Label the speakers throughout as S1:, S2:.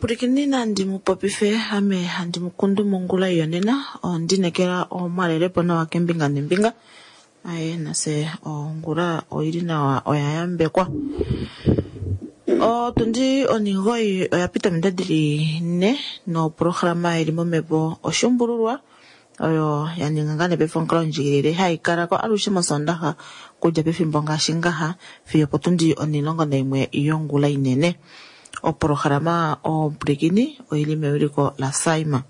S1: Omupulikini nandi mu popife ame handi mu kundu mongula yonena ondinekela omwalelepo nawa kembinga nembinga aye nase ongula oili nawa oya yambekwa. Otundi 9 oya pita ominute dili 4 noprograma ili momhepo oshuumbululwa oyo ya ninga ngaa nee paife omukalo ndjikilile hai kala ko alushe mosondaxa kudja pefimbo ngaashi ngaha fiyo potundi 11 yongula inene. Oprograma omupulikini oili mewiliko laSaima.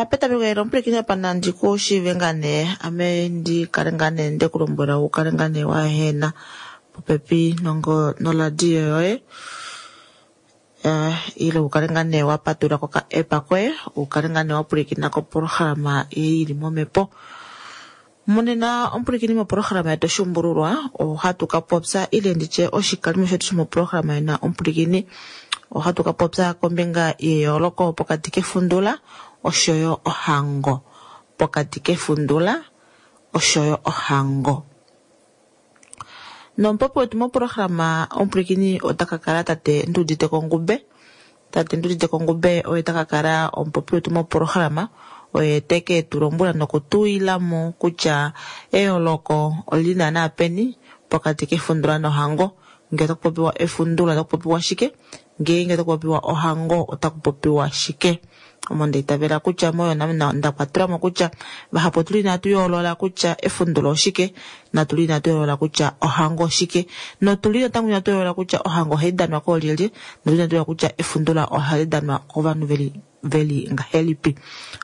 S1: Petameko elo omupulikini apa nandi ku shiive ngaa nee ame ndi kale ngaa nee nde ku lombwela u kale ngaa nee waehena popepi noradio yoye ile u kale ngaa nee wa patulula ko ka app koye u kale ngaa nee wa pwilikina koprograma ei ili momhepo. Monena omupulikini moprograma yetu oshuumbululwa ohatu ka popya ile nditye oshikalimo shetu shomoprograma yena omupulikini ohatu ka popya kombinga yeyooloko pokati kefundula oshoyo ohango. Pokati kefundula oshoyo ohango. Nomupopi wetu moprograma omupulikini ota ka kala tate Nduudite Kongube. Tate Nduudite Kongube oye ta ka kala omupopi wetu moprograma oye teke tu lombwela nokutuila mo kutya eyooloko olili naana peni pokati kefundula nohango. Ngee otaku popiwa efundula otaku popiwa shike, ngeenge otaku popiwa ohango otaku popiwa shike. Omo nda itavela kutya moyo nda kwatelwa mo kutya vahapu otuli inatu yoolola kutya efundula oshike, natuli inatu yoolola kutya ohango oshike, notuli natango inatu yoolola kutya ohango ohai danwa koolyelye, notuli inatu yoolola kutya efundula ohali danwa kovanhu veli ngahelipi.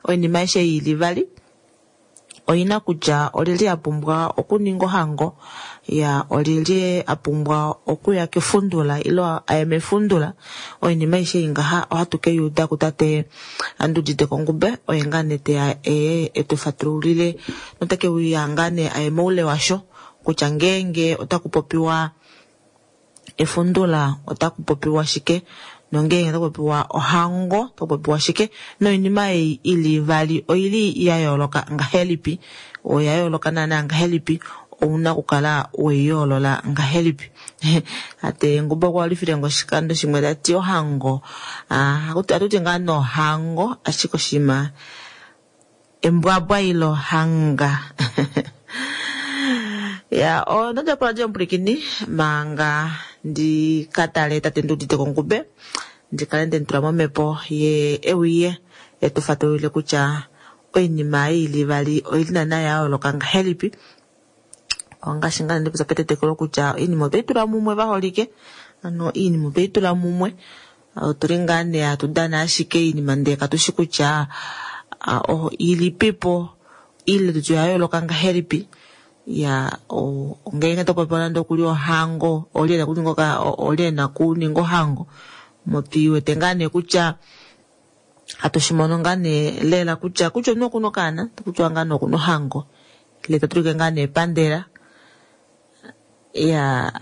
S1: Oinima aishe ei ili vali oina kutya olyelye a pumbwa okuninga ohango, ya olyelye a pumbwa okuya kefundula ile aye mefundula. Oinima aishe ei ngaha ohatu ke yuuda kutate Andudite Kongube oye ngaa nee teya eye etu fatululile noteke uya ngaa nee aye moule washo kutya ngeenge otaku popiwa efundula otaku popiwa shike nongeenge otaku popiwa ohango otaku popiwa shike noinima ei ili vali oili ya yooloka ngahelipi, oya yooloka naana ngahelipi, ouna okukala weiyoolola ngahelipi. Tate Ngumba okwa lifile ngo oshikando shimwe tati ohango atuti ngaa nohango ashike oshinima embwabwa ile ohanga. Ya onodja poradio omupulikini manga ndi ka tale tate Nduudite Kongube ndi kale nde mutula momhepo ye euye etu fatululile kutya oinima ei ili vali oili naana ya yooloka ngahelipi. Ongaashi ngaa ndipopya petetekelo kutya oinima otweyi tula mumwe vaholike, ano oinima otweyi tula mumwe otuli ngaa nee hatu dana ashike oinima ndee katushi kutya ilipipo ile tutye oya yooloka ngahelipi. Ya ngeenge topopiwa nande okuli ohango olye ena okuninga ohango motwiiwete ngaa nee kutya hatu shimono ngaa nee lela kutya kutya omunhu okuna okaana takutiwa ngaa nee okuna ohango ile tatulike ngaa nee epandela. Ya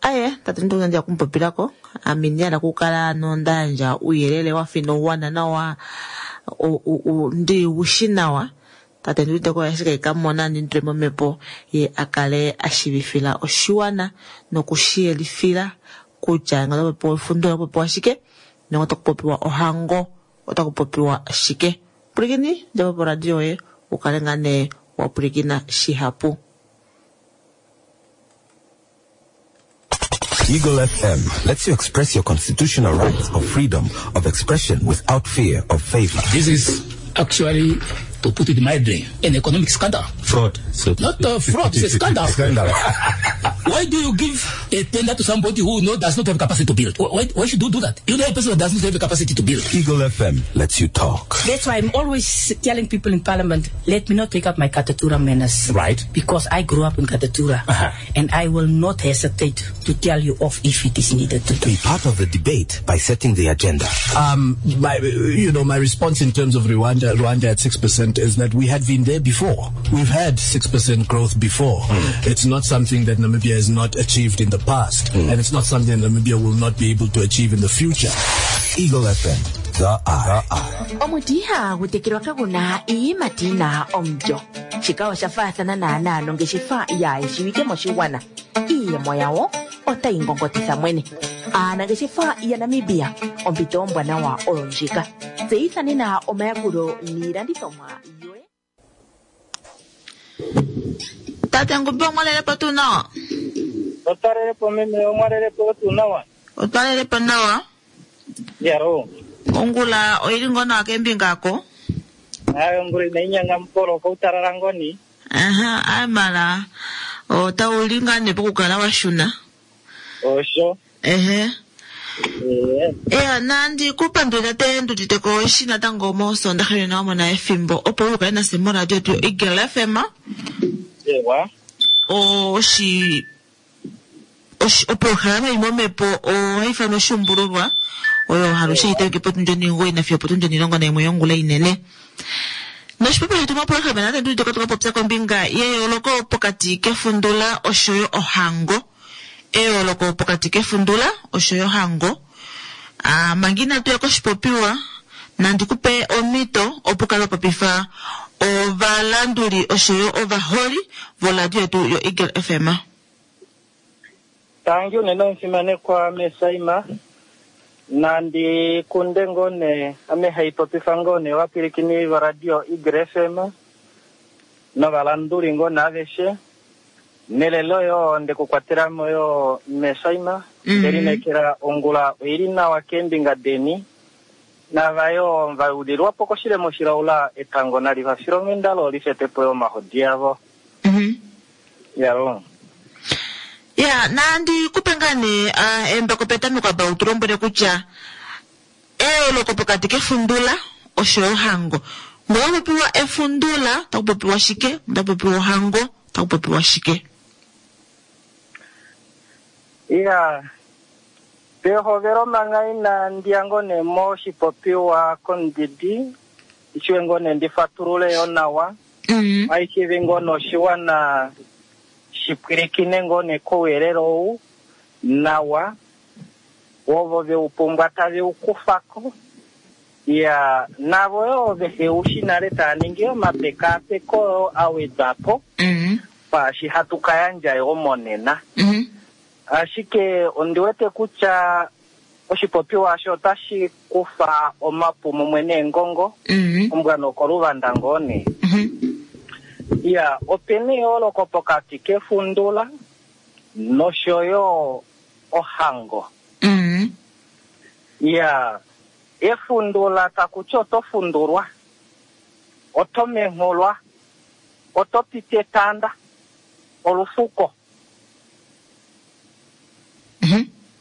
S1: aye tate ndonga kumupopilako ame indihala okukala nonda yandja ouyelele wafa inauwana nawa ndi ushi nawa. Tate Nduudite ko ashike kamona ndimutule momhepo ye akale ashivifila oshiwana nokushiyelifila kutya ngee otakupopiwa efundula otakupopiwa shike nenge otakupopiwa ohango otakupopiwa shike. Pwilikini djapo poradio yoye ukale ngaa nee wa pwilikina shihapu.
S2: Eagle FM lets you express your constitutional rights of freedom of expression without fear of favor.
S3: This is actually, to put it mildly, an economic scandal.
S2: Fraud. So
S3: Not a fraud, it's a scandal.
S2: Scandal.
S3: Why do you give a tender to somebody who does not have capacity to build? Why should you do that? You know a person that does not have the capacity to build.
S2: Eagle FM lets you talk.
S4: That's why I'm always telling people in Parliament, let me not take up my Katutura manners.
S3: Right.
S4: Because I grew up in Katutura.
S3: Uh-huh.
S4: And I will not hesitate to tell you off if it is needed to do.
S2: Be part of the debate by setting the agenda.
S5: My response in terms of Rwanda at 6% is that we had been there before. We've had 6% growth before. It's not something that Namibia has not achieved in the past, and it's not something that Namibia will not be able to achieve in the future.
S2: Eagle FM. The Eye.
S6: Omuti ihagu tekelwa kagu na iiyimati yi na omulyo. Shika osha faathana naanaa nongeshefa yaa shiwike moshigwana. Iiyemo yawo otayi ngongotitha mwene. Aanangeshefa yaNamibia, ompito ombwanawa oyo ndjika. Tseyitha nena omayakulo niilandithomwa yoye.
S1: Tate Ngumbi omwalelepo tuu nawa?
S7: Otwalelepo meme, omwalelepo tuu nawa?
S1: Otwalelepo nawa.
S7: Yaro.
S1: Ongula oili ngoo nawa kembinga ako?
S7: Ayi ongula inayi nyanga mupolo koutalala ngoni.
S1: Aha, ayi mala otauli ngaa nee pokukala wa shuna.
S7: Osho.
S1: Ehe.
S7: Ee.
S1: Eya, nandi ku pandule tate Nduditeko eshi natango mOsoondaxa yonena wa mona efimbo opo u kale nafye moradio yetu yoEagle FM.
S7: Ewa.
S1: Oshi oshi oprograma imwe yomhepo ohai ifanwa oshuumbululwa oyo halushe hai tameke potundi onhinguwoi nafiyo opotundi onhilongo naimwe yongula inene. Noshipopiwa shetu moprograma nande Nduditeko otwa ka popya kombinga yeyooloko pokati kefundula oshoyo ohango. Eyooloko pokati kefundula oshoyo ohango. A manga inatu ya koshipopiwa, nandi ku pe omhito opo u kale wa popifa ovalanduli oshoyo ovaholi voradio yetu yoEagle FM.
S7: Tangi unene omufimanekwa Mesaima. Nandi kunde ngoo nee, ame hai popifa ngoo nee ovapwilikini voradio Eagle FM novalanduli ngoo nee aveshe. Nelelo yoo nde ku kwatela mo yoo Mesaima. Nde lineekela ongula oi li nawa keembinga deni. Nava yoo va yulilwa po koshilemo shilaula etango nali va file onghenda lo li fete po yoo omahodi avo. Yalo.
S1: Ya, nandi ku pe ngaa nee embako petameko apa u tu lombwele kutya eyooloko pokati kefundula oshoyo ohango. Ngee otaku popiwa efundula otaku popiwa shike, ngee otaku popiwa ohango otaku popiwa shike?
S7: Ya, pehovelo manga inandi ya ngoo nee moshipopiwa komudidi, ishiwe ngoo nee ndi fatulule yoo nawa, aishivi ngoo nee oshiwana shi pwilikine ngoo nee kouyelele ou nawa, ovo ve u pumbwa tave u kufa ko, ya navo yoo vehe u shi nale tava ningi omapekaapeko oo a wedwa po kwaashi hatu ka yandja yoo monena. Ashike ondi wete kutya oshipopiwa osho otashi kufa omapu mumwe neengongo, ombwa nokoluvanda ngoo nee. Iya, ope na eyooloko pokati kefundula nosho yo ohango. Iya, efundula taku ti oto fundulwa, oto menghulwa, oto piti etanda, olufuko.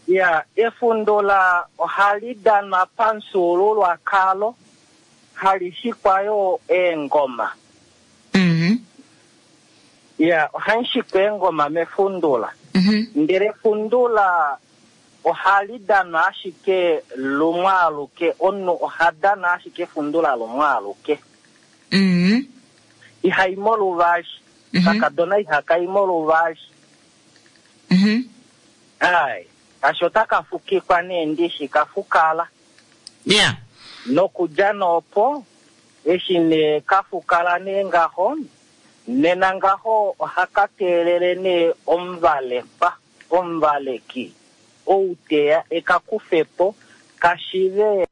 S7: Iya, efundula ohali danwa pamufyuululwakalo, hali shikwa yo eengoma. Iya, ohamu shikwa eengoma mefundula. Ndele efundula ohali danwa ashike lumwe aluke, omunhu oha dana ashike efundula lumwe aluke. Ihai mo luvali. Kakadona ihaka i mo luvali. Ai, kasho otaka fukikwa nee ndishi ka fukala. Nokudja nee opo, eshi nee ka fukala nee ngaho, nena ngaho ohaka teelele nee omuvalekwa, omuvaleki, ou teya e ka kufe po, ka shive.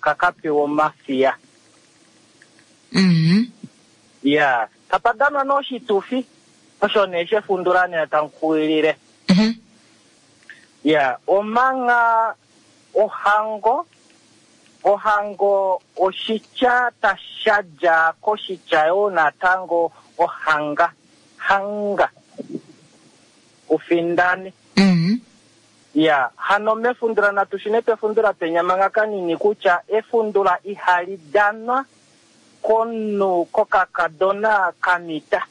S7: Ka ka pewa omafiya. Ya, tapa danwa nee oshitufi, osho nee shefundula nee tamu kuwilile. Ya, omangha ohango, ohango oshitya sha dja koshitya yoo natango ohanga, hanga, ufindane. Iya, hano mefundula natu shune pefundula penya manga kanini kutya efundula ihali danwa komunhu kokakadona ka mita.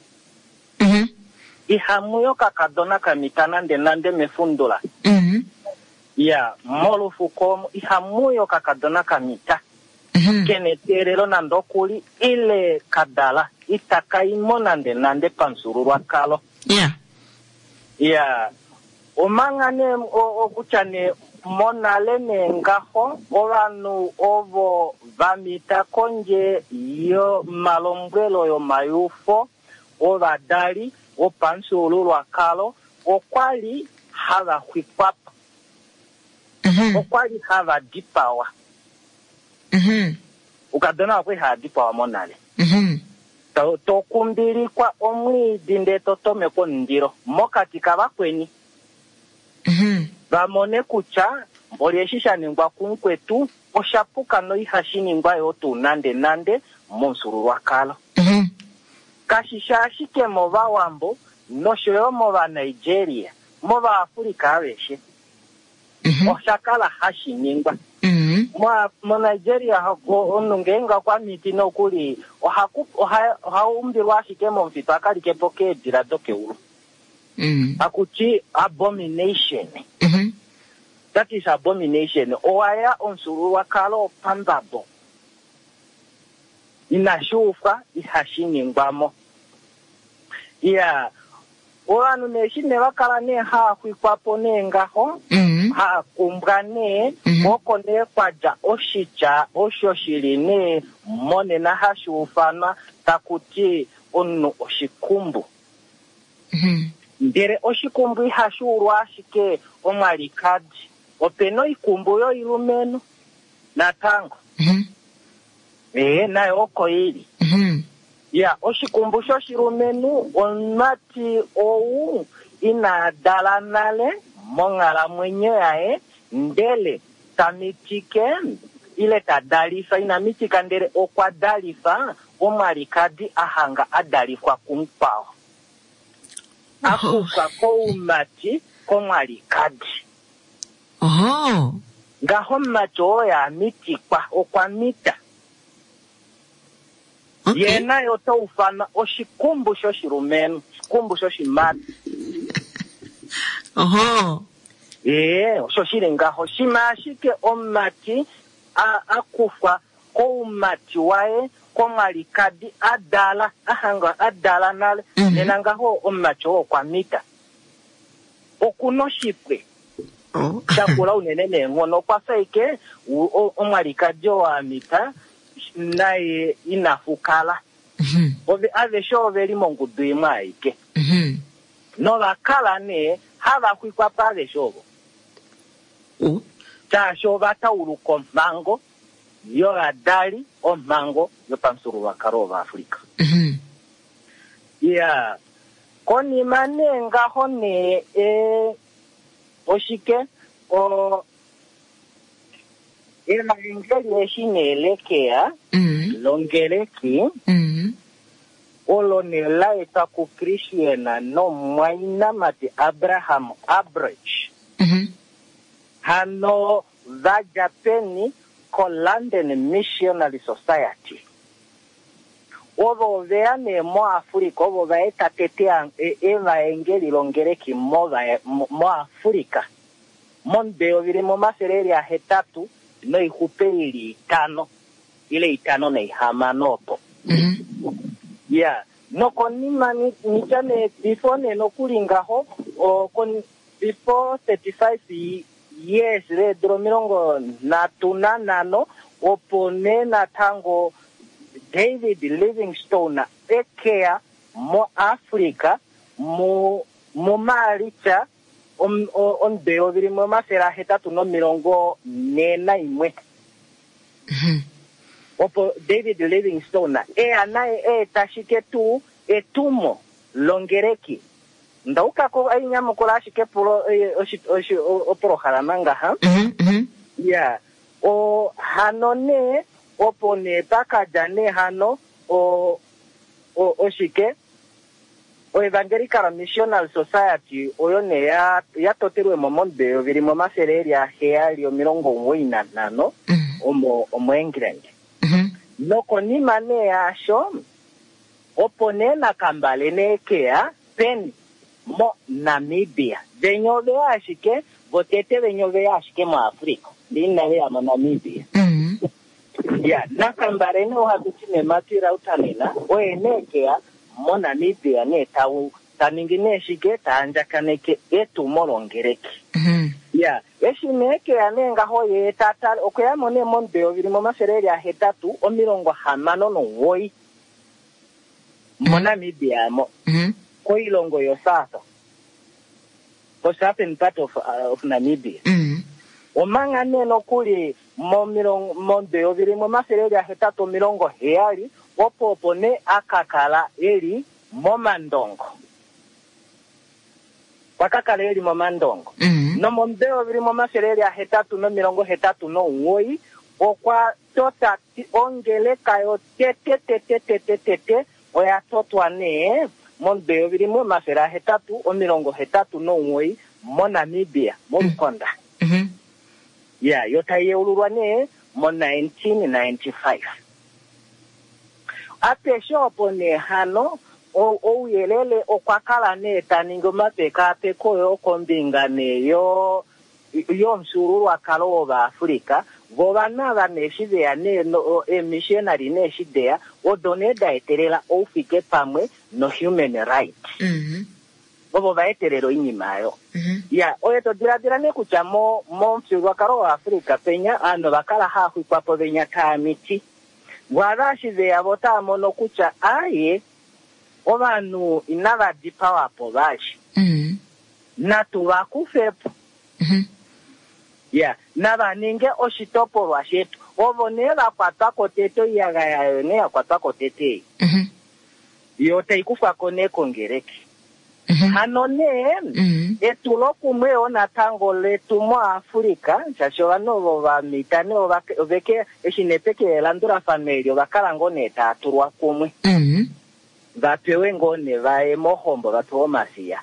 S7: Ihamu yi okakadona ka mita nande nande mefundula. Iya, molufuko omo ihamu yi okakadona ka mita. Kena eteelelo nande okuli ile ka dala, itaka i mo nande nande pamufyuululwakalo. Ya, omanga nee okutya nee monale nee ngaho ovanhu ovo va mita kondje yomalombwelo yomayufo ovadali wopamufyuululwakalo okwa li hava xwikwa po. Okwa li hava dipawa. Oukadona okwa li hava dipawa monale. To kumbilikwa omwiidi ndee to tomekwa omundilo mokati kavakweni. Va mone kutya mboli eshi sha ningwa kumukwetu osha puka noihashi ningwa yoo tuu nande nande momufyuululwakalo. Kashi shi ashike mOvawambo nosho yo mOvanigeria, mOvaafrika aveshe osha kala hashi ningwa. MoNigeria omunhu ngeenge okwa miti nokuli oha umbilwa ashike momufitu a ka like po keedila dokeulu. Haku ti abomination. That is abomination. Owa ya omufyuululwakalo wopambabo. Inashi ufwa, ihashi ningwa mo. Iya, ovanhu nee eshi nee va kala nee haa xwikwa po nee ngaho, haa kumbwa nee, oko nee kwa dja oshitya osho shi li nee monena hashi ufanwa taku ti omunhu oshikumbu. Ndele oshikumbu ihashi ulwa ashike omwalikadi, ope na oikumbu yoilumenhu natango. Ee, nayo oko i li. Ya, oshikumbu shoshilumenhu omumati ou ina dala nale monghalamwenyo yaye, ndele ta mitike ile ta dalifa, ina mitika ndele okwa dalifa omwalikadi a hanga a dalifwa kumukwao. A kufwa koumati komwalikadi.
S1: Oho.
S7: Ngaho omumati oo ya mitikwa okwa mita.
S1: Okay.
S7: Ye naye ota ufanwa oshikumbu shoshilumenhu, oshikumbu shoshimati.
S1: Oho.
S7: Ee, osho shi li ngaho. Shima ashike omumati a, a kufwa koumati waye komwalikadi a dala, a hangwa a dala nale, nena ngaho omumati oo okwa mita. Oku na oshipwe.
S1: Oh.
S7: Sha kula unene neenghono. Okwa fa ashike omwalikadi oo a mita naye ina fukala. Ove aveshe ove li mongudu imwe aike. Nova kala nee hava xwikwa po aveshe ovo. Shaashi ova tauluka omhango yovadali, omhango yopamufyuululwakalo wOvaafrika. Iya, konima nee ngaho nee e, oshike o, evaengeli eshi nee lekeya longeleki olo nee la etwa kuChristian nomumwainamati Abraham Abridge. Hano va dja peni koLondon Missionary Society. Ovo ove ya nee moAfrica, ovo va eta tete evaengeli longeleki moAfrica momudo 1885 ile 56 opo. Ya, nokonima nitya nee before nee nokuli ngaho, before 35 years leedula 35 opo nee natango David Livingstone ekeya moAfrica muMaalitsa omudo 1841. Opo David Livingstone eya naye eeta shike tuu etumo longeleki. Ndaukako ainyamukula ashike pulo opolohalama ngaha. Ya, o hano nee opo nee pakadja nee hano o oshike oEvangelical Missionary Society oyo nee ya totelwe mo momudo 1795 omo omoEngland. Nokonima nee yaasho opo nee Nakambale nee keya peni mo Namibia. Venya oveya ashike votete venya oveya ashike moAfrica. Ndee inave ya moNamibia. Ya, Nakambale nee ohatu ti nee Matti Rautanen oye nee keya moNamibia nee Ta ningi nee shike? Ta andjakaneke etumo longeleki. Ya, eshi nee keya nee ngaho ye ta tale, okwe ya mo nee momudo eyovi limwe omafele eli ahetatu 69 moNamibia mo, koilongo yoSouth, ko-southern part of, of Namibia. Omanga nee nokuli momilongo momudo 1870 opo opo nee a ka kala e li momandongo. Okwa ka kala e li momandongo. Nomomudo 1889 okwa tota ongeleka yotete tete tete tete oya totwa nee momudo 1889 moNamibia, mOlukonda. Ya, yo tai yeululwa nee mo 1995. Apeshe opo nee hano ouyelele okwa kala nee ta ningi omapekaapeko yo kombinga nee yo yomufyuululwakalo wOvaafrika, vo ovanhu ava nee eshi veya nee eemissionary nee eshi deya, odo nee da etelela oufike pamwe no human right. Ovo va etelela oinima oyo. Ya, oye to diladila nee kutya mo momufyuululwakalo waAfrika penya ovanhu ova kala hava xwikwa po venya taa miti. Vo ava eshi veya vo otava mono kutya aaye ovanhu inava dipawa po vali. Natu va kufe po. Ya, nava ninge oshitopolwa shetu. Ovo nee va kwatwa ko tete, oiyagaya oyo nee ya kwatwa ko tete ei. Yo tai kufwa ko nee kongeleki. Hano nee, etulokumwe yoo natango letu moAfrika, shaashi ovanhu ovo va mita nee ova, oveke, eshi nee peke elandulafano eli ova kala ngoo nee taa tulwa kumwe. Va pewe ngoo nee va ye mohombo, va pewe omafiya.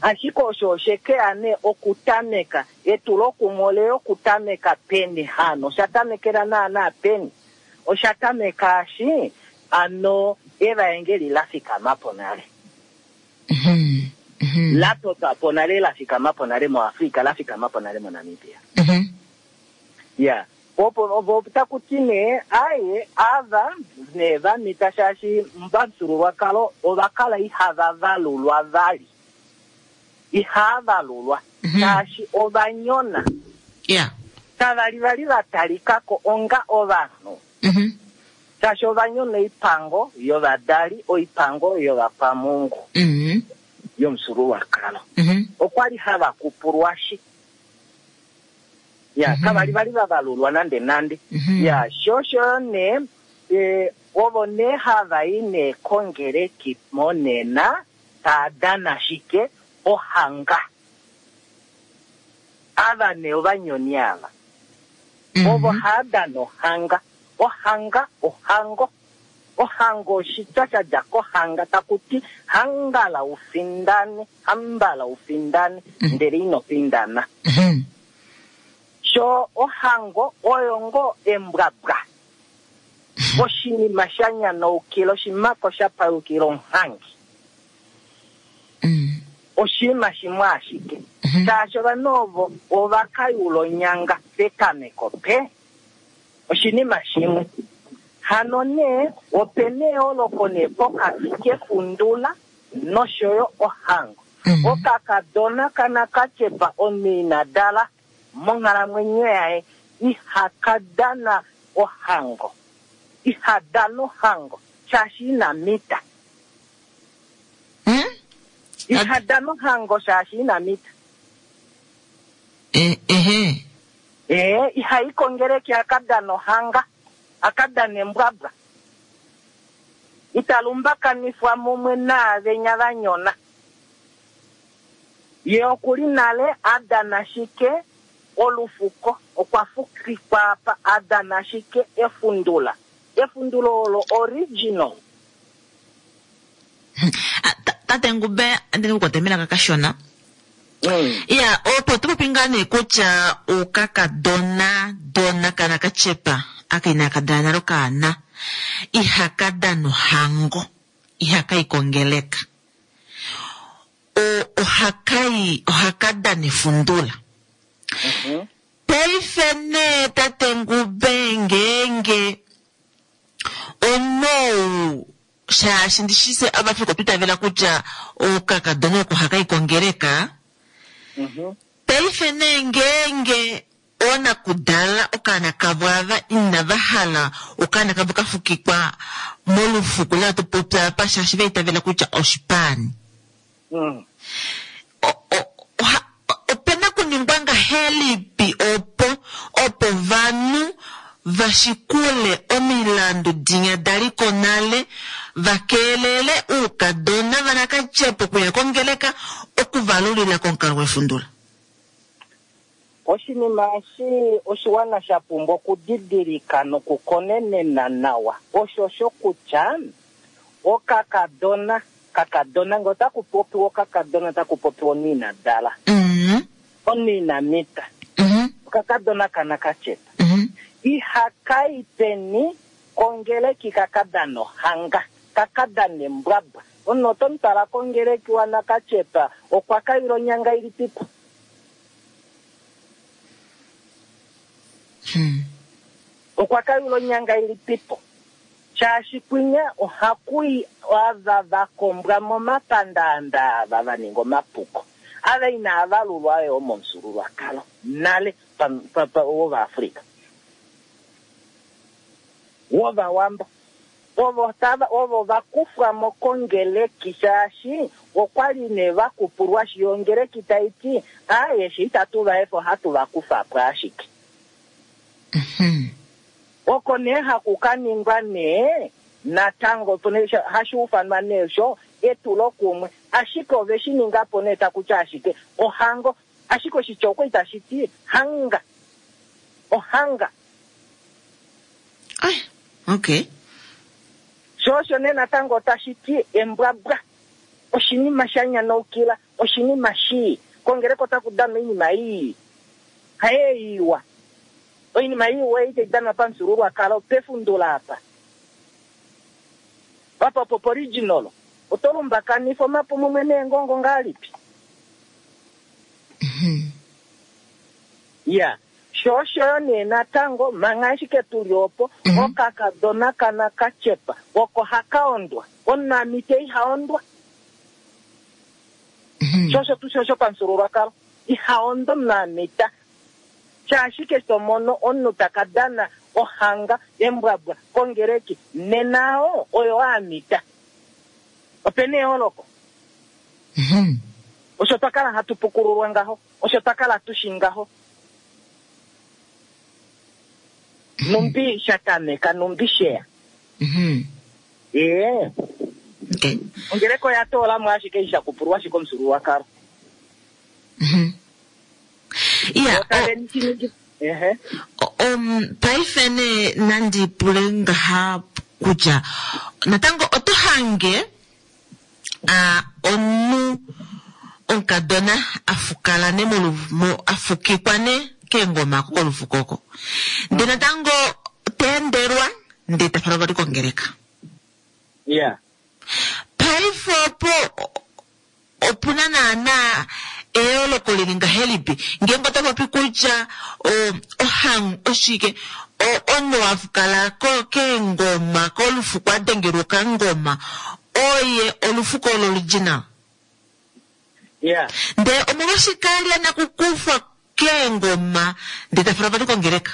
S7: Ashike osho oshe ke ya nee okutameka, etulokumwe ole ya okutameka peni hano? Osha tamekela naanaa peni? Osha tameka eshi ano evaengeli la fikama po nale. La totwa po nale, la fikama po nale moAfrika, la fikama po nale moNamibia. Ya, opo ovo taku ti nee, aye, ava nee va mita shaashi pamufyuululwakalo ova kala ihava valulwa vali. Ihaa valulwa shaashi ova nyona. Kava li vali va talika ko onga ovanhu shaashi ova nyona oipango yovadali, oipango yovakwamungu yomufyuululwakalo. Okwa li hava kupulwashi. Ya, kava li vali va valulwa nande nande. Ya, sho osho nee, e, ovo nee hava i nee kongeleki monena taa dana shike? Ohanga. Ava nee ovanyoni ava. Ovo haa dana ohanga. Ohanga, ohango. Ohango oshitya sha dja kohanga taku ti hangala u findane, hambala u findane, ndele ino findana. Sho ohango oyo ngoo embwabwa. Oshinima sha nyanaukila, oshimako sha payukila omhangi. Oshinima shimwe ashike. Shaashi ovanhu ovo ova ka yula onyanga petameko pe. Oshinima shimwe. Hano nee, ope na eyooloko nee pokati kefundula nosho yo ohango. Okakadona kanakatyepa omunhu ina dala monghalamwenyo yaye ihaka dana ohango. Iha dana ohango shaashi ina mita. Iha dana ohango shaashi ina mita.
S1: Ehe.
S7: Ee, iha i kongeleki a ka dane ohanga, a ka dane embwabwa. Ita lumbakanifwa mumwe naavenya va nyona. Ye oku li nale a dana shike olufuko, okwa fukikwa apa, a dana shike efundula. Efundula olo original.
S1: Tate Ngube, andi ku kwate melaka kashona. Ya, opo to popi ngaa nee kutya okakadona dona kana ka tyepa aka inaaka dala nale okaana ihaka dana ohango, ihaka yi kongeleka. O, ohaka yi, ohaka dana efundula. Paife nee tate Ngube ngeenge omunhu ou. Shaashi ndishi se Avafrika otwa itavela kutya okakadona oko haka i kongeleka. Paife nee ngeenge oonakudala okaana kavo ava inava hala okaana kavo ka fukikwa molufuko la tu popya apa shaashi va itavela kutya oshipaani. Opena kuningwa ngahelipi opo opo ovanhu va shikule omilandu dinya da li ko nale va keelele oukadona vanakatyepa okuya kongeleka okuvalulila komukalo wefundula?
S7: Oshinima eshi oshiwana sha pumbwa okudidilika nokukonenena nawa oshosho kutya okakadona, kakadona, ngee otaku popiwa okakadona otaku popiwa omunhu ina dala, omunhu ina mita, okakadona kanakatyepa, ihaka i peni kongeleki ka ka dane ohanga, ka ka dane embwabwa. Omunhu oto mu twala kongeleki wanakatyepa okwa kayula onyanga ilipipo? Okwa kayula onyanga ilipipo? Shaashi kwinya ohaku i ava va kombwa momapandaanda ava va ninga omapuko, ava inaa valulwa yo momufyuululwakalo nale wOvaafrika, wOvawambo. Ovo tava, ovo va kufwa mo kongeleki shaashi okwa li nee va kupulwashi yo ongeleki tai ti, Aaye, she itatu va efa ohatu va kufa po ashike. Oko nee haku ka ningwa nee natango hashi ufanwa nee sho etulokumwe, ashike ove shi ninga po nee taku ti ashike ohango, ashike oshitya okwa itashi ti hanga, ohanga.
S1: Ai, okay.
S7: Sho osho nee natango otashi ti embwabwa, oshinima sha nyanaukila, oshinima shii. Kongeleka otaku danwa oinima ii, haye iwa. Oinima iwa ei tai danwa pamufyuululwakalo pefundula apa. Apa opo poriginal. Oto lumbakanifa omapu mumwe neengongo ngahelipi? Ya. Sho osho yo nee natango, manga ashike tu li opo, okakadona kanakatyepa oko haka ondwa. Omunamiti iha ondwa. Sho osho tuu sho pamufyuululwakalo. Iha ondwa omunamita. Shaashi keshe to mono omunhu ta ka dana ohanga, embwabwa, kongeleki, nena oo oyo a mita. Ope na eyooloko. Osho twa kala hatu pukululwa ngaho. Osho twa kala tu shi ngaho. Numbi sha tameka, numbi sheya. Ee. Ongeleka oya toola mo ashike eshi sha kupulwa ashike omufyuululwakalo.
S1: Iya, paife nee nandi pule ngaha kutya natango oto hange omunhu omukadona a fukala ne a fukikwa ne keengoma kolufuko oko ndee natango ta endelwa ndee ta falwa vali kongeleka. Paife opo Opu na naanaa eyooloko li li ngahelipi ngeenge oto popi kutya ohang oshike omunhu wa kala keengoma kolufuko a dengelwa okangoma oye olufuko loriginal? Ndele omolwashike a li a nakukufwa keengoma ndele ta falwa vali kongeleka?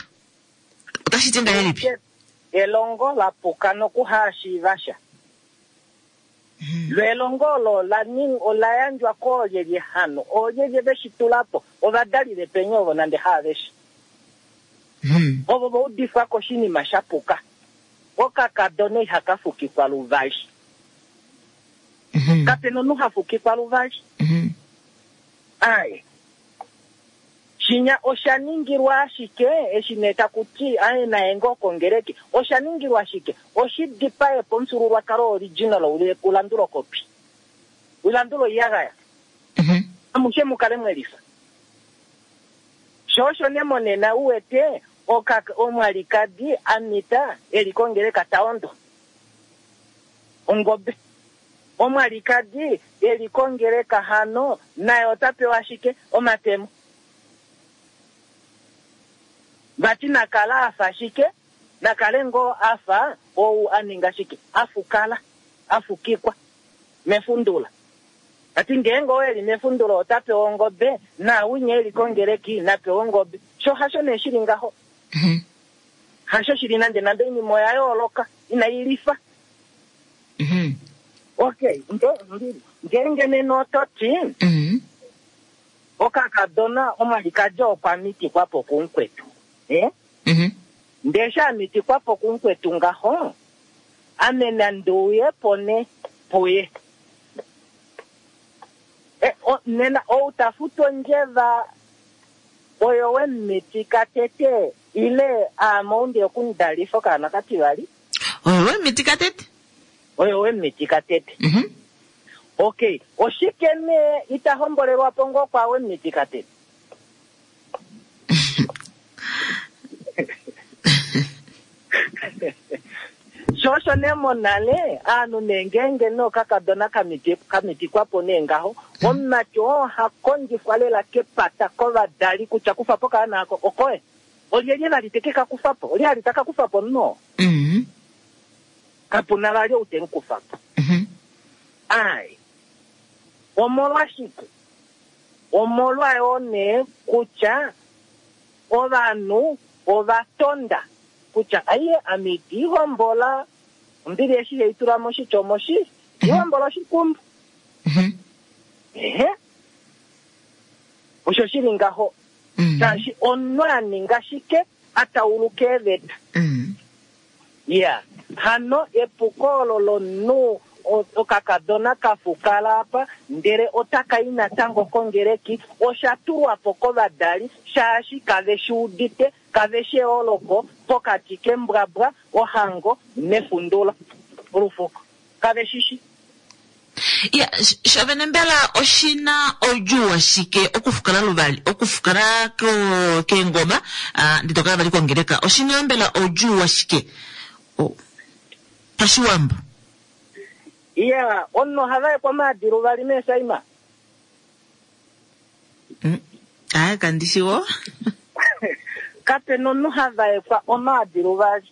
S1: Otashi ti ngahelipi?
S7: Elongo la puka nokuhaashiiva sha. Lo elongo olo ola ning, ola yandjwa koolyelye hano? Oolyelye ve shi tula po? Ovadali vepenya ovo nande haaveshe. Ovo va udifwa koshinima sha puka. Okakadona ihaka fukikwa luvali. Kape na omunhu ha fukikwa luvali. Aaye. Shinya osha ningilwa ashike, eshi nee taku ti, aye naye ngoo kongeleki, osha ningilwa shike? Oshi dipae po omufyuululwakalo original u landule okopi. U landule oiyagaya. Amushe mu kale mwe lifa. Sho osho nee monena u wete oka, omwalikadi a mita e li kongeleka ta ondwa ongobe. Omwalikadi e li kongeleka hano naye ota pewa ashike omatemo. Vati na kala a fa shike? Na kale ngoo a fa ou a ninga shike? A fukala. a fukikwa mefundula. Ati ngeenge oo eli mefundula ota pewa ongobe, naawinya eli kongeleki na pewa ongobe. Sho hasho nee shili ngaho. Hasho shili nande nande, oinima oya yooloka, inai lifa. Okay, ngeenge nena oto ti okakadona omwalikadi okwa mitikwa po kumukwetu. Ndee eshi a mitikwa po kumukwetu ngaho, ame nandi uye po ne puye. Nena ou ta futu ondjeva oyo we mu mitika tete, ile aame ou ndi okumudalifa okaana kativali?
S1: Oyo we mu mitika tete.
S7: Oyo we mu mitika tete. Okay, oshike nee ita hombolelwa po ngoo kwaa we mu mitika tete? Sho osho nee monale aanhu nee ngeenge nee okakadona ka mitikwa po nee ngaho, omumati oo oha kondjifwa lela kepata kovadali kutya kufa po okaana ako, okoye. Olyelye vali te ke ka kufa po? Olye ali ta ka kufa po omunhu oo? Kapu na vali ou te mu kufa po. Ai. Omolwashike? Omolwa yoo nee kutya ovanhu ova tonda kutya aiye ame iti hombola, ombili eshi hei tula moshitya omoshi, iti hombola oshikumbu. Ehe. Osho shili ngaho. Shaashi omunhu a ninga shike a tauluka eeveta. Ya, hano epuko olo lomunhu okakadona ka fukala apa ndele otaka i natango kongeleki, osha tulwa po kovadali shaashi kave shi udite, kave shi eyooloko pokati kembwabwa, ohango nefundulo, olufuko. Kave shi shi.
S1: Ya, shovene mbela oshi na oudjuu washike okufukala luvali, okufukala keengoma, ndee to kala vali kongeleka? Oshi na mbela oudjuu washike pashiwambo?
S7: Ya, omunhu oha vaekwa omaadi luvali meesaima.
S1: Aaye, kandi shi wo.
S7: Kape na omunhu ha vaekwa omaadi luvali.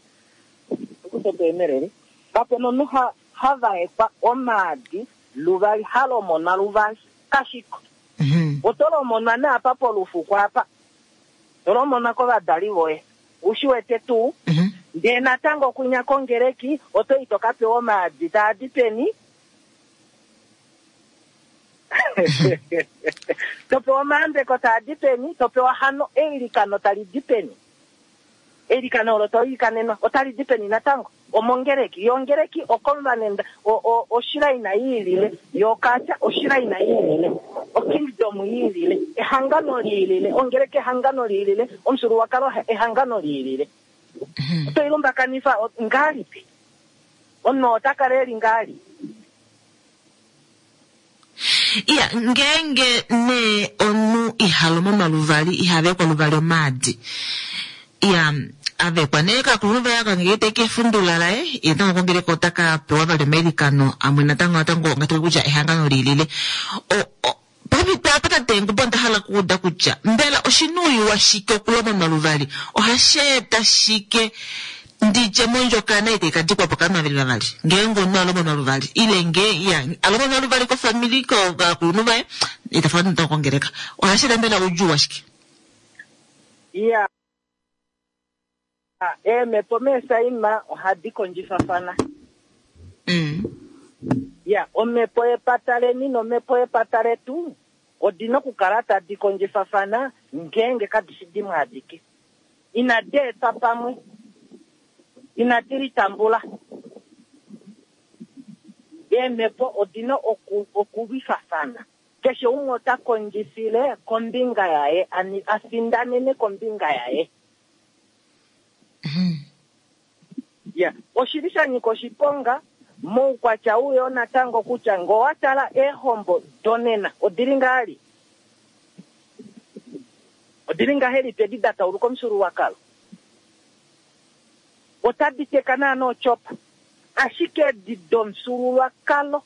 S7: Kape na omunhu ha ha vaekwa omaadi luvali, ha lomonwa luvali. Kashiko. Oto lomonwa nee apa polufuko apa. To lomonwa kovadali voye. U shi wete tuu? Ndee natango kwinya kongeleki oto i to ka pewa omaadi taa di peni? To pewa omayambeko taa di peni? To pewa hano eilikano tali di peni? Eilikano olo to ilikanenwa otali di peni natango? Omongeleki. Yo ongeleki okonvanenda, o, o, oshiraina i ilile. Yo okaatya oshiraina i ilile. Okingdom i ilile. Ehangano li ilile. Ongeleki ehangano li ilile. Omufyuululwakalo ehangano li ilile. Oto i lumbakanifa ngahelipi? Omunhu ota kala e li ngahelipi?
S1: Iya, ngeenge nee omunhu iha lomonwa luvali, iha vekwa luvali omaadi. Iya, a vekwa nee kakulunhu vaye aka ngee te kefundula laye, ye natango kongeleka ota ka pewa vali omailikano amwe natango natango ngaashi kutya ehangano liilile. O, o, pomhito apa tate Ngubo onda hala okuuda kutya mbela oshinuuyiwa shike okulomonwa luvali? Ohashi eta shike ndi dje mondjokana itai ka dikwa po kovanhu vavali vavali ngeenge omunhu a lomonwa luvali ile nge ya a lomonwa luvali kofamili kovakulunhu vaye ita fala natango kongeleka ohashi eta mbela oudjuu washike?
S7: Iya, eemhepo meesaima ohadi kondjifafana. Ya, omhepo yepata leni nomhepo yepata letu odi na okukala tadi kondjifafana ngeenge kadi shi dimwe adike. Inadi etwa pamwe. Inadi litambula. Eemhepo odi na oku, okulwifafana. Keshe umwe ota kondjifile kombinga yaye, a findanene kombinga yaye. Ya, oshi li sha nyika oshiponga moukwatya ou yoo natango kutya ngee owa tala eehombo donena odi li ngahali? Odi li ngahelipi edi da tauluka omufyuululwakalo? Otadi teka naana otyopa. Ashike edi domufyuululwakalo,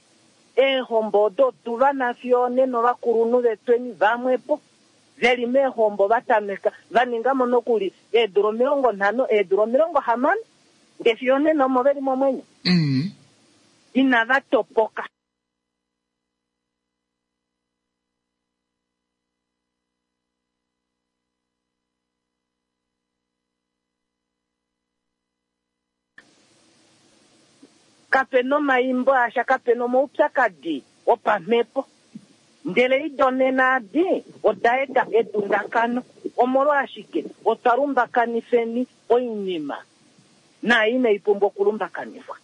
S7: eehombo odo otu va na fiyo onena ovakulunhu vetweni vamwepo ve li meehombo va tameka, va ninga mo nokuli eedula 50, eedula 60, ndee fiyo onena omo ve li momwenyo. Inava topoka. Kape na omaimbo asha, kape na omaupyakadi opamhepo. Ndele ido nena adi oda eta edundakano. Omolwashike otwa lumbakanifeni oinima naai inai pumbwa okulumbakanifwa.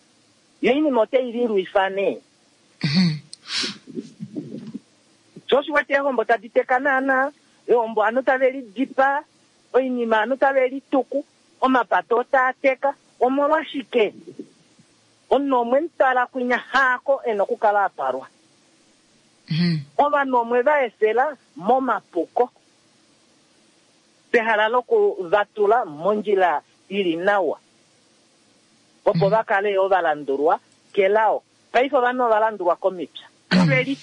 S7: Yo oinima otai lilwifa nee. Sho osho wete eehombo tadi teka naana, eehombo ovanhu tave lidipaa, oinima ovanhu tave lituku, omapato otaa teka. Omolwashike? Omunhu omwe mu twala kwinya haako e na okukala a twalwa. Ovanhu omwe va efela momapuko pehala loku va tula mondjila i li nawa opo va kale yoo va landulwa kelao. Paife ovanhu ova landulwa komipya. Ove li.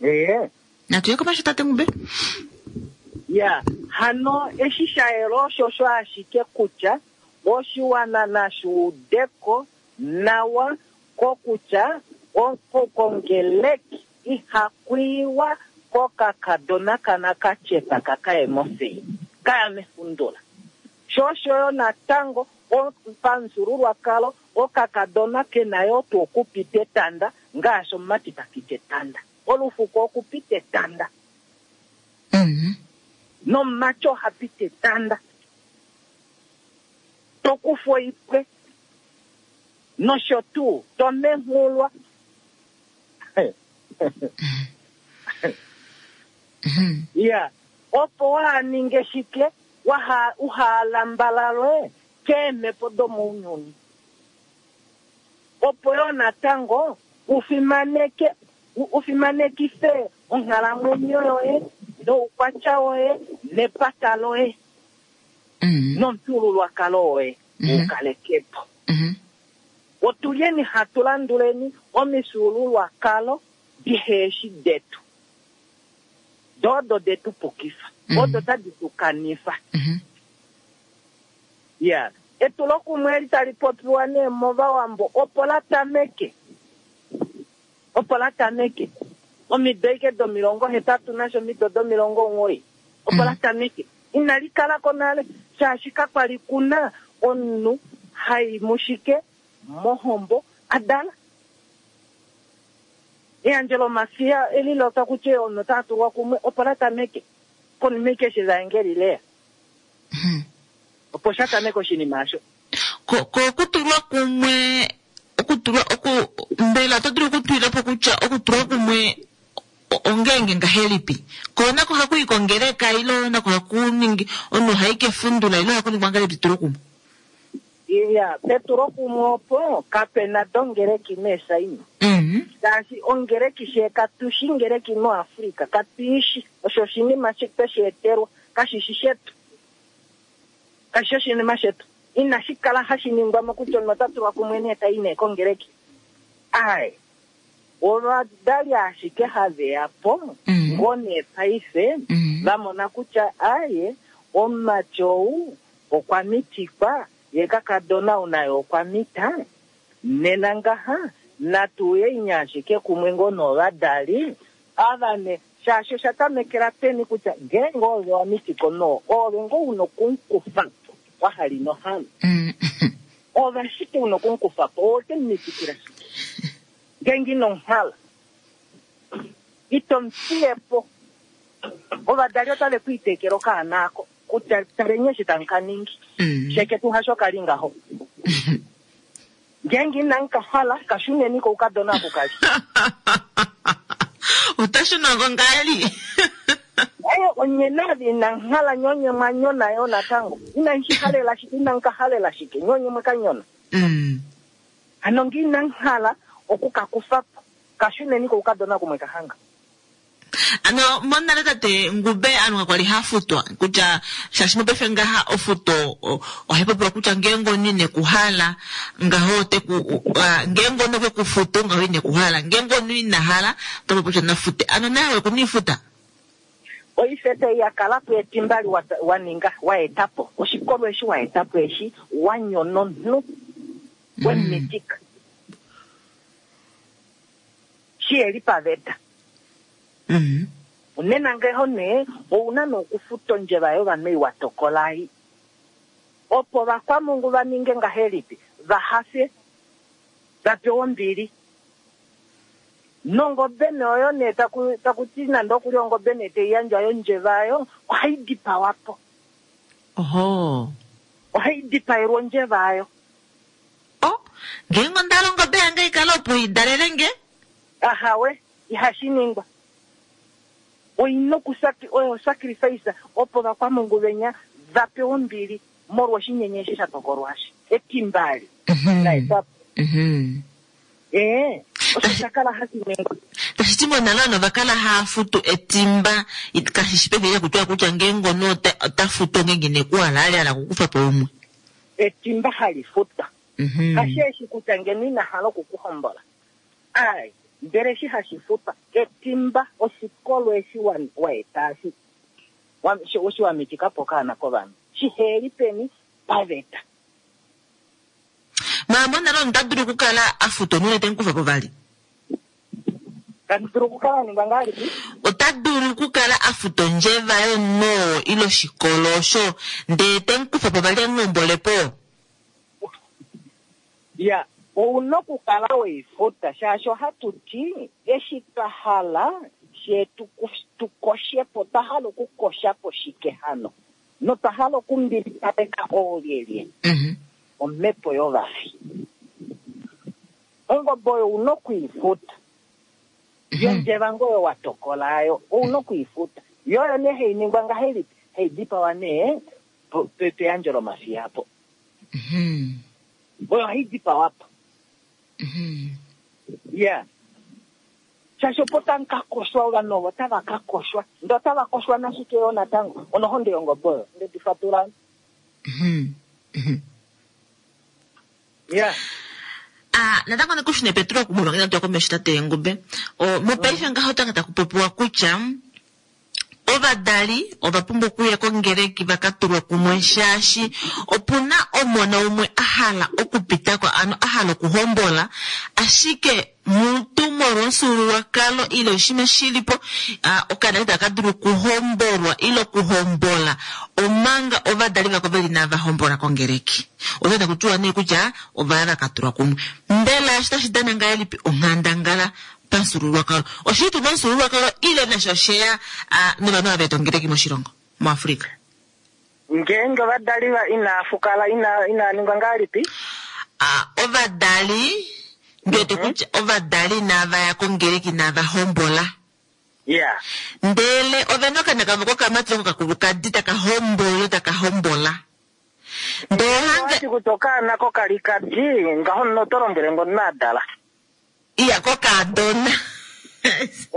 S7: Ee.
S1: Natu ye komesho tate Ngube.
S7: Ya, hano eshi sha yela oshosho ashike kutya oshiwana nashi udeko nawa kokutya kongeleki ihaku iwa kokakadona kanakatyepa kakaye mofei, kaya mefundula. Sho osho yo natango pamufyuululwakalo okakadona ke na yoo tuu okupita etanda ngaashi omumati ta piti etanda. Olufuko okupita etanda. Nomumati oha piti etanda. To kufwa oipwe nosho tuu, to menghulwa. Ya, opo waha ninge shike, waha uha lambalalwe keemhepo domounyuni. Opo yo natango u fimaneke u fimanekife onghalamwenyo yoye noukwatya woye nepata loye nomufyuululwakalo woye u kaleke po. Otulyeni hatu landuleni omifyuululwakalo diheeshi detu. Do odo de tu pukifa. Odo tadi tu kanifa. Ya, etulokumwe eli tali popiwa nee mOvawambo opo la tameke. Opo la tameke. Omido ashike domilongo hetatu nasho omido domilongo 9. Opo la tameke. Inali kala ko nale, shaashi kakwa li kuna omunhu hai mushike mohombo a dala. Eyandjo lomafiya eli lota kutya omunhu ota tulwa kumwe opo la tameke. Konima ashike eshi evaengeli leya. Opo sha tameka oshinima osho.
S1: Ko okutulwa kumwe, okutulwa oku mbela oto dulu okutwila po kutya okutulwa kumwe ongeenge ngahelipi? Ko nako haku i kongeleka ile nako haku ningi omunhu ohai kefundula ile haku ningwa ngahelipi etulo kumwe?
S7: Ya, petulo kumwe opo kape na dongeleki meesaina. Shaashi ongeleki she katu shi ngeleki moAfrika, katu ishi. Osho oshinima twe shi etelwa, kashi shi shetu. Kashi shi oshinima shetu. Inashi kala hashi ningwa mo kutya omunhu ota tulwa kumwe nee tai nee kongeleki. Ai, ovadali ashike have ya po ngoo nee paife va mona kutya aye omumati ou okwa mitikwa ye kakadona ou naye okwa mita. Nena ngaha natu uye ashike kumwe ngoo novadali ava ne, shaashi osha tamekela peni kutya ngeenge ove wa mitika omunhu oo, oove ngoo una okumukufa po wa hala ino hala. Ove ashike una okumukufa po, owe ke mu mitikila shike? Ngeenge ino mu hala, ito mu fiye po. Ovadali otave ku itekela okaana ako kutya taleni eshi tamu ka ningi. Sheke tu hasho ka li ngaho. Ngeenge inamu ka hala, ka shuneni koukadona aku ka li.
S1: Ota shuna ko ngali.
S7: Aye, onye nave inamu hala, nye onye mwa nyona yo natango. Inamu shi halela shike, inamu ka halela shike, nye onye mwe ka nyona. Hano nge inamu hala oku ka kufa po, ka shuneni koukadona kumwe ka hanga.
S1: Ano monale tate Ngube anu kakwa li ha futwa kutya shaashi mopaife ngaha ofuto ohayi popiwa kutya ngeenge omunhu ine ku hala ngaho ote ku ngeenge omunhu okwe ku futu ngaho ine ku hala, ngeenge omunhu ina hala ota popi kutya na fute. Ano naye okwe ku niifuta?
S7: Oifeta ei ya kala po etimba li wa ninga, wa eta po. Oshikolo eshi wa eta po eshi, wa nyona omunhu, we mu mitika. Shiheli paveta. Nena ngeho nee, ou na nee okufuta ondjeva yovanhu ei wa tokola ei. Opo ovakwamungu va ninge ngahelipi? Va hafe, va pewe ombili. Nongobe nee oyo nee taku, taku ti nande okuli ongobe nee tai yandjwa yondjeva oyo, ohai dipawa po.
S1: Ohoo.
S7: Ohai dipaelwa ondjeva oyo.
S1: Oh, ngeenge onda hala ongobe yange i kale opo i dalele nge?
S7: Ahawe, ihashi ningwa. Oi na oku oyo sacrifice opo ovakwamungu venya va pewe ombili molwa oshinyenye eshi sha tokolwa eshi. Etimba eli la etwa po. Ee, osho sha kala hashi ningwa.
S1: Tashi ti monale ovanhu ova kala hava futu etimba, kashi shi pevi lekutiwa kutya ngeenge omunhu ota futu ongeenge ine ku hala a li a hala okukufa po umwe.
S7: Etimba hali futwa. Kashi eshi kutya ngeno ina hala oku ku hombola. Ai, ndele eshi hashi futwa, etimba, oshikolo eshi wa, wa eta eshi, wa, eshi wa mitika po okaana kovanhu, shiheli peni paveta.
S1: Maama onale omunhu ota dulu okukala a futa omunhu te mu kufa po vali?
S7: Ta dulu okukala a ningwa ngahelipi?
S1: Ota dulu okukala a futa ondjeva yomunhu oo ile oshikolo osho ndee te mu kufa po vali e mu hombole po?
S7: Ya, ou na okukala we i futa shaashi ohatu ti eshi twa hala fye tu, tu koshe po, otwa hala okukosha po shike hano? Notwa hala okumbilipaleka oolyelye? Omhepo yovafi. Ongobe oyo ou na oku i futa. Yondjeva ngoo oyo wa tokola ayo, ou na oku i futa. Yo oyo nee hai ningwa ngahelipi? Hai dipawa nee peyandjo lomafiyapo. Oyo ohai dipawa po. Ya. Shaashi opo tamu ka koshwa ovanhu ovo otava ka koshwa. Ndee otava koshwa nashike yoo natango? Onohonde yongobe oyo. Nde di fatula. Ya.
S1: Ah, natango nekushune Petrus okumulonga inatu ya komesho tate Engube. O, mopaife ngaho otanga taku popiwa kutya Ovadali ova pumbwa okuya kongeleki va ka tulwe kumwe shaashi opu na omona umwe a hala okupita ko, ano a hala okuhombola, ashike mutu molwomufyuululwakalo ile oshinima shi li po, okaana itaka dulu okuhombolwa ile okuhombola omanga ovadali vako ve li inava hombola kongeleki. Oto taku tiwa nee kutya ova ya va ka tulwa kumwe. Mbela eshi otashi dana ngahelipi onghandangala pamufyuululwakalo. Oshili tuu momufyuululwakalo ile nasho osheya novanhu ava veeta ongeleki moshilongo, muAfrika?
S7: Ngeenge ovadali va inaa fukala, ina, inaa ningwa ngahelipi?
S1: A, ovadali, ndi wete kutya ovadali inava ya kongeleki, inava hombola.
S7: Ya.
S1: Ndele ove na okaana kavo kokamati ile kokakulukadi taka hombola ile taka hombola. Ndele
S7: Ngeenge
S1: hange.
S7: owati kutya okaana kokalikadi, ngaho nena oto lombwele ngo omunhu a dala.
S1: Iya kokaadona.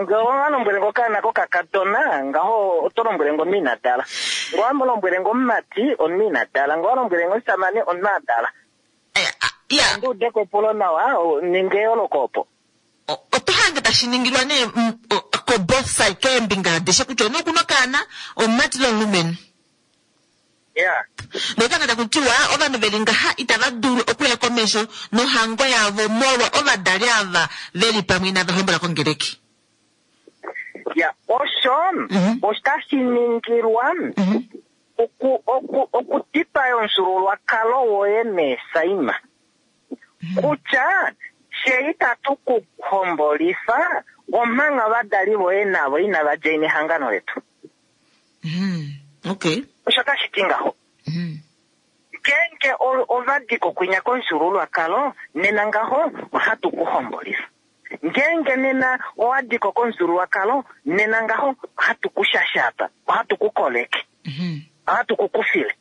S7: Nge owa lombwele ngo okaana kokakadona, ngaho oto lombwele ngo omunhu ina dala. Nge owa lombwele ngo omumati, omunhu ina dala. Nge owa lombwele ngo omushamane, omunhu a dala.
S1: Iya.
S7: Ondi ude ko epulo nawa, ninga eyooloko opo.
S1: Oto hange tashi ningilwa nee ko both side, keembinga adishe kutya omunhu oku na okaana, omumati ile omulumenhu.
S7: Yeah.
S1: Notanga taku tiwa ovanhu veli ngaha itava dulu okuya komesho nohango yavo molwa ovadali ava veli pamwe inava hombola kongeleki.
S7: Ya, osho otashi ningilwa oku oku okudipaya omufyuululwakalo woye meesaima. Kutya fye itatu ku hombolifa omanga ovadali voye navo inava djaina ehangano letu.
S1: Okay.
S7: Osho tashi ti ngaho. Ngeenge ova di ko kwinya komufyuululwakalo, nena ngaho ohatu ku hombolifa. Ngeenge nena owa di ko komufyuululwakalo, nena ngaho ohatu ku shashapa, ohatu ku koleke, ohatu ku kufile.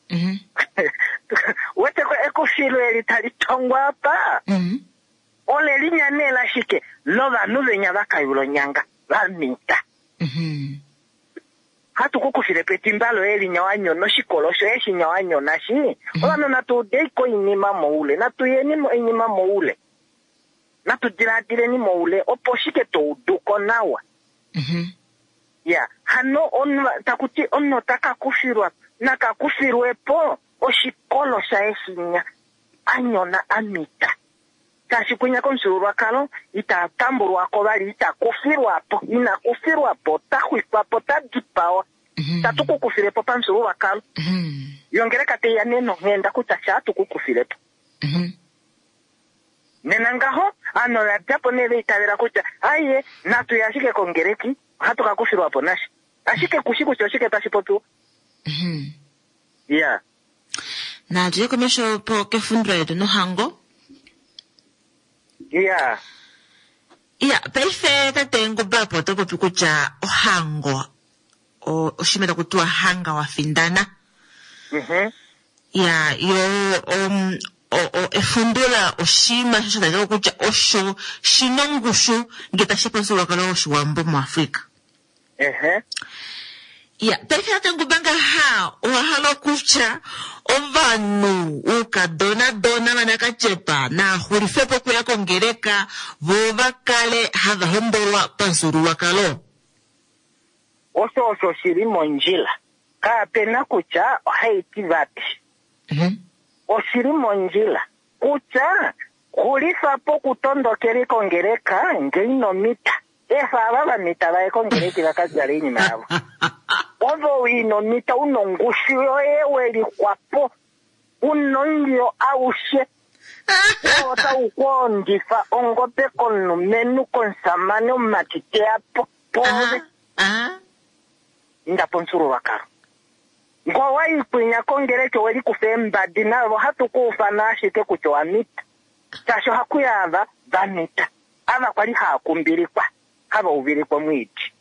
S7: Wete ko ekufilo eli tali tongwa apa? Ole linya nee lashike? Lovanhu venya va kayula onyanga, va mita. Hatu ku kufile po etimba loye linya wa nyona, oshikolo shoye shinya wa nyona shi. Ovanhu natu udei ko oinima moule, natu yeni oinima moule, natu diladileni moule, opo shike to udu ko nawa. Ya, hano omunhu taku ti omunhu ota ka kufilwa, naka kufilwe po oshikolo shaye shinya a nyona a mita. Shaashi kwinya komufyuululwakalo ita tambulwa ko vali, ita kufilwa po, ina kufilwa po, ota xwikwa po, ota dipawa. Tatu ku kufile po pamufyuululwakalo. Yo ngeleka tai ya nee nonghenda kutya shaa tu ku kufile po. Nena ngaho, ovanhu ova dja po nee va itavela kutya aiye, natu ye ashike kongeleki, ohatu ka kufilwa po nasha. Ashike kushi kutya oshike tashi popiwa. Ya.
S1: Natu ye komesho po kefundula letu nohango.
S7: Ya.
S1: Ya, paife tate Ngombe opo oto popi kutya ohango oshinima taku tiwa hanga wa findana. Ya, yo efundula oshinima sho sha talika kutya osho shi na ongushu ngele tashi ya pamufyuululwakalo wOshiwambo muAfrika. Ya, paife tate Ngombe ngaha owa hala okutya ovanhu uukadona dona vanakatyepa naa xulife po okuya kongeleka vo va kale hava hombolwa pamufyuululwakalo?
S7: Osho osho shi li mondjila. Kape na kutya ohai ti vati. Oshi li mondjila kutya xulifa po okutondokela kongeleka nge ino mita. Efa ava va mita va ye kongeleki va ka djale oinima yavo. Ove ino mita u na ongushu yoye we lixwa po, u na omulyo aushe. Oo otau ku ondifa ongobe komulumenhu, komusamane, omumati te ya po pwoove. Inda pomufyuululwakalo. Ngee owa i kwinya kongeleki owe likufa eembadi navo ohatu ku ufana ashike kutya owa mita. Shaashi ohaku ya ava va mita. Ava kwali haa kumbilikwa, hava uvilikwa omwiidi.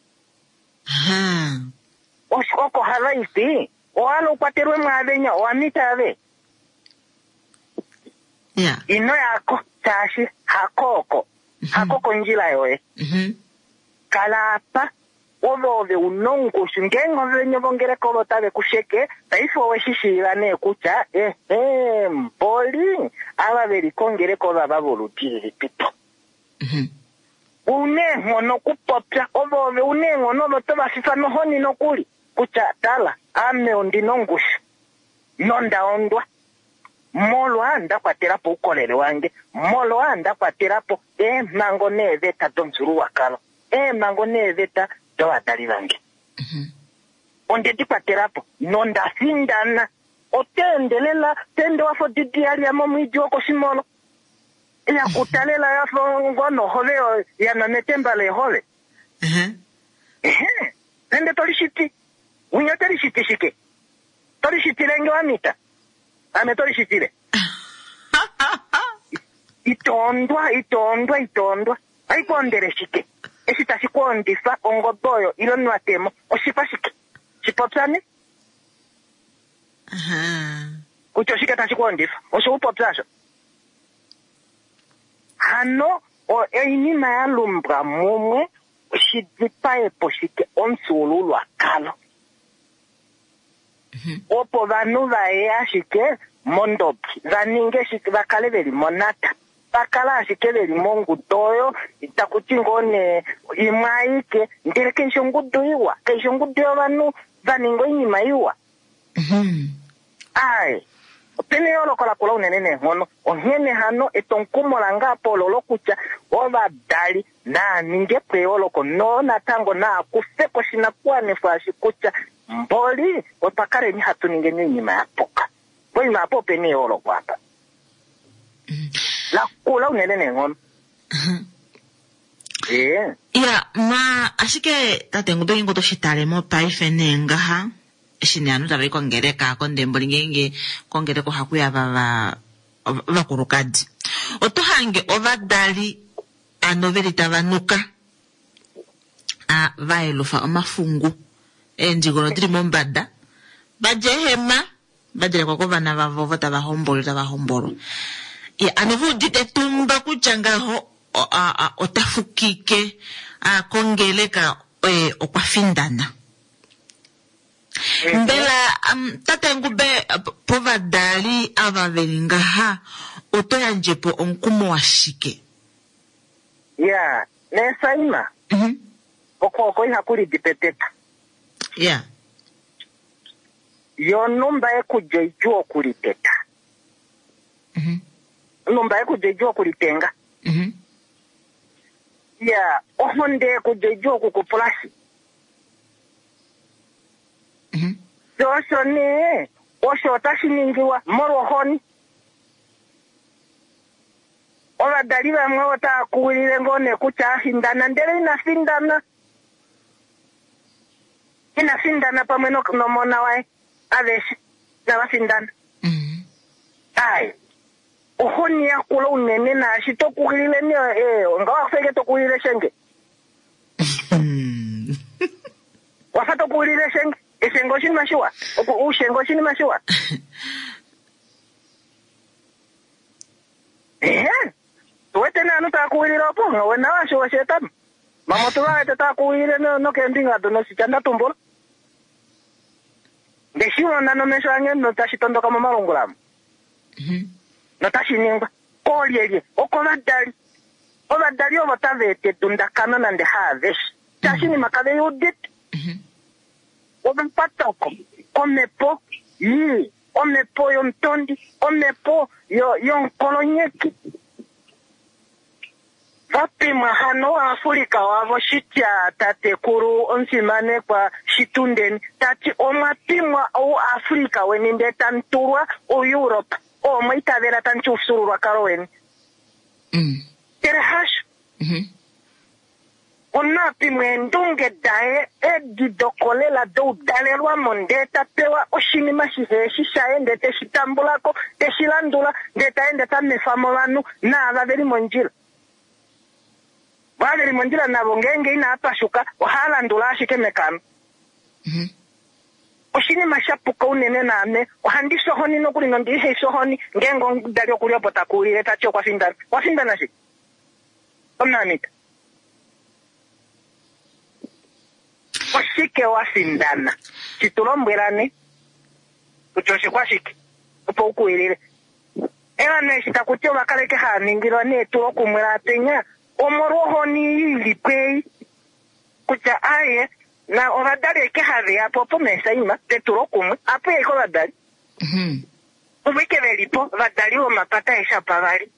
S7: Oko hava i ti, owa hala u kwatelwe mwaavenya, owa mita ave? Ino yako, shaashi hako oko. Hako kondjila yoye. Kala apa. Ove ove u na ongushu. Ngeenge ovene vongeleka ovo tave ku sheke, paife owe shi shiiva nee kutya, ehe, mboli, ava ve li kongeleka ovava voludi lilipipo. U na eenghono okupopya. Ove ove u na eenghono, ove oto va fifa nohoni nokuli, kutya, Tala, ame ondi na ongushu, nonda ondwa, molwa nda kwatela po oukolele wange, molwa nda kwatela po eemhango neeveta domufyuululwakalo. Eemhango neeveta dovadali vange onde di kwatela po, nonda findana. Oto ende lela, to ende wa fa odidi ya lya momwiidi wokoshimolo, ya kuta lela ya fa ngoo nohove ya nwa metemba leehove. Ehe, ende to lishiti. Winya ote lishiti shike? To lishitile nge wa mita? Ame to lishitile? Ito ondwa, ito ondwa, ito ondwa. Ohai ku ondele shike? Eshi tashi ku ondifa ongobe oyo ile onwatemo, oshipa shike? Shi popya ne. Kutya oshike tashi ku ondifa? Osho u popya osho. Hano oinima ya lumbwa mumwe shi dipae po shike omufyuululwakalo. Opo ovanhu va ye ashike mondobi, va ninge shike, va kale ve li monata. Va kala ashike ve li mongudu oyo, taku ti ngoo nee imwe aike, ndele kai shi ongudu iwa, kai shi ongudu yovanhu va ninga oinima iwa. Aaye, ope na eyooloko lakula unene neenghono. Onghene hano, etwomukumo lange apa ololo kutya ovadali naa ninge po eyooloko noo natango naa kufe ko oshinakuwanifwa eshi kutya mboli otwa kaleni hatu ningeni oinima ya puka. Poima apa ope na eyooloko apa. La kula unene neenghono. Ee.
S1: Ya, ma ashike tate Ngube ngeenge oto shi tale mopaife nee ngaha, eshi nee ovanhu tava i kongeleka kondemboli ngeenge kongeleka ohaku ya va ovakulukadi. Oto hange ovadali ano veli tava nuka a va yelufa omafungu eendigolo dili mombada va dja eehema va djelekwa kovana vavo ovo tava hombolwa tava hombolwa. Ya, ano ve udite etumba kutya ngaho ota fukike a kongeleka oye okwa findana. Mbela tate Ngube povadali ava veli ngaha oto yandje po omukumo washike?
S7: Ya, nee Saima, okwooko ihaku lidi peteta.
S1: Ya.
S7: Yonhumba ekulya idjuu okuliteta. Onhumba yekulya idjuu okulitenga. Ya, ohonde yekulya idjuu okukupulashi. Sho osho nee, osho otashi ningilwa molwohoni. Ovadali vamwe otava kuwilile ngoo nee kutya a findana, ndele ina findana. Ina findana pamwe nomona waye, aveshe inava findana. Ai, ohoni yakula unene naashi to kuwilile nee, nga wafa eke to kuwilile shenge. Wafa to kuwilile shenge. Eshenge oshinima shiwa. Oushenge oshinima shiwa. Ehe. Tuwete nee ovanhu tava kuwilile opo, wena washo osheetamo. Mama otu va wete tava kuwilile nokeembinga do noshitya nda tumbula. Nde shi mona nomesho ange notashi tondoka momalungula amu. Notashi ningwa. Koolyelye? Okovadali. Ovadali ovo tava eta edundakano nande haaveshe. Shaashi inima kave i udite. Ova kwatwa ko komhepo ii, omhepo yomutondi, omhepo yomukolonyeki. Va pimwa hano Waafrika wavo shitya tatekulu omufimanekwa Shitundeni ta ti omwa pimwa ouAfrika weni ndee tamu tulwa ouEurope oo mwa itavela tamu ti oufyuululwakalo weni. Ndele hasho. Omunhu a pimwa eendunge daye edi dokolela doudalelwamo ndee ta pewa oshinima shihe shi shaye ndee te shi tambula ko, te shi landula ndee ta ende ta nwefa mo ovanhu naava ve li mondjila. Vo ava ve li mondjila navo ngeenge inava pashuka ohava landula ashike mekano. Oshinima sha puka unene naame ohandi fi ohoni nokuli nondi ihe fi ohoni ngeenge omudali oku li opo ta kuwilile ta ti okwa findana. Owa findana shike? Omunamita. Oshike wa findana? Shi tu lombwela ne kutya oshikwashike opo u kuwilile. Ovanhu eshi taku ti ova kaleke hava ningilwa neetulokumwe laapenya omolwohoni ei i li po ei kutya aye na ovadali eke have ya po opo meesaima petulokumwe apu ya ike ovadali. Ovo ike ve li po ovadali vomapata aeshe opavali.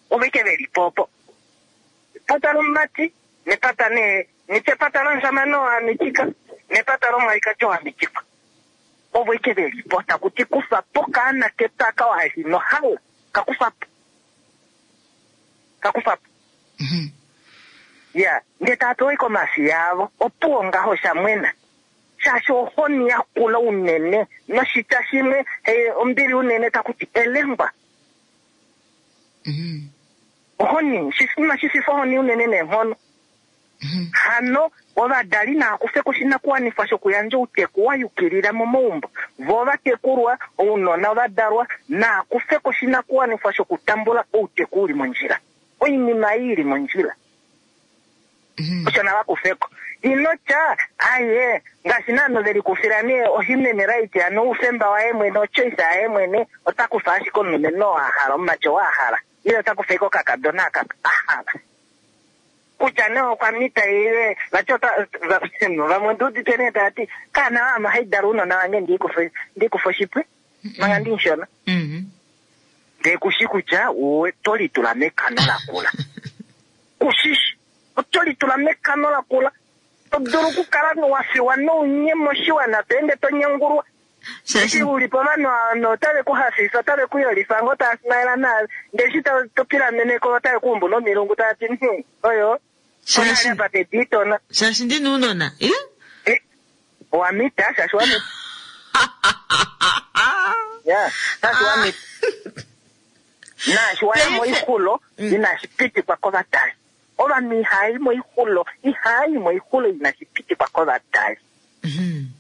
S7: Ovo ike ve li po opo. Epata lomumati nepata nee nitye epata lomushamane oo a mitika nepata lomwalikadi oo a mitikwa. Ovo ike ve li po taku ti kufa po okaana ketu aka wa li ino hala ka kufa po. Ka kufa po. Ya, ndee tava pewa ike omafiya avo. Opuwo ngaho osha mwena. Shaashi ohoni yakula unene noshitya shimwe ombili unene taku ti elengwa. Ohoni, oshinima shififa ohoni unene neenghono. Hano, ovadali nava kufe ko oshinakuwanifwa shokuyandja outeku wa yukilila momaumbo. Vo ovatekulwa, ounona ovadalwa, nava kufe ko oshinakuwanifwa shokutambula outeku u li mondjila. Oinima ei i li mondjila. Osho nava kufe ko. Ino tya, aye, ngaashi naanhu ve likufila nee ohuman right, hano oufemba waye mwene, ochoice yaye mwene, ota kufa ashike omulumenhu oo a hala, omumati oo a hala. Ile ota kufa ashike okakadona aka a hala. Kutya nee okwa mita ile vati ota, vamwe ondi udite nee tava ti, kaana waame ohai dala ounona vange ndi kufe oshipwe manga ndimushona. Ndee kushi kutya oto litula mekano lakula. Kushishi, oto litula mekano lakula. To dulu okukala wa fiwa nounye moshiwana to ende to nyengulwa. Eshi u li povanhu ava otave ku hafifa, otave ku yolifa ngoo tava smaila naave, ndele eshi to pilamene ko otave ku umbu nomilungu tava ti, Hum, oyo onale apa pedu itona.
S1: Shaashi ndi na ounona, ih?
S7: Eh, owa mita, shaashi wa mita. Ya, shaashi wa mita. Naashi wa ya moixulo, inashi pitikwa kovadali. Ovanhu ihava i moixulo, ihava i moixulo inashi pitikwa kovadali.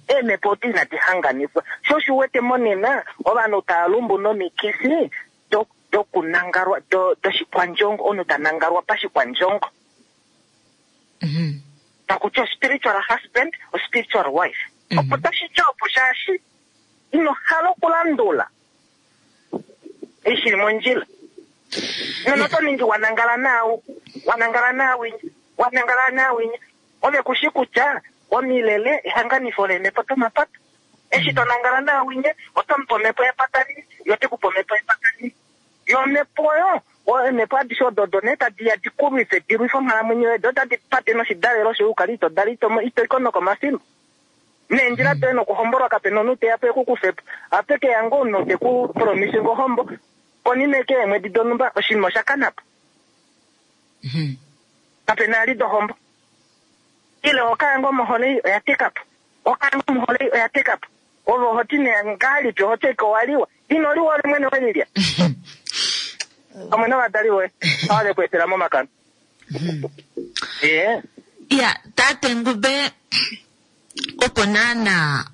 S7: Eemhepo odo inadi hanganifwa. Sho osho u wete monena ovanhu tava lumbu nomikifi dokunangalwa, doshikwandjongo, omunhu ta nangalwa pashikwandjongo. Taku ti ospiritual husband, ospiritual wife. Opo tashi ti opo shaashi ino hala okulandula eshi li mondjila. Nono oto ningi wa nangala naau, wa nangala naawinya, wa nangala naawinya. Ove ku shi kutya Omilele ehanganifo leemhepo domapata. Eshi to nangala naawinye, oto mu pe omhepo yepata lii, ye ote ku pe omhepo yepata lii. Yo omhepo oyo, eemhepo adishe odo odo nee tadi ya di ku lwife, di lwife onghalamwenyo yoye, do otadi pate noshidalelo shoye u kale ito dala, ito, ito i ko nokomafimbo. Neendjila doye nokuhombolwa kape na omunhu te ya po e ku kufe po. Ohape ke ya ngoo omunhu te ku promise ngo ohombo, konima eke yeemwedi donhumba oshinima osha kana po. Kape na ali dohombo. Ile oho kala ngoo mohole ei oya teka po. Oho kala ngoo mohole ei oya teka po. Ove oho ti nee ngahelipi oho ti owa liwa. Ino liwa ove mwene we lilya. Pamwe novadali voye ava ve ku etela momakano. Ee.
S1: Ya, tate Ngube, opo naana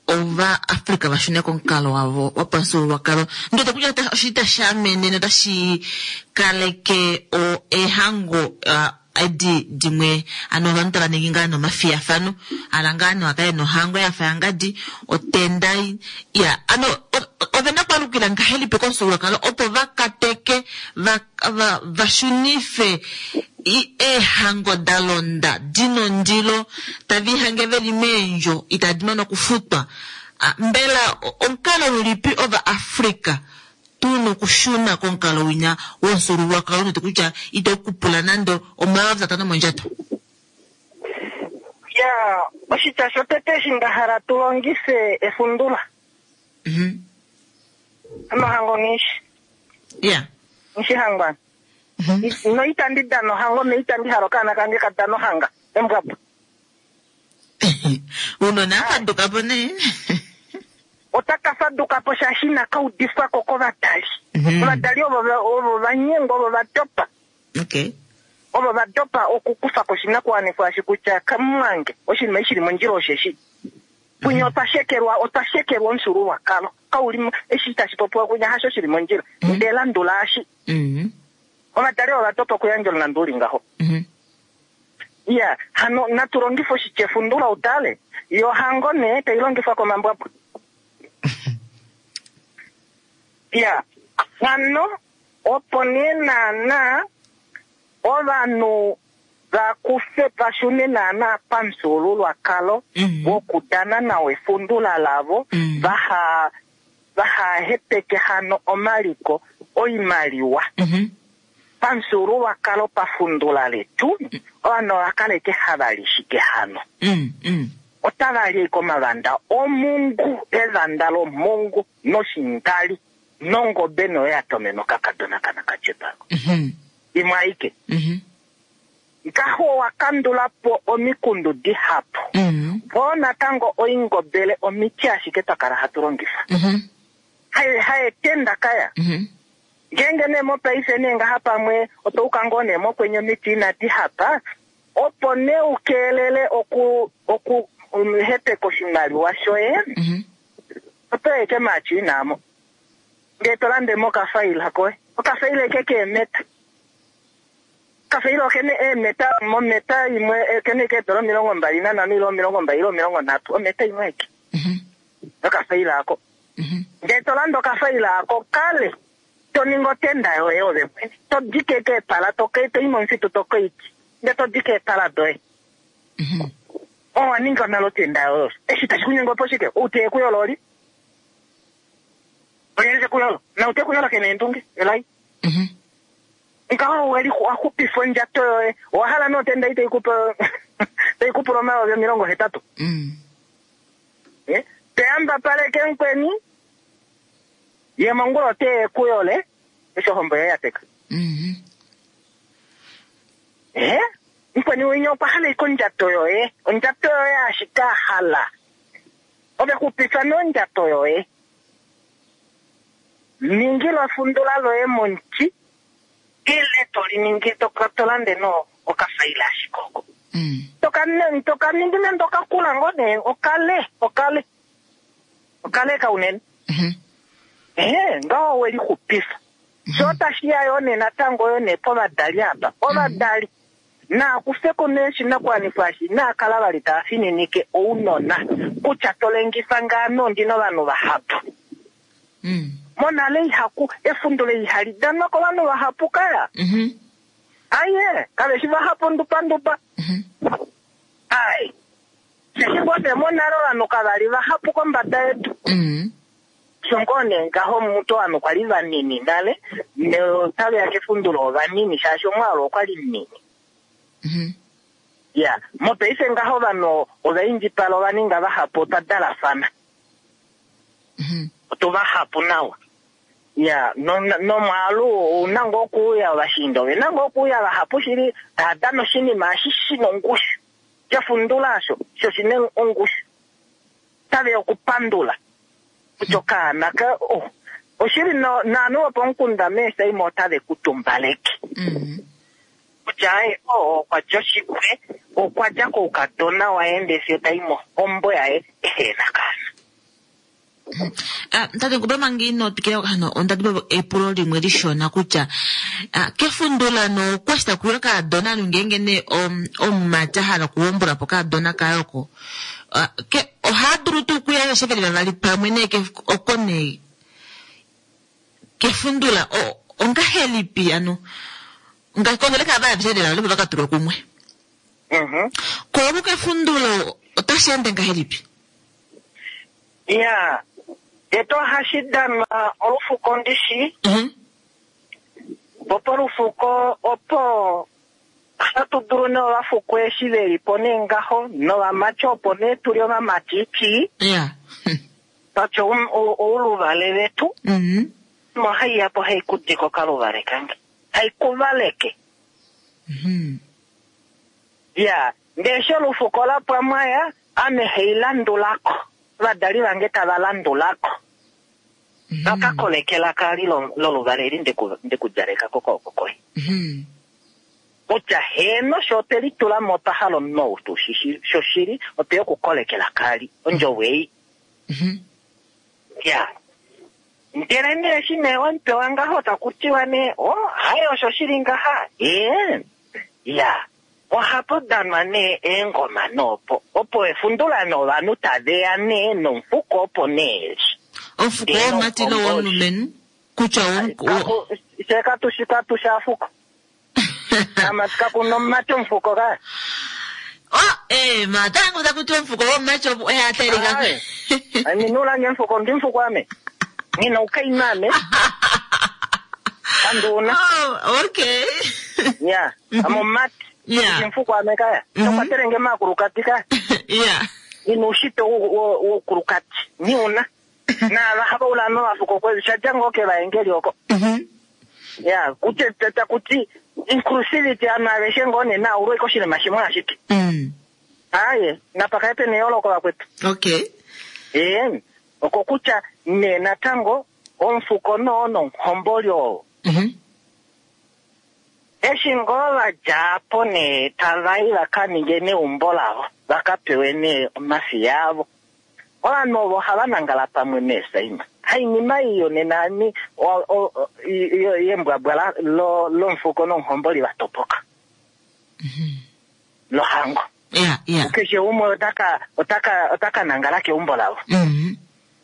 S1: Ovaafrika va shune komukalo wavo wopamufyuululwakalo, ndi wete kutya oshili tashi amene notashi kaleke eehango edi dimwe, ano ovanhu tava ningi ngaa nee omafiyafano, hala ngaa nee wakale nohango yafa yangadi, otenda, ya, ano ovena okwaalukila ngahelipi komufyuululwakalo opo va kateke, va, va, va shunife eehango da londa di na ondilo tave i hange ve li meendjo itadi mane okufutwa. Mbela omukalo ulipi Ovaafrika tu na okushuna komukalo winya womufyuululwakalo noti kutya itau ku pula nande 5000 mondjato?
S7: Ya, oshitya shotete eshi nda hala tu longife efundula. Omahango nghi shi.
S1: Ya.
S7: Nghi shi hangwana. No itandi dana ohango no itandi hala okaana kange ka dana ohanga. Embwabwa.
S1: Uunona a faduka po nee.
S7: Otaka faduka po shaashi inaka udifwa ko kovadali. Ovadali ovo ovo va nyengwa, ovo va dopa.
S1: Okay.
S7: Ovo va dopa okukufa ko oshinakuwanifwa eshi kutya kamumwange oshinima eshi shili mondjila osheshi. Punya otwa shekelwa, otwa shekelwa omufyuululwakalo. Kau li, eshi tashi popiwa kunya hasho shili mondjila. Ndele landula eshi. Ovadali ova dopa okuyandja omulandu u li ngaho. Iya, hano natu longife oshitya efundula utale. Yo ohango nee tai longifwa komambwabwa. Iya, hano opo nee naana ovanhu va kufe va shune naana pamufyuululwakalo wokudana nawa efundula lavo, vaha vaha hepeke hano omaliko oimaliwa. Pamufyuululwakalo pafundula letu, ovanhu ova kaleke hava li shike hano? Otava li ashike omavanda omungu, evanda lomungu noshingali nongobe noyo ya tomena okakadona kanakatyepa. Imwe aike. Ngaho owa kandula po omikundu dihapu. Voo natango oingobele omiti ashike twa kala hatu longifa. Haye haetenda kaya. Ngeenge nee mopaife nee ngaha pamwe oto uka ngoo nee mokwenye omiti inadi hapa, opo nee u keelele oku oku hepeka oshimaliwa shoye, oto ya eke maachina amo. Ndee to lande mo okafaila koye. Okafaila eke keemeta. Okafaila okena eemeta, mometa imwe okena eke eedola 25 ile 20 ile 30, ometa imwe aike. Okafaila ako. Ndee to lande okafaila ako kale, to ningi otenda yoye ove mwene. To dike eke eepala, to i momufitu to koiti, ndee to dike eepala doye. Owa ninga nale otenda yoye osho. Eshi tashi ku nyenge opo shike? Ou te ku yola oli? Olyelye te ku yola? Na ou te ku yola ke na eendunge, elai. Ngaho owe li wa xupifa ondjato yoye. Owa hala nee otenda ei tai ku pe tai ku pula 80 000. Eh, te yambapaleke mukweni, ye mongula ote ye ku yole eshi ohombo yoye ya teka. Eh, mukweni winya okwa hala ashike ondjato yoye, ondjato yoye ashike a hala. Ove xupifa nee ondjato yoye. Ningila efundula loye momuti ile to li ningi to to lande no okafaila ashike oko. To ka to ka ningi nande okakula ngoo nee okale okale okale ka unene. Ehe, ngaho we lixupifa. Sho otashi ya yoo nee natango yoo nee povadali apa. Ovadali naa kufe ko nee oshinakuwanifwa eshi, inaa kala vali tava fininike ounona kutya to lengifa ngaano ondi na ovanhu vahapu. Monale ihaku efundulo ihali danwa kovanhu vahapu kaya. Aye, kave shi vahapu ndupa ndupa. Ai. Shaashi ngoo nee monale ovanhu kava li vahapu kombada yedu. Osho ngoo nee ngaho mutu ovanhu kwali vanini nale, notave ya kefundulo ovanini shaashi omwaalu okwali munini. Ya, mopaife ngaho ovanhu ova indjipala, ova ninga vahapu, otwa dalafana. Otu vahapu nawa. Ya, nomwaalu ouna ngoo okuuya, ovashiinda ovena ngoo okuuya vahapu shili, tava dana oshinima eshi shina ongushu. Shefundula osho, sho shina ongushu. Tave ya okupandula. Kutya okaana ka, oh, oshili naanhu vopomukunda meesaima otave ku tumbaleke. Kutya aye, oh, okwa dja oshipwe, okwa dja koukadona waye ndee fiyo tai mohombo yaye ehe na kaana.
S1: Tate Ngube, manga ino twikila hano, onda dimbwa epulo limwe lishona kutya kefundula no kwa shi taku yiwa kaadona anu ngeenge nee omumati a hala okuhombula po kaadona kaye oko, ohaa dulu tuu okuya aveshe veli vavali pamwe nee oko nee kefundula ongahelipi ano kongeleka ava aveshe veli vavali opo vaka tulwe kumwe. Ko oku kefundulo otashi ende ngahelipi?
S7: Ya, tete ohashi danwa olufuko ndishi. Po polufuko opo hatu dulu nee ovafuko eshi ve li po nee ngaho novamati opo nee tu li ovamati ti. Twatya ouluvale vetu. Mo hai ya po hai ku dike okaluvale kange. Hai ku valeke. Ya, ndee eshi olufuko la pwa mwaya, ame hei landulako. Ovadali vange tava landulako. Vaka kolekela kali loluvale eli ndeku djaleka kokooko koye. Kutya heeno sho otwe litula mo otwa hala omunhu ou tu shi shoshili, otwe ya okukolekela kali ondjovo ei. Ya. Ndele nee eshi nee wamupewa ngaho taku tiwa nee, oh, haye osho shili ngaha. Ee. Ya. Ohapu danwa nee eengoma noopo, opo efundula novanhu tave ya nee nomufuko opo nee eli.
S1: Omufuko womumati nowomulumenhu kutya
S7: Fye katu shi katu shi afuko. Amati kaku na omumati omufuko ka.
S1: Oh, eh, matango taku tiwa omufuko womumati opo oye a talika.
S7: Aye. Ame nulange omufuko, ndi mufuko ame. Ngina oukainhu ame. Anduuna.
S1: Oh, okay.
S7: Ya, ame omumati.
S1: Yeah.
S7: Ndi mufuko ame kaya. Tokwatele nge maakulukadi kaya.
S1: Yeah.
S7: Ngina oushitwe woukulukadi. Niuna. Naava hava ula novafuko kwe shadja ngoo kevaengeli oko. Ya, kutya taku ti inclusivity ame aveshe ngoo nee naulwe koshinima shimwe ashike. Aye, napa kale pena eyooloko vakwetu.
S1: Okay.
S7: Ee, oko kutya nee natango omufuko noo nomuhomboli oo. Eshi ngoo va dja po nee tava i va ka ninge neumbo lavo, va ka pewe nee omafiya avo. Ovanhu ovo ohava nangala pamwe meesaima. Hainima ei yonena ani yembwabwa lomufuko nomuhomboli va topoka. Lohango. Keshe umwe ota ka nangala keumbo lavo.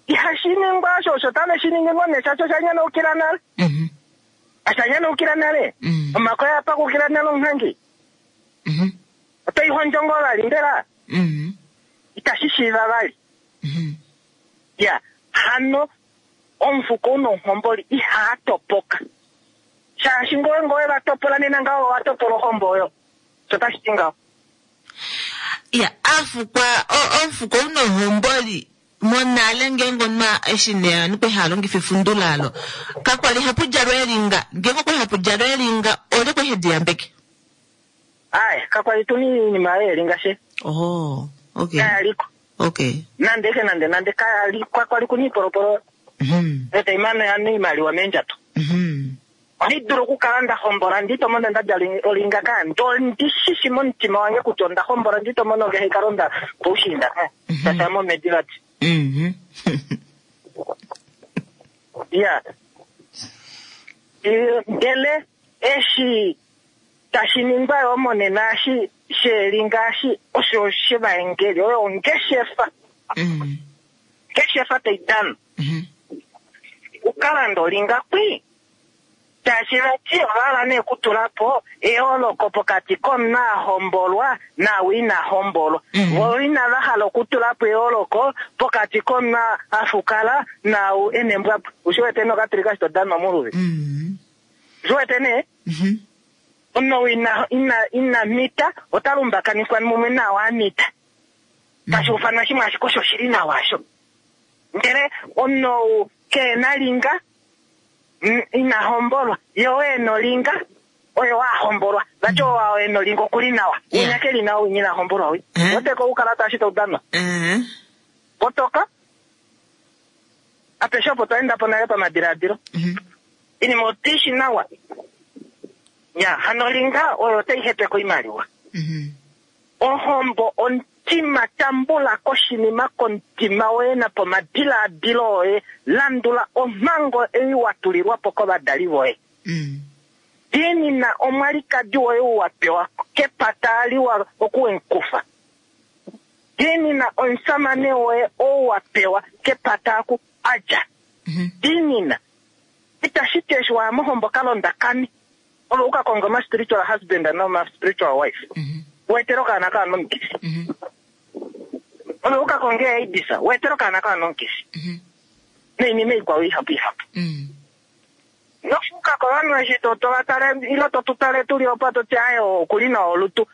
S7: Ihashi ningwa osho, osho tave shi ningi ngoo nee shaashi osha nyanukila nale. Osha nyanukila nale. Omakoya a pakukila nale omunghangi. Oto i hondjo ngoo vali mbela? Itashi shiiva vali. Ya, hano omufuko una omuhomboli ihaa topoka. Shaashi ngoye ngoye va topola nena ngaho owa topola ohombo oyo. Osho tashi ti ngaho.
S1: Ya, afukwa, omufuko una ohomboli monale ngeenge omunhu eshi nee ovanhu kwali hava longifa efundulalo, kakwali hapu djalwa elinga. Ngeenge okwali hapu djalwa elinga, olye kwali hedi yambeke?
S7: Aye, kakwali tu na oinima yeelinga she.
S1: Oh, okay.
S7: Kaya liko.
S1: Okay.
S7: Nande ke nande nande kaya li kwakwali ku na iipolopolo. Eta imano ya na iimaliwa meendjato. Ohandi dulu okukala nda hombola ndi to mono nda djala olinga ka ndo ndi shishi momutima wange kutya onda hombola ndi to mono nge haikala onda poushiinda ka. Shasha momedi vati. Ya. Ndele eshi tashi ningwa yo monena eshi sheelinga eshi osho shevaengeli oyo ongeshefa. Ongeshefa tai dana. Ukalanda olinga kwi. Shaashi vati ova hala nee okutula po eyooloko pokati komunhu a hombolwa naau ina hombolwa. Vo inava hala okutula po eyooloko pokati komunhu a fukala naau e na embwabwa. U shi wete nee okatulika eshi to danwa moluvi? U shi wete nee? Omunhu ou ina, ina, ina mita ota lumbakanifwa mumwe naau a mita. Tashi ufanwa shimwe ashike osho shi li nawa osho. Ndele omunhu ou kehe na linga, ina hombolwa, ye oo e na olinga, oye oo a hombolwa. Vati oo e na olinga oku li nawa. Winya ke li nawa, winya ina hombolwa wi. Weteko oukalata eshi tau danwa. Kotoka. Apeshe opo twa enda po nale pamadilaadilo. Oinima otu i shi nawa. Ya, hano olinga oyo otai hepeke oimaliwa. Ohombo omutima, tambula ko oshinima komutima woye napomadilaadilo oye, landula omhango ei wa tulilwa po kovadali voye. Diinina omwalikadi woye ou wa pewa kepata liwa oku we mu kufa. Diinina omusamane woye ou wa pewa kepata aku a dja. Diinina. Itashi ti eshi wa ya mohombo ka londakane. Ove u ka konge oma spiritual husband noma spiritual wife. U etele okaana kaana omukifi. Ove u ka konge AIDS, u etele okaana kaana omukifi. Noinima ikwao ihapu ihapu. Nofuka kovanhu eshi to to va tale ile to tu tale tu li opa to ti aye oku li nawa olutu.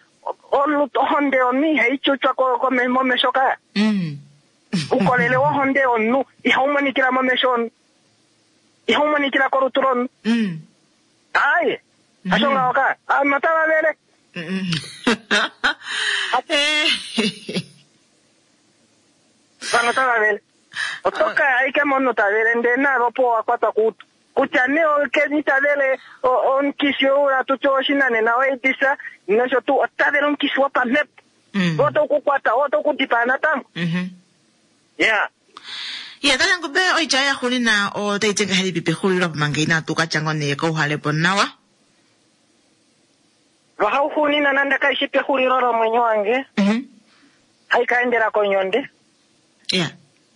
S7: Olutu ohonde yomunhu ihai tyutywa ko, ko, momesho kaya. Ukolele wohonde yomunhu ihau monikila momesho omunhu. Ihau monikila kolutu lomunhu. Aye, hasho ngaho ka. Ovanhu otava vele. Ovanhu otava vele. Oto ka ya ashike momunhu ta vele ndele naave opo wa kwatwa koutu. Kutya nee okeni ta vele omukifi ou hatu ti owoshinanena oAIDS nosho tuu, ota vele omukifi wopamhepo. Oo otau ku kwata, oo otau ku dipaa natango. Ya.
S1: Ya, tate Ngube, oitya yoye yaxuuninwa otai ti ngahelipi pexulilo opo manga inatu ka tya ngoo nee kouhale po nawa?
S7: Lwahauxuuninwa nande kai shi pexulilo lomwenyo wange, hai ka endela konyonde,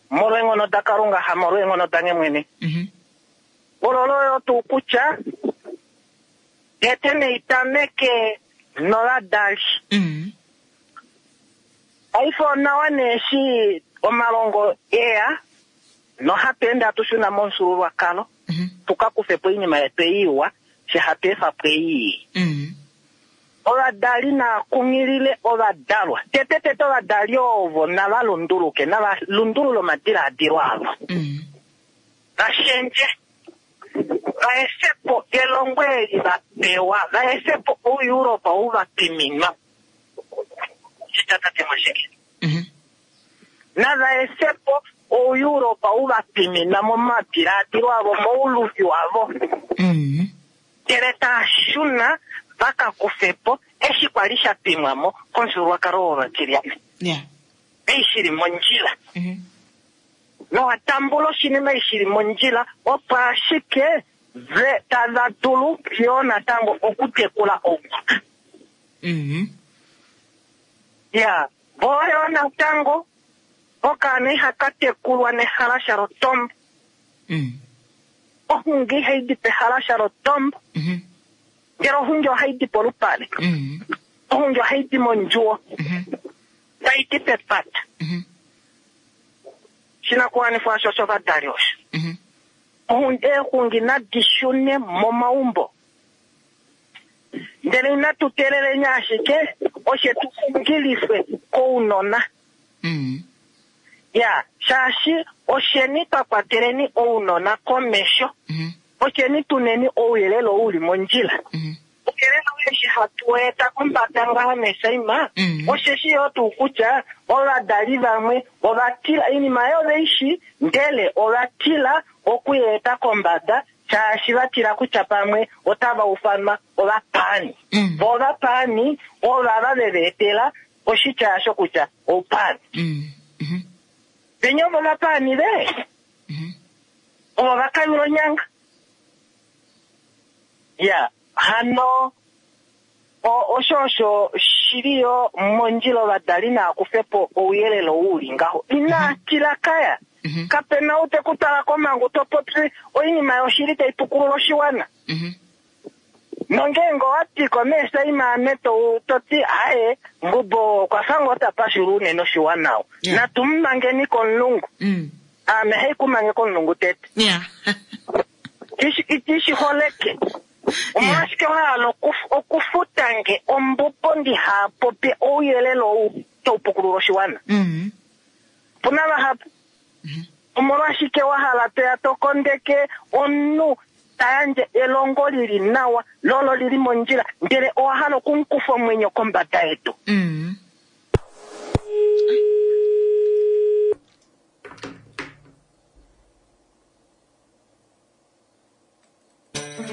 S7: molweenghono daKalunga, hamolweenghono dange mwene. Ololo yo tuu kutya, tete nei tameke novadali. Paife onawa nee eshi omalongo eya nohatu ende hatu shuna momufyuululwakalo tu ka kufe po oinima yetu ei iwa, fye hatu efa po ei ii. Ovadali naa kunghilile ovadalwa. Tete tete ovadali ovo nava lunduluke, nava lundulule omadilaadilo avo. Va shendje, va efe po elongo eli va pewa, va efe po ouEuropa ou va twiminwa. Shita tate Mwasheke. Nava efe po ouEuropa ou va twimina momadilaadilo avo, mouluvi wavo. Ndele taa shuna va ka kufe po eshi kwa li sha twimwa mo komufyuululwakalo wOvatilyane. Ei shi li mondjila. Nowa tambula oshinima eshi shi li mondjila, opo ashike ve tava dulu yoo natango okutekula ounona. Ya, vo yoo natango okaana ihaka tekulwa nehalasha lotombo. Oxungi ihai di pehalasha lotombo. Ndele oxungi ohai di polupale. Oxungi ohai di mondjuwo. Tai di pepata. Oshinakuwanifwa osho oshovadali osho. Eexungi nadi shune momaumbo. Ndele inatu teeleleni ashike oshe tu xungilifwe kounona. Ya, shaashi osheni twa kwateleni ounona komesho. Osheni tu neni ouyelele ou u li mondjila. Ouyelele ou eshi hatu u eta kombada ngaha meesaima, osheshi yoo tuu kutya ovadali vamwe ova tila, oinima oyo ove i shii, ndele ova tila oku i eta kombada shaashi va tila kutya pamwe otava ufanwa ovapaani. Vo ovapaani ovava ve va etela oshitya osho kutya oupaani. Venya ovo ovapaani ve, ovo va kayula onyanga. Ya, hano osho osho shi li yo mondjila ovadali naa kufe po ouyelele ou u li ngaho. Inaa tila kaya. Kape na ou te ku twala komhangu to popi oinima yoshili tai pukulula oshiwana. Nongeenge owa tiko meesaima ame to to ti aye Ngubo okwa fa ngoo ta pashula unene oshiwana ou. Natu mu mangeni komulungu. Aame hai ku mange komulungu tete. Iti shi holeke. Omolwashike wa hala okufuta nge ombubo ndiha popye ouyelele ou tau pukulula oshiwana? Opu na vahapu. Omolwashike wa hala toya to kondeke omunhu ta yandje elongo li li nawa lo olo li li mondjila ndele owa hala oku mu kufa omwenyo kombada yedu?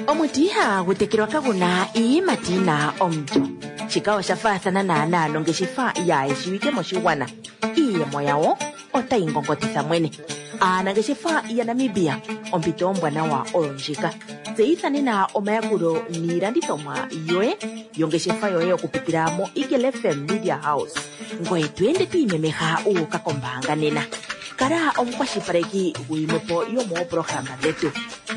S6: Omuti ihaagu tekelwa kagu na iiyimati yi na omulyo. Shika osha faathana naanaa nongeshefa yaayeshiwike moshigwana. Iiyemo yawo otayi ngongotitha mwene. Aanangeshefa yaNamibia, ompito ombwanawa oyo ndjika. Tseyitha nena omayakulo niilandithomwa yoye yongeshefa yoye okupitila moEagle FM Media House. Ngoye to ende to imemeha wu uka kombaanga nena. Kala omukwashilipaleki guyimwe po yomooprograma dhetu.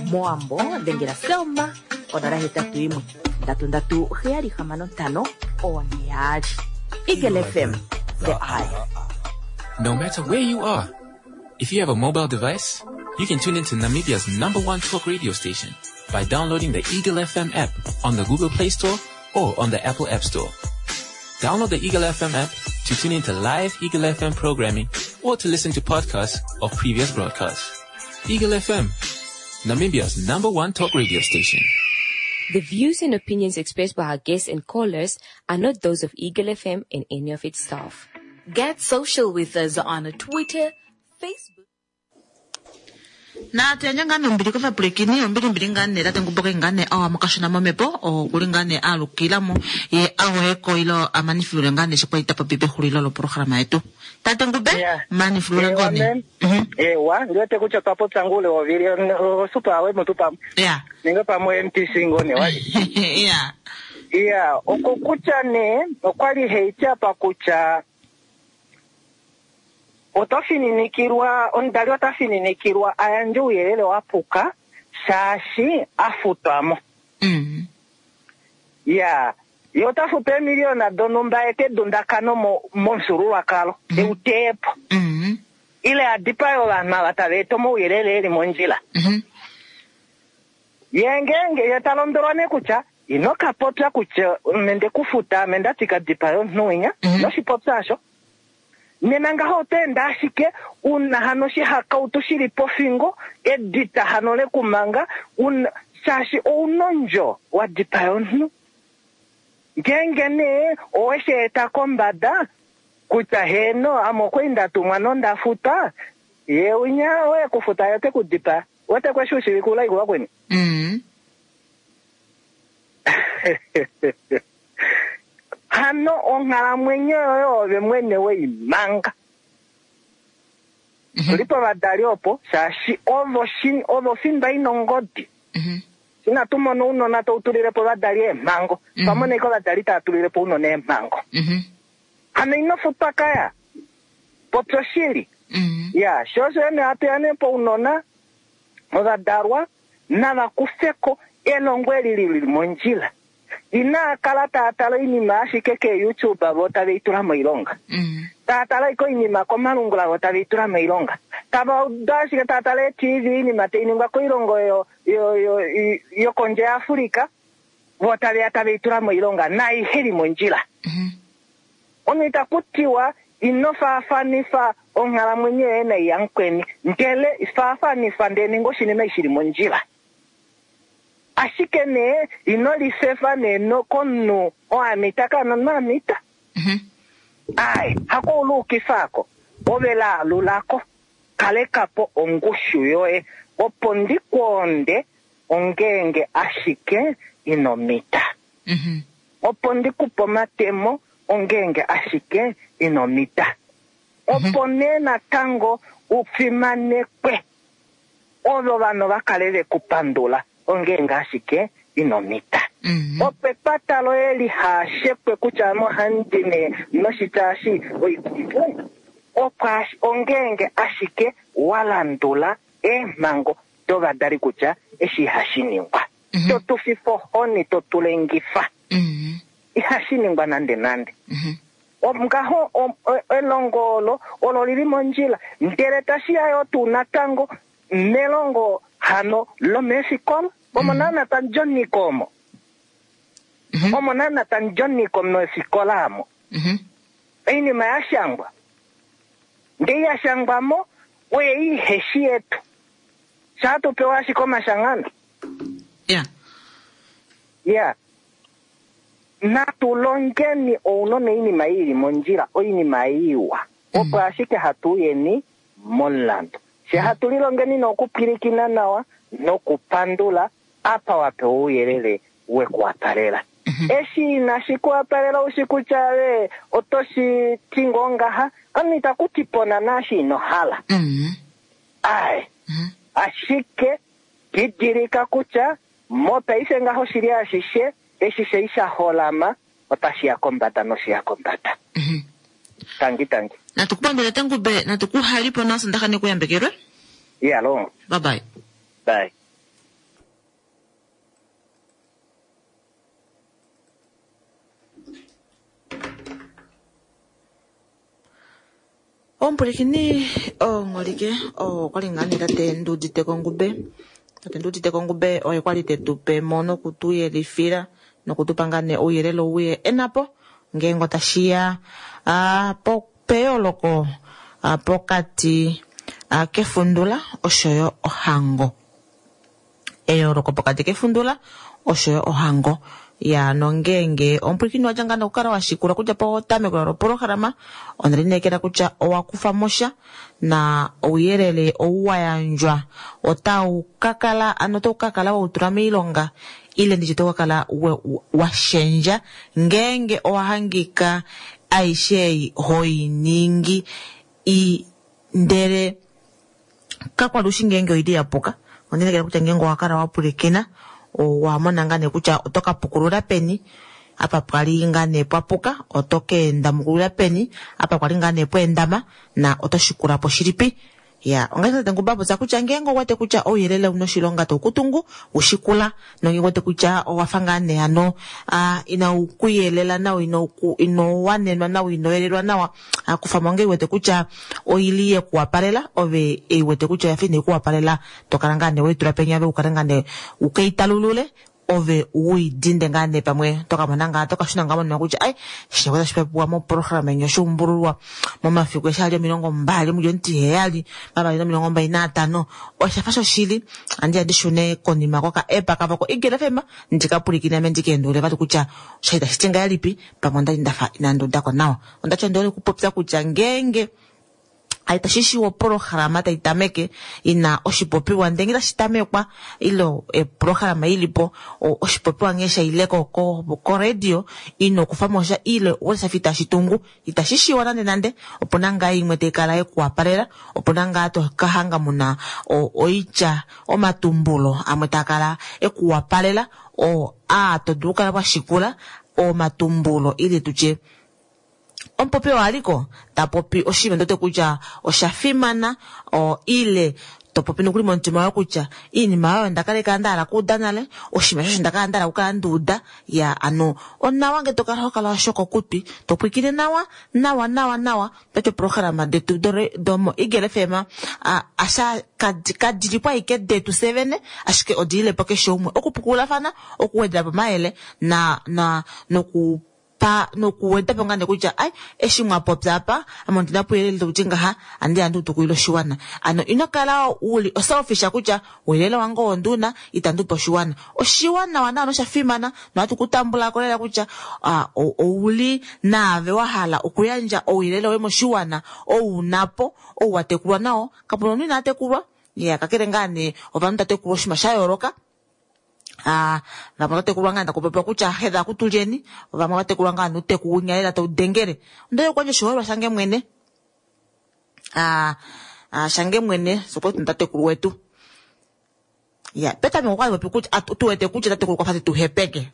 S6: Mowambo dhengela Selma konola hetatu yimwe ndatu ndatu heyali hamano ntano oone yaali. Eagle FM, the eye.
S8: No matter where you are, if you have a mobile device, you can tune into Namibia's number one talk radio station by downloading the Eagle FM app on the Google Play Store or on the Apple App Store. Download the Eagle FM app to tune into live Eagle FM programming or to listen to podcasts of previous broadcasts. Eagle FM, Namibia's number one talk radio station.
S9: The views and opinions expressed by our guests and callers are not those of Eagle FM and any of its staff.
S1: Get social with us on Twitter, Facebook. Natu yandje ngaa nee ombili kovapwilikini, ombili mbili ngaa nee tate Ngumboke ngaa nee awa mokashona momhepo, okuli ngaa nee aalukila mo ye aweko ilo amanifulule ngaa nee sho kwali ta popi pexulilo loprograma yetu. Tate Ngube,
S7: Yeah.
S1: manifulule
S7: Ewa,
S1: ngoo nee.
S7: ma'am. Ewa, ndi wete kutya otwa popya ngule wovili osupa awe mutu pamwe.
S1: Yeah.
S7: Ninga pamwe MTC ngoo nee wali.
S1: Yeah.
S7: Iya, okokutya nee okwali heiti apa kutya oto fininikilwa, omudali ota fininikilwa a yandje ouyelele wa puka shaashi a futwa mo. Ya, ye ota futwa eemiliyona donhumba ete dundakano momufyuululwakalo, eu teye po. Ile a dipae ovanhu ava tava eta omauyelele e li mondjila. Ye ngeenge ye ta lombwelwa nee kutya ino ka popya kutya ame nde ku futa, ame nda tika dipae omunhu winya, noshipopya osho. Nena ngaho oto ende ashike una hano oshihakautu shili pofingo, edita hano lekumanga, una, shaashi ouna ondjo wa dipaya omunhu. Ngeenge nee owe shi eta kombada kutya heeno ame okwali nda tumwa nonda futwa, ye winya oye kufuta ye ote ku dipaya. Wete kweshi ushivike ulai kuvakweni? Hano onghalamwenyo yoye ove mwene wei manga. Tuli povadali opo, shaashi ovo ovo fimba ina ongodi. Inatu mona ounona tau tulile po ovadali eemhango. Twa mona ashike ovadali tava tulile po ounona eemhango. Hano ino futwa kaya. Popya oshili. Ya, sho osho ene hatu ya nee pounona, ovadalwa, nava kufe ko elongo eli li li mondjila. Inaa kala taa tala oinima ashike keeYouTube vo tave i tula moilonga. Taa tala ashike oinima komalungula vo tave i tula moilonga. Tava udu ashike taa tala eeTV oinima tai ningwa koilongo yokondje yaAfrica vo tave ya tave i tula moilonga naihe li mondjila. Omunhu itaku tiwa ino faafanifa onghalamwenyo yoye nai yamukweni, ndele faafanifa ndele ninga oshinima eshi shili mondjila. Ashike nee ino lifefa nee komunhu oo a mita ka nomunhu a mita. Ai, hako uluukifa ako, ove laalulako, kaleka po ongushu yoye, opo ndi kwoonde ongeenge ashike ino mita. Opo ndi ku pe omatemo ongeenge ashike ino mita. Opo nee natango u fimanekwe, ove ovanhu va kale ve ku pandula ongeenge ashike ino mita. Opo epata loye liha shekwe kutya ame ohandi nee noshitya eshi oikumbu, opo ongeenge ashike wa landula eemhango dovadali kutya eshi ihashi ningwa. To tu fifa ohoni, to tu lengifa. Ihashi ningwa nande nande. Ngaho elongo olo olo lili mondjila, ndele tashi ya yo tuu natango melongo hano lomeefikola omo naana tamu omo. Omo naana tamu meefikola amo. Oinima ya shangwa. Ngee ya shangwamo oye iheshi yetu. Sha tu pewa ashike omashangano.
S1: Yeah.
S7: Yeah. Natu longeni ounona oinima ili mondjila, oinima iwa. Opo ashike hatu yeni momulandu. She hatu lilongeni nokupwilikina nawa nokupandula apa wapewa ouyelele wekuwapalela. Eshi inashi kuwapalela ushi kutya we otoshi ti ngoo ngaha, omunhu itaku ti pona naashi ino hala. Ai. Ashike didilika kutya mopaife ngaho shili ashishe eshi shei sha holama otashi ya kombada noshiya kombada. Tangi tangi.
S1: Natukupandule Tengube, natukuhalipo naSondaxa nekuyambekelwe.
S7: Iya longo.
S1: Bye bye.
S7: Bye.
S1: Omupwilikini omholike okwali ngaa nee tate Nduudite Kongube. Tate Nduudite Kongube oye kwali tetu pe mo nokutu yelifila nokutupa ngaa nee ouyelele ouye enapo ngeenge otashiya peyooloko pokati kefundula oshoyo ohango. Eyooloko pokati kefundula oshoyo ohango. Ya nongeenge omupwilikini wadja ngaa nokukala wa shikula kutya potameko lopolohalama ondelineekela kutya owa kufa mosha na ouyelele ou wa yandjwa otau kakala ano otau kakala wautula moilonga ile nditye otau kakala wa shendja ngeenge owa hangika aishe ei hoiningi ndele kakwali ushi ngeenge oili yapuka. Ondelineekela kutya ngeenge owa kala wa pwilikina owa mona ngaa nee kutya oto ka pukulula peni apa pwali ngaa nee pwapuka, oto ka enda mukulula peni apa kwali ngaa nee pweendama na oto shikula po shilipi. Ya, ongaashi tate Ngube apopya kutya ngeenge owete kutya ouyelele ouna oshilonga tau kutungu, ushikula, nongeenge owete kutya owafa ngaa nee hano inau kuyelela nawa, ino wanenwa nawa, ino yelelwa nawa, kufamo ngee wete kutya oili yekuwapalela, ove eiwete kutya oyafa inai kuwapalela, tokala ngaa nee weitula penya ove ukale ngaa nee ukeitalulule, ove uidinde ngaa nee pamwe tokamona ngaa tokashuna ngaa monima kutya ai shino otashi popiwa moprograma yenyu oshuumbululwa momafiku eshi ali 20 mulyo 7 2025 oshafa shoshili andi andi shune konima koka app kavo ko Eagle FM ndikapwilikine ame ndikeendulule vali kutya osha tashi ti ngahelipi pamwe ondali ndafa inandi udako nawa. Ondati ondi hole okupopya kutya ngeenge tashi shiwa oprograma tai tameke ina oshipopiwa ndenge tashi tamekwa ile eprograma ilipo oshipopiwa nghee shaileko ko radio ino kufa mosha ile oshafa itashi tungu itashi shiwa nande nande. Opuna ngaa imwe tai kala yekuwapalela, opuna ngaa to kahanga muna oitya omatumbulo amwe taa kala ekuwapalela o to dulu kala wa shikula omatumbulo ile tutye omupopi waliko tapopi oshinima ndote kutya osha fimana ile topopi nokuli momutima waye kutya iinima oyo ndakala nda hala kuuda nale oshinima shosho ndakala nda hala kukala nduuda ya ano onawa nge tokala hokala washoko kutwi topwikile nawa nawa nawa nawa toti oprograma detu domo Eagle FM asha kadilipo aike detu sevene ashike odililepo keshe umwe okupukululafana okuwedela po mayele na noku pa nokuweda po ngaa kutya ai eshi mwapopya apa ame ondina puuyelele tauti ngaha andi andi utukuile oshiwana. Ano ino kala uli oselfish kutya ouyelele wange oo nduna itandi upe oshiwana. Oshiwana nawa nosha fimana nohatu kutambula ko lela kutya ouli naave wa hala okuyandja ouyelele woye moshiwana ou unapo ou watekulwa nao kapuna omunhu ina tekulwa ya kakele ngaa nee ovanhu tatekulwa oshinima sha yooloka. Vamwe vatekulwa ngaa ndakupopiwa kutya hedha kutulyeni, vamwe vatekulwa ngaa nuteku winya lela taudengele. Ondaye kwandje oshiholelwa shange mwene. Shange mwene sokwetu tatekulu wetu. Ya, petameko kwali popi kutya tuwete kutya tatekulu kwafa tuhepeke.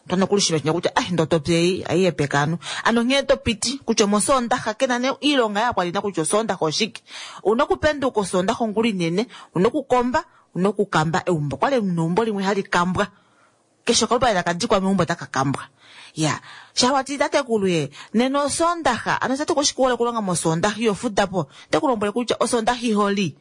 S1: Twana kulishima chinya kutya ai ndotopye aihepeka ano. Ano nghee topiti kutya mosondaxa kena ne iilonga yakwali na kutya osondaxa oshike. Una kupenduka osondaxa ongula inene, una kukomba. Una okukamba eumbo. Okwali neumbo limwe hali kambwa. Keshe okalupale taka dikwa meumbo otaka kambwa. Ya, sha wati tatekulu ye, nena Osoondaxa, ano tatekulu oshikuhole okulonga mOsoondaxa iho fuda po. Ote ku lombwele kutya Osoondaxa iho li.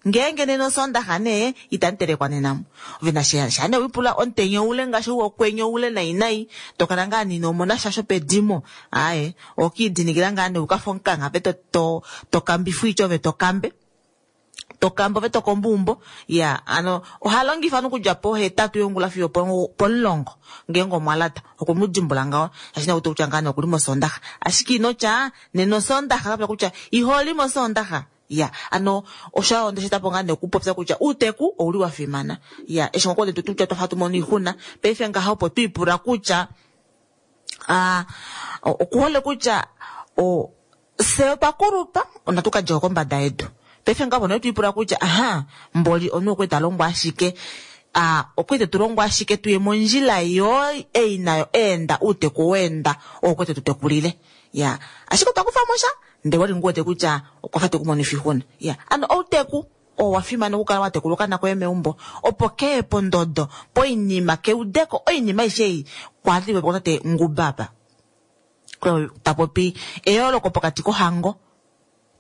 S1: Ngeenge nena Osoondaxa nee, itamu telekwa nena mu. Ove na sha, sha nee wipula omutenya oule ngaashi ou wokwenye oule nai nai, to kala ngaa nee ino mona sha shopedimo. Aaye, okiidinikila ngaa nee ukafe omukangha ove to, to, to kambifwa oitya ove to kambe. Tokamba ove tokomba ya ano oha longifa ovanhu okudja pohetatu yongula fiyo pomulongo ngeenge omwa lata okwe mu dimbula ngaho shaashi nakuti kutya ngaa nee okuli mosoondaxa ashike ino tya nena osoondaxa kapya kutya iholi mosoondaxa ya ano osho onde shetapo ngaa nee okupopya kutya uuteku ouli wa fimana ya eshi ngoo tu kutya twafa tu mono oixuna paife ngaha opo twiipula kutya okuhole kutya fye otwa kulupa onatu ka djeko kombada yedu paife ngaho opo twiipula kutya aha mboli omunhu okwali ta longwa ashike okwali tetu longwa ashike tuye mondjila yo ei nayo eenda uuteku weenda oo okwali tetu tekulile ya ashike otwa kufamo sha ndee wali ngu wete kutya okwafa tekumonifa oixuna ya ano outeku oo wa fimana okukala wa tekula okaana koye meumbo opo keye pondodo poinima keudeko oinima aishe ei kwali tate Nguba apa ta popi eyooloko pokati kohango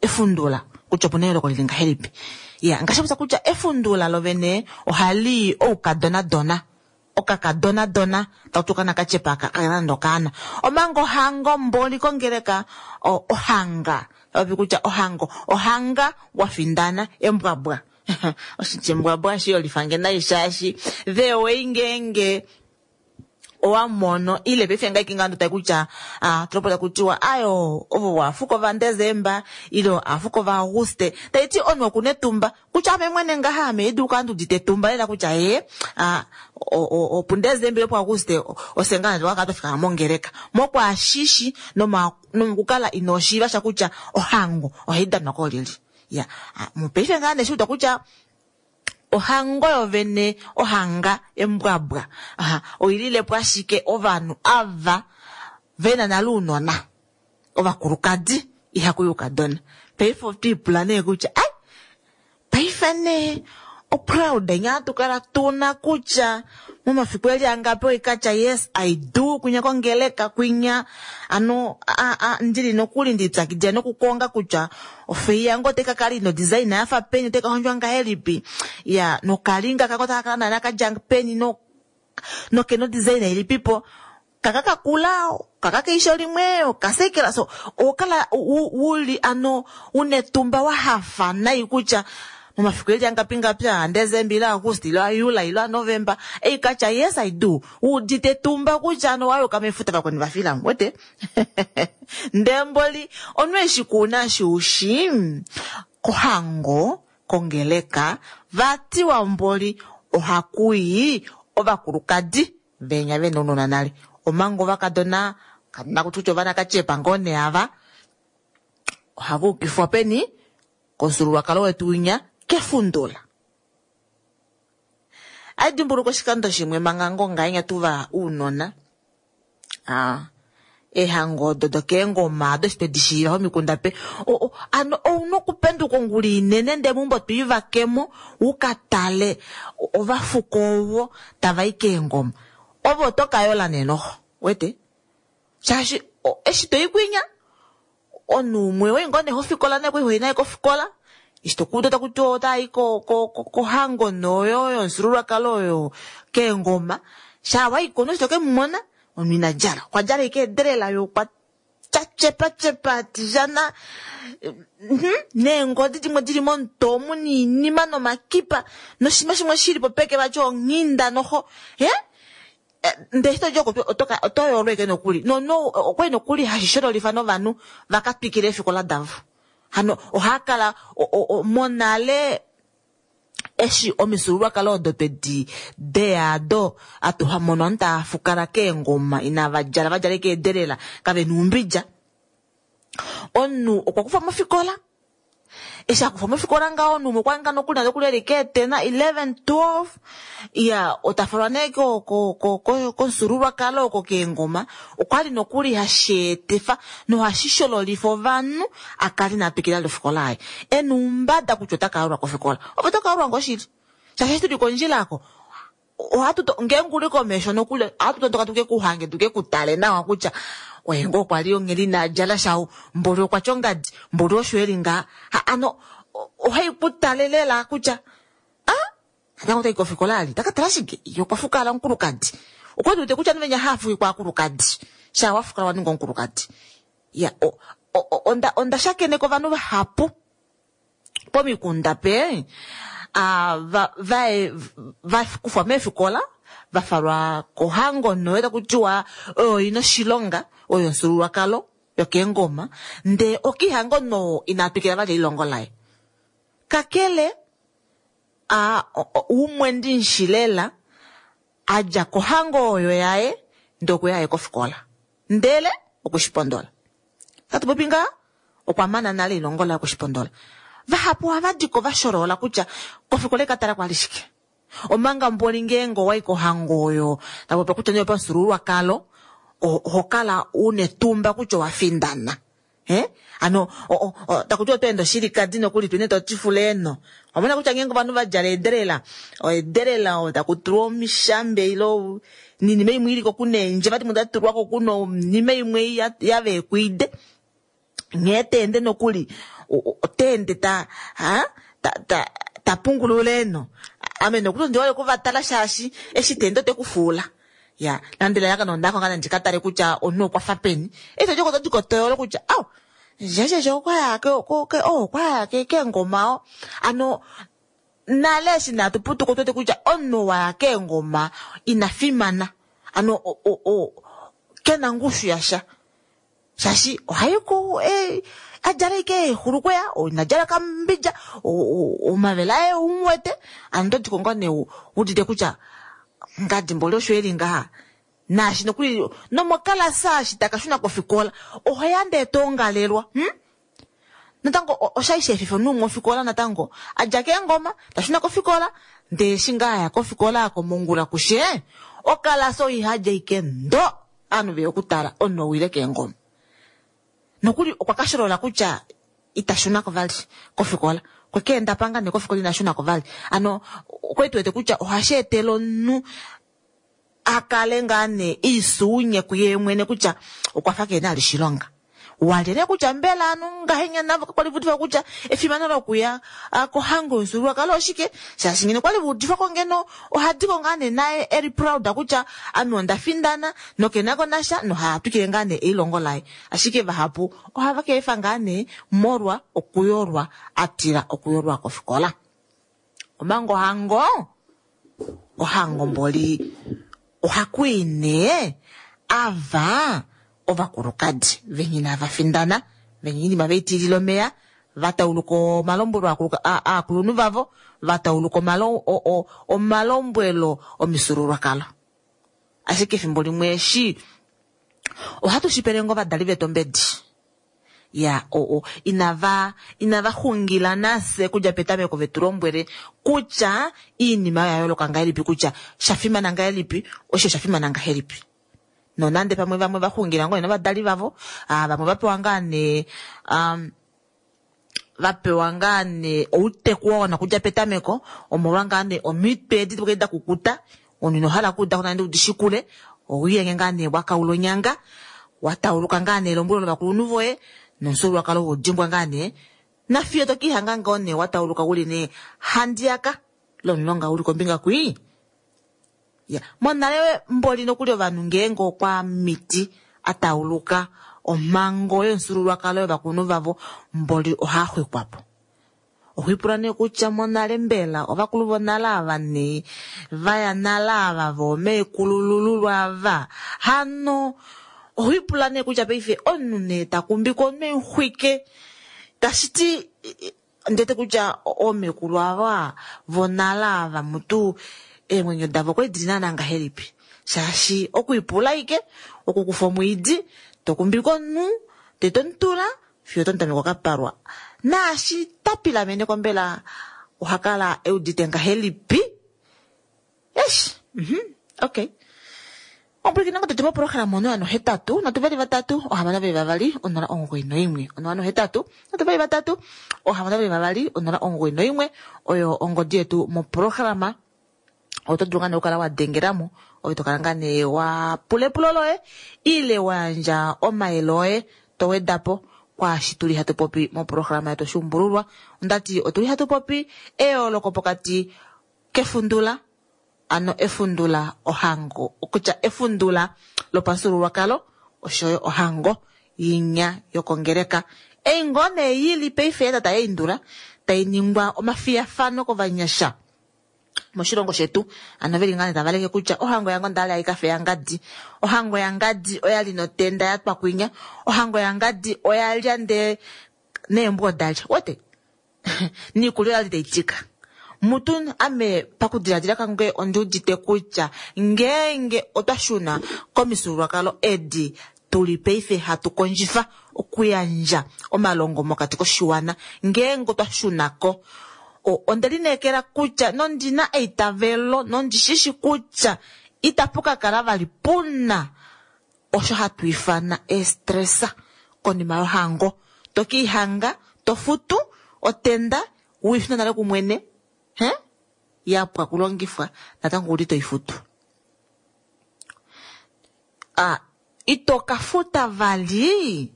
S1: efundula kutya opuna eyooloko lili ngahelipi ya ngaashi popya kutya efundula lovene ohali oukadonadona okakadonadona takuti okaana katyepa kakena nande okaana omanga ohango mboli kongeleka ohanga tapopi kutya ohango ohanga wafindana embwabwa oshitya embwabwa shiyolifange nai shaashi the way ngeenge owa mono ile paife ngaiki ngando tai kutya tulopota kutiwa ayo ovo waafuko vaDesemba ile aafuko vaAuguste taiti omunhu okuna etumba kutya ame mwene ngaha ame idu kala ndudite etumba lela kutya ye opuDesemba ile puAuguste ofye ngaa twakala twafikama mongeleka mokwaashishi nomokukala inoshiiva sha kutya ohango ohai danwa koolyelye ya mopaife ngaa neshiuda kutya ohango yovene ohanga embwabwa oililepo ashike ovanhu ava vena nale ounona ovakulukadi ihakuyi oukadona paife otwiipula nee kutya ai paife nee oproud nyaa tukala tuna kutya momafiku eli angapi oikatya yes I do kwinya kongeleka kwinya ano ndili nokuli ndipyakidila nokukonga kutya ofei yange otai kakala ina odesign yafa peni otai kahondjwa ngahelipi ya nokalinga kako taka kala naana kadja peni nokena odesign ilipipo kaka kakula kaka keisho limwe okasekela so owakala uli ano una etumba wahafa nai kutya momafiku eli angapi ngapi aDesemba ile Auguste ile aJuli ile aNovemba eikatya yes I do uudite etumba kutya ano wayuka mefuta vakweni vafilamo wete ndee mboli omunhu eshi kuuna shiushi kohango kongeleka vatiwa mboli ohakuyi ovakulukadi venya vena ounona nale omanga ovakadona nakutya ovana katyepa ngoo nee ava ohava ukifwa peni komufyuululwakalo wetu winya kefundula. Aidimbuluka oshikando shimwe manga ngoo ngahenya tuva uunona eehango odo dokeengoma ado eshi twedi shiiva pomikunda pe ano ouna okupenduka ongula inene ndee meumbo twiivakemo ukatale ovafuko ovo tavai keengoma ove oto kayola nee noxo wete shaashi eshi toi kwinya omunhu umwe wai ngoo nee hofikola naye kwali hoyi naye kofikola eshi tokuuda takuti otayi kohango noyo yomufyuululwakalo oyo keengoma shaa waiko noshi tokemumona omunhu ina djala okwa djala ashike edelela ye okwa tyatyepatyepa atijana neengodi dimwe dili momutwe omu noinima nomakipa noshinima shimwe shilipo peke vati onghinda noxo ndee eshi todi oko oto yoolwa ashike nokuli nomunhu okwali nokuli hashi shololifa novanhu vaka twikile eefikola davo hano ohaakala monale eshi omifyuululwakalo odo twedi deya ado atu hamono ovanhu tava fukala keengoma inava djala vadjala ashike eedelela kavena oumbidja omunhu okwa kufwa mofikola eshi akufwa mofikola ngaho omunhu umwe okwali ngaa nokuli nokuli eli keetena 11 12 ya otafalwa nee komufyuululwakalo oko keengoma okwali nokuli hasheetifa nohashi shololifa ovanhu akale ina twikila nofikola yaye ena oumbada kutya otaka yalulwa kofikola ove otoka yalulwa ngoo shili. Shaashi eshi tuli kondjila ako ohatu to, ngeenge uli komesho nokuli ohatu tondoka tuke ku hange tuke ku tale nawa kutya oye ngoo kwa li ongheli ina djala sha ou, mboli okwa tya ongadi, mboli osho e li ngaha. Ha, ano ohai ku tale lela kutya ah, natango otai kofikola ali, ta ka tala shike? Ye okwa fukala omukulukadi. Okwa udite kutya ovanhu venya hava fukikwa aakulukadi. Shaa wa fukala wa ninga omukulukadi. Ya, o, o, onda, onda shakeneka ovanhu vahapu pomikunda pe a, va, va, va kufwa meefikola va falwa kohango noyo taku tiwa oyo ina oshilonga oyo omufyuululwakalo yokeengoma ndee okihango noo ina twikila vali elilongo laye kakele a, umwe ndimushi lela a dja kohango oyo yaye ndee okweya aye kofikola ndele okweshipondola Tatu popi ngaa okwa mana nale elilongo laye okweshipondola. Vahapu ohava di ko va sholola kutya kofikola eka tala kwali shike. Omanga mboli ngeenge owa i kohango oyo ta popiwa kutya nee yopamufyuululwakalo, oho kala u netumba kutya owa findana. He? Hano taku tiwa oto ende oshilikadi nokuli tu ine to tifula eeno. Owa mona kutya ngeenge ovanhu va djala eedelela, eedelela oyo taku tulwa omishambe ile ninima imwe ili ko kuna eendjeva dimwe da tulwa ko kuna onima imwe ya veekwide. Nghee ta ende nokuli ota ende ta ha ta ta ta pungulula eeno. Ame nokuli ondi hole okuvatala shaashi eshi ta ende ote ku fuula. Ya, nande elalakano onda konga nandi ka tale kutya omunhu okwa fa peni. Eshi to diko to diko to yolo kutya au jejeje okwa ya ke ke ke oh okwa ya ke keengoma o. Ano nale eshi natu putuka otu wete kutya omunhu wa ya keengoma ina fimana. Ano o o o kena ongushu yasha. Shaashi ohai ku e, a djala ike eehulukweya, ina djala okambidja, omavele aye ou mu wete. Ano oto diko ngoo nee u udite kutya ngadi mboli osho e li ngaha. Naashi nokuli nomokalasa eshi taka shuna kofikola oho ya ndee to ongalelwa. Hm? Natango osha li sha efifa omunhu umwe ofikola natango a dja keengoma ta shuna kofikola ndee eshi ngaa a ya kofikola komongula kushe okalasa oiha dja ike ndo. Ovanhu veya okutala omunhu owile keengoma. Nokuli okwa ka sholola kutya ita shuna ko vali kofikola. Okwe ka enda panga nee kofikola ina shuna ko vali. Hano okwali tu wete kutya ohashi etele omunhu a kale ngaa nee iisuunye kuye mwene kutya okwa fa keena vali oshilonga. Walye nee kutya mbela anu ngahenya navo kakwali va udifwa kutya efimano lokuya kohango yomufyuululwakalo oshike, shaashi ngeno okwali va udifwa ko ngeno ohadiko ngaa nee naye eli proud kutya ame onda findana nokenako nasha noha twikile ngaa nee elilongo laye. Ashike vahapu ohava ka efa ngaa nee molwa okuyolwa a tila okuyolwa kofikola. Omanga ohango, ohango mboli ohaku i nee ava ovakulukadi venya inava findana, venya oinima ve i tilila omeya, va tauluka omalombwelo aakulunhu vavo, va tauluka omalombwelo omifyuululwakalo. Ashike efimbo limwe eshi ohatu shi pele ngoo ovadali vetu ombedi. Ya, o, o, inava, inava xungila nafye kudja petameko ve tu lombwele kutya iinima oya yooloka ngahelipi, kutya sha fimana ngahelipi, osho osha fimana ngahelipi. Nonande pamwe vamwe va xungila ngoo nee novadali vavo, ah, vamwe va pewa ngaa nee, um, va pewa ngaa nee outeku wa wana okudja petameko, omolwa ngaa nee omitwe edi da kukuta, omunhu ino hala okuuda ko nande udi shikule, owiilenge ngaa nee wa kaula onyanga, wa tauluka ngaa nee elombwelo lovakulunhu voye, nomufyuululwakalo we u dimbwa ngaa nee, nafiyo to ke lihanga ngoo nee wa tauluka u li nee handiyaka lomulonga u li kombinga kwii. Ya, monale mboli nokuli ovanhu ngeenge okwa miti a tauluka omhango yomufyuululwakalo yovakulunhu vavo mboli ohaa xwikwa po. Oho ipula nee kutya monale mbela ovakulu vonale ava nee va ya nale ava voomeekulululwa ava hano oho ipula nee kutya paife omunhu nee ta kumbikwa omunhu emuxwike tashi ti Ondi wete kutya oomekulu ava vonale ava mutu eemwenyo davo okwali dili naana ngahelipi shaashi okwiipula ashike, okukufa omwiidi tokumbike omunhu ndee tomutula fiyo otomutameke okapalwa. Naashi ta pilameneko mbela oha kala eudite ngahelipi? Eish, uhmm okay. Ompwilikina ngotetu moprograma 083 3 622 091 083 3 622 091 oyo ongodi yetu moprograma. Oto dulu ngaa nee okukala wa dengelamo ove to kala ngaa nee wa pula epulo loye ile wa yandja omayele oye to weda po kwaashi tuli hatu popi moprograma yetu Oshuumbululwa. Ondati otuli hatu popi eyooloko pokati kefundula ano efundula ohango okutya efundula lopamufyuululwakalo oshoyo ohango yinya yokongeleka. Ei ngoo nee yili paife yatata yaindula tai ningwa omafiyafano kovanyasha moshilongo shetu ano veli ngaa nee tava leke kutya ohango yango ndali aikafe yangadi, ohango yangadi oyali notenda yatwa kwinya, ohango yangadi oyalya ndee neembwa odalya wete niikulya oyali taitika. Mutu ame pakudiladila kange ondi udite kutya ngeenge otwa shuna komifyuululwakalo edi tuli paife hatu kondjifa okuyandja omalongo mokati koshiwana, ngeenge otwa shunako onde lineekela kutya nondina eitavelo nondishishi kutya itapu ka kala vali puna osho hatu ifana eestresa konima yohango. To kiihanga, to futu otenda wiifuna nale kumwene, he yapwa kulongifwa natango ouli toifutu. Ito ka futa vali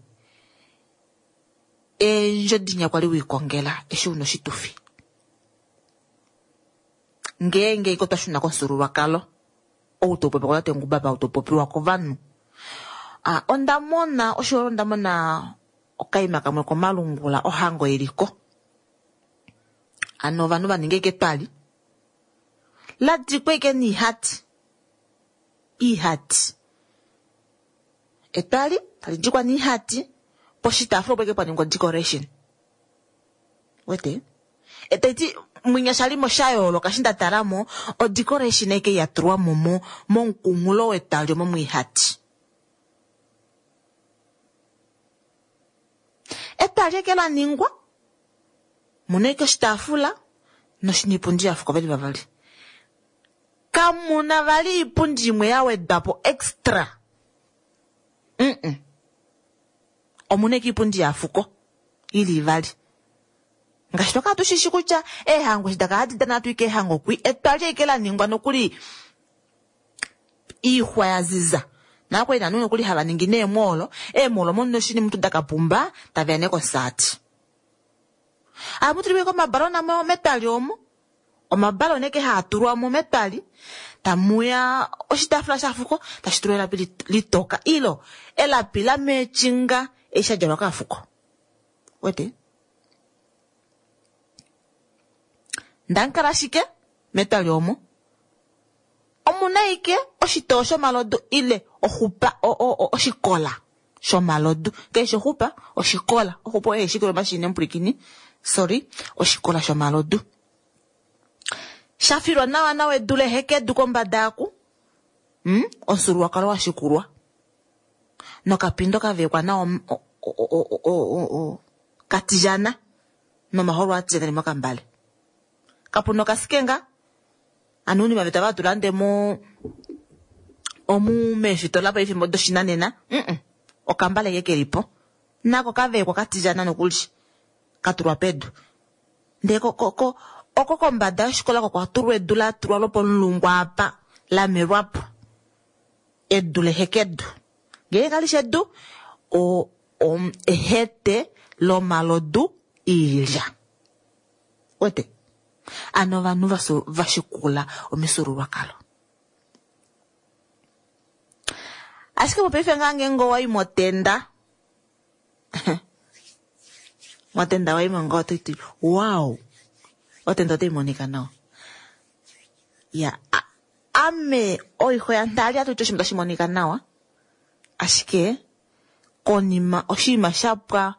S1: eendjo dinya kwali wiikongela eshi una oshitufi. Ngeenge iko twa shuna komufyuululwakalo ou tau popiwa kotate Ngubaba, ou tau popiwa kovanhu. Onda mona osho onda mona okaima kamwe komalungula ohango iliko. Ano ovanhu va ninga etwali la dikwa ike niihati. Iihati. Etwali tali dikwa niihati poshitaafula opo ike pwa ningwa decoration. Wete? Etaiti mwinya shalimo sha yooloka eshi nda talamo o decoration eke ya tulwa mo momukunghulo wetwali omo mwiihati. Etwali eke la ningwa muna eke oshitaafula niipundi ya fuka veli vavali. Kamuna vali iipundi imwe ya wedwapo extra. Omuna eke iipundi ya fuko ili ivali. Ngaashi twakala tushishi kutya eehango eshi dakala hadi dana hatu i keehango kwi etwali eke la ningwa nokuli iixwa ya ziza. Nakwali nanu nokuli hava ningi neemwoolo. Eemwoolo omo noshini mutu dakapumba taveya nekonsaati. Ohamu tulwa omabalona metwali omo. Omabalona eke haa tulwa mo metwali. Tamuya oshitaafula shafuko tashi tulwa elapi litoka ilo elapi la meechinga eshi sha djalwa kaafuko. Wete? Ndankala ashike metwali omo. Omuna ike oshitoo shomalodu ile oxupa oshikola shomalodu. Keshe oxupa oshikola. Oxupa oyo eshikolo mashine mpulikini. Sorry, oshikola shomalodu. Shafilwa nawa nawa edu lehekedu kombada yaku. Omufyuululwakalo wa shikulwa. Nokapindo kavekwa nawa katijana nomaholo atijana mokambale. Kapuna okasikenga. Ano uunima vetu ava tulande mo omu meefitola paife doshinanena. Okambale ke kelipo. Nako kavekwa katijana nokuli. Katulwa pedu. Ndee oko kombada yoshikola ko kwatulwa edu la tulwa lopomulungu apa la melwapo. Edu lehekedu. Ngee kali shi edu ehete lomalodu iilya. Wete? Ano ovanhu vashikula omifyuululwakalo. Ashike mopaife ngaa ngeenge owayi motenda. Motenda wayi mo ngoo otoiti wow. Otenda otai monika nawa. Ya ame oixo yantali atuti oshinima tashi monika nawa. Ashike konima oshinima shapwa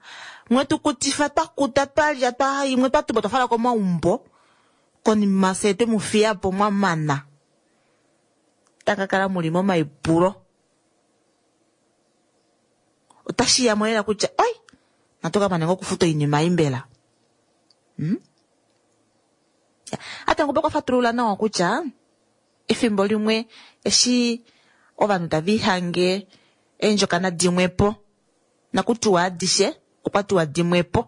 S1: mwetu kutifa twakuta twalya twa imwe twatumba twafala komaumbo konima se twe mu fiyapo mwamana. Takakala muli momaipulo. Otashi ya molela kutya oi natoka mane ngokufuta oinima imbela. Ata ngoba kwa fatulula nawa kutya efimbo limwe eshi ovanhu tava ihange eendjokana dimwepo nakutiwa adishe okwa tiwa dimwepo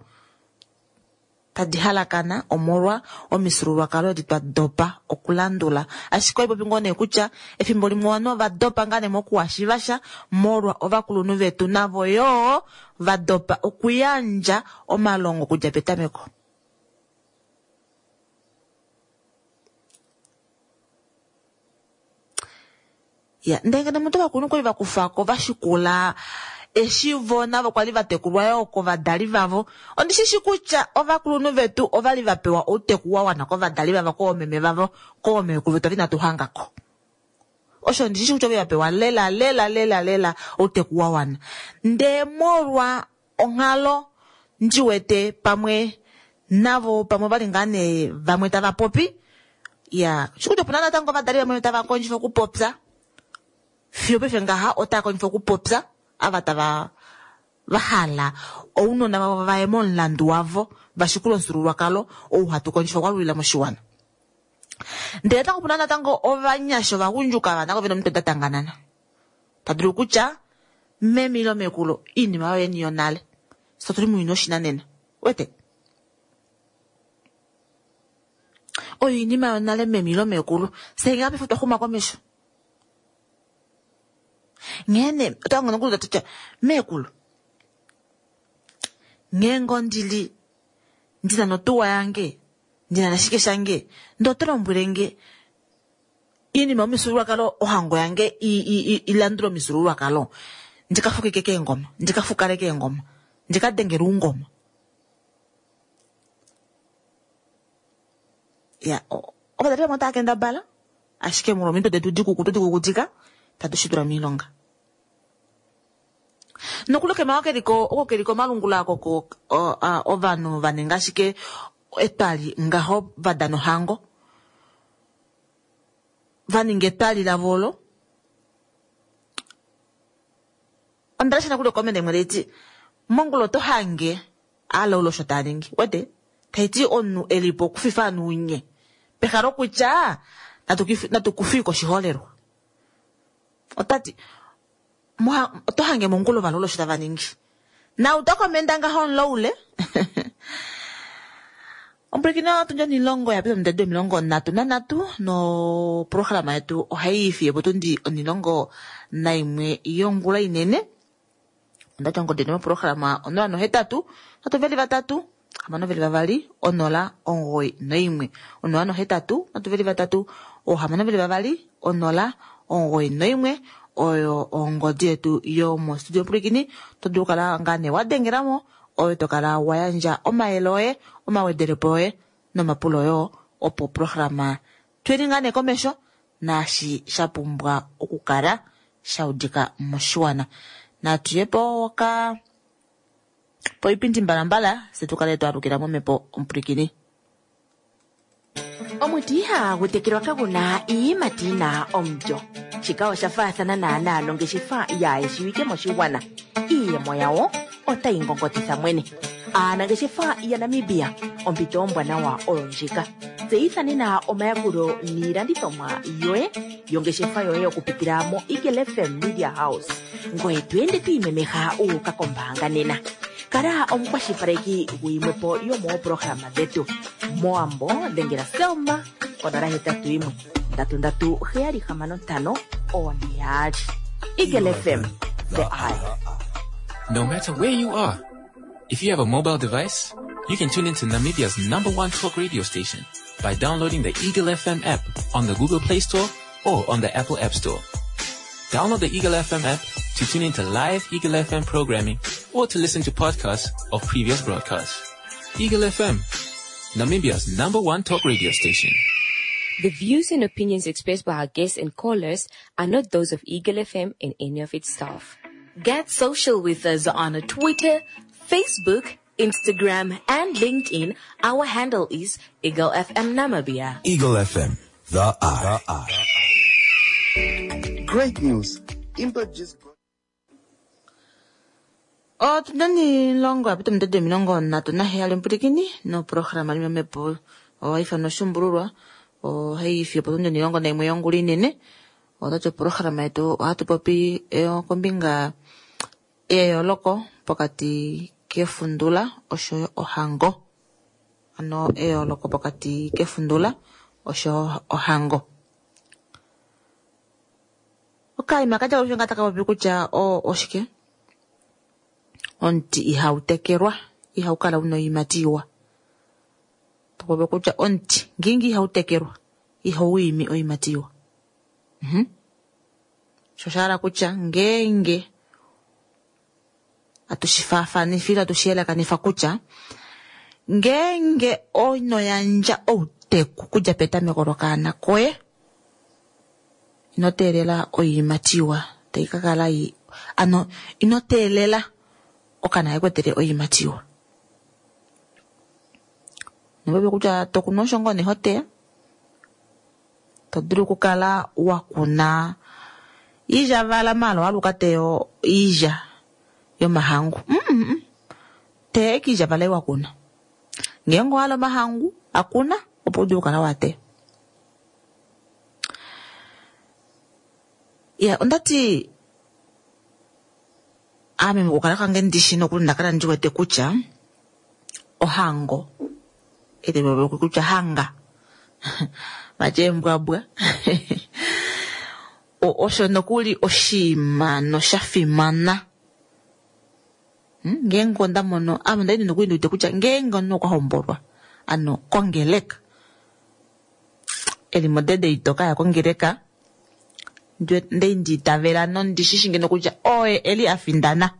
S1: tadi halakana omolwa omifyuululwakalo edi twa dopa okulandula. Ashike ohaipopi ngoo nee kutya efimbo limwe ovanhu ova dopa ngaa nee mokuhashiva sha molwa ovakulunhu vetu navo yoo va dopa okuyandja omalongo okudja petameko. Ya, ndele ngeno omuntu ovakulunhu kwali va kufako va shikula eshi vo navo kwali va tekulwa yoo kovadali vavo. Ondi shi shi kutya ovakulunhu vetu ovali va pewa outeku wa wana kovadali vavo, koomeme vavo, koomekulu vetu inatu hangako. Osho ondi shi shi kutya ovali va pewa lela lela lela lela outeku wa wana. Ndee molwa onghalo ndi wete pamwe navo pamwe ovali ngaa nee vamwe tava popi ya shikuti opuna natango ovadali vamwe tava kondjifa okupopya fiyo paife ngaha otava kondjifa okupopya ava tava va hala ounona vavo vaye momulandu wavo va shikule omufyuululwakalo ou hatu kondjifa okwalulila moshiwana. Ndele natango opuna natango ovanyasha ovagundjuka ava natango vena omitwe da tanganana ta dulu kutya meme ile mekulu iinima yoye ni yonale fye otuli muuyuni woshinanena wete oyo iinima yonale meme ile mekulu fye ngaa paife otwa xuma komesho nghene otwa nokuli tutya mekulu ngeenge ondili ndina notuwa yange ndina nashike shange ndee oto lombwelenge iinima yomifyuululwakalo ohango yange ilandule omifyuululwakalo ndika fukike keengoma ndika fukale keengoma ndika dengele oungoma ya ovadali vamwe otava kendabala ashike molwa omitwe detu dikukutu dikukutika tatu shi tula miilonga nokuli okema keliko oko keli komalungula oko ovanhu va ninga ashike etwali ngaho va dana ohango va ninga etwali lavo olo onda lesha nokuli okomende imwe taiti mongula oto hange alaula osho taa ningi wete taiti omunhu elipo okufifa ovanhu unye peha lokutya natu kufiwe koshiholelwa otati oto hange mongula ovalaula osho tava ningi na utakomenda ngaho omulaule Ompwilikina otundji onilongo ya pita omundede 33 noprograma yetu ohayi fiye potundi 11 yongula inene. Ondati ongodi moprograma 083 323 622 091 083 323 622 091 oyo ongodi yetu yomostudio. Ompwilikini to dulu kala ngaa nee wa dengelamo oyo to kala wa yandja omayele oye omawedelepo oye nomapulo yoo opo programa tuyeni ngaa nee komesho naashi sha pumbwa okukala sha udika moshiwana. Natuye po ka poipindi mbalambala se tukale twalukila momhepo ompwilikini.
S6: Omuti ihagu tekelwa kaguna iiyimati yina omulyo. Shika osha faathana naanaa nongeshefa yaayeshiwike moshigwana. Iiyemo yawo otayi ngongotitha mwene. Aanangeshefa yaNamibia ompito ombwanawa oyo ndjika. Tseyitha nena omayakulo niilandithomwa yoye yongeshefa yoye okupitila mo Eagle FM Media House. Ngoye to ende to imemeha uuka kombaanga nena. Kala omukwashilipaleki guyimwepo yomoopolohalama dhetu. Mowambo dhengela Selma 081 337 665 42. Eagle FM, the eye.
S8: No matter where you are, if you have a mobile device, you can tune into Namibia's number one talk radio station by downloading the Eagle FM app on the Google Play Store or on the Apple App Store. Download the Eagle FM app to tune into live Eagle FM programming or to listen to podcasts of previous broadcasts. Eagle FM, Namibia's number one talk radio station.
S9: The views and opinions expressed by our guests and callers are not those of Eagle FM and any of its staff.
S6: Get social with us on Twitter, Facebook, Instagram, and LinkedIn. Our handle is Eagle FM Namibia.
S2: Eagle FM, the eye.
S10: Great news. Impact just got
S1: Otuna niilongo ya pita omundede 37 ompwilikini noprograma limwe mepo ohai ifanwa oshuumbululwa ohayi fiye potundi 11 yongula inene. Otati oprograma yetu ohatu popi kombinga yeyooloko pokati kefundula oshoyo ohango. Ano eyooloko pokati kefundula oshoyo ohango. Okaima kadja olusho nga taka popi kutya oshike? Omuti ihau tekelwa, ihau kala una oiimati iwa. Topopi kutya omuti ngeenge ihau tekelwa, ihau imi oiimati iwa. Sho osha hala kutya ngeenge atushi faafanifa ile atushi yelekanifa kutya ngeenge ino yandja outeku okudja petameko lokaana koye, ino teelela oiimati iwa tai ka kala ano ino teelela okaana ke ku etele oiimati iwa. Nopopi kutya tokunu osho ngoo nee ho teya, to dulu okukala wa kuna iilyavala maala owaluka teyo iilya yomahangu. Teya ashike iilyavala ei wa kuna. Ngeenge owa hala omahangu a kuna opo u dule okukala wa teya. Ya ondati ame mokukala kwange ndishi nokuli onda kala ndi wete kutya ohango kutya hanga vati eembwabwa osho nokuli oshinima nosha fimana. Ngeenge onda mono ame onda li nokuli ndi wete kutya ngeenge omunhu okwa hombolwa ano kongeleka eli modede itoka ya kongeleka ndei ndi itavela nondishishi ngeno kutya oye eli a findana.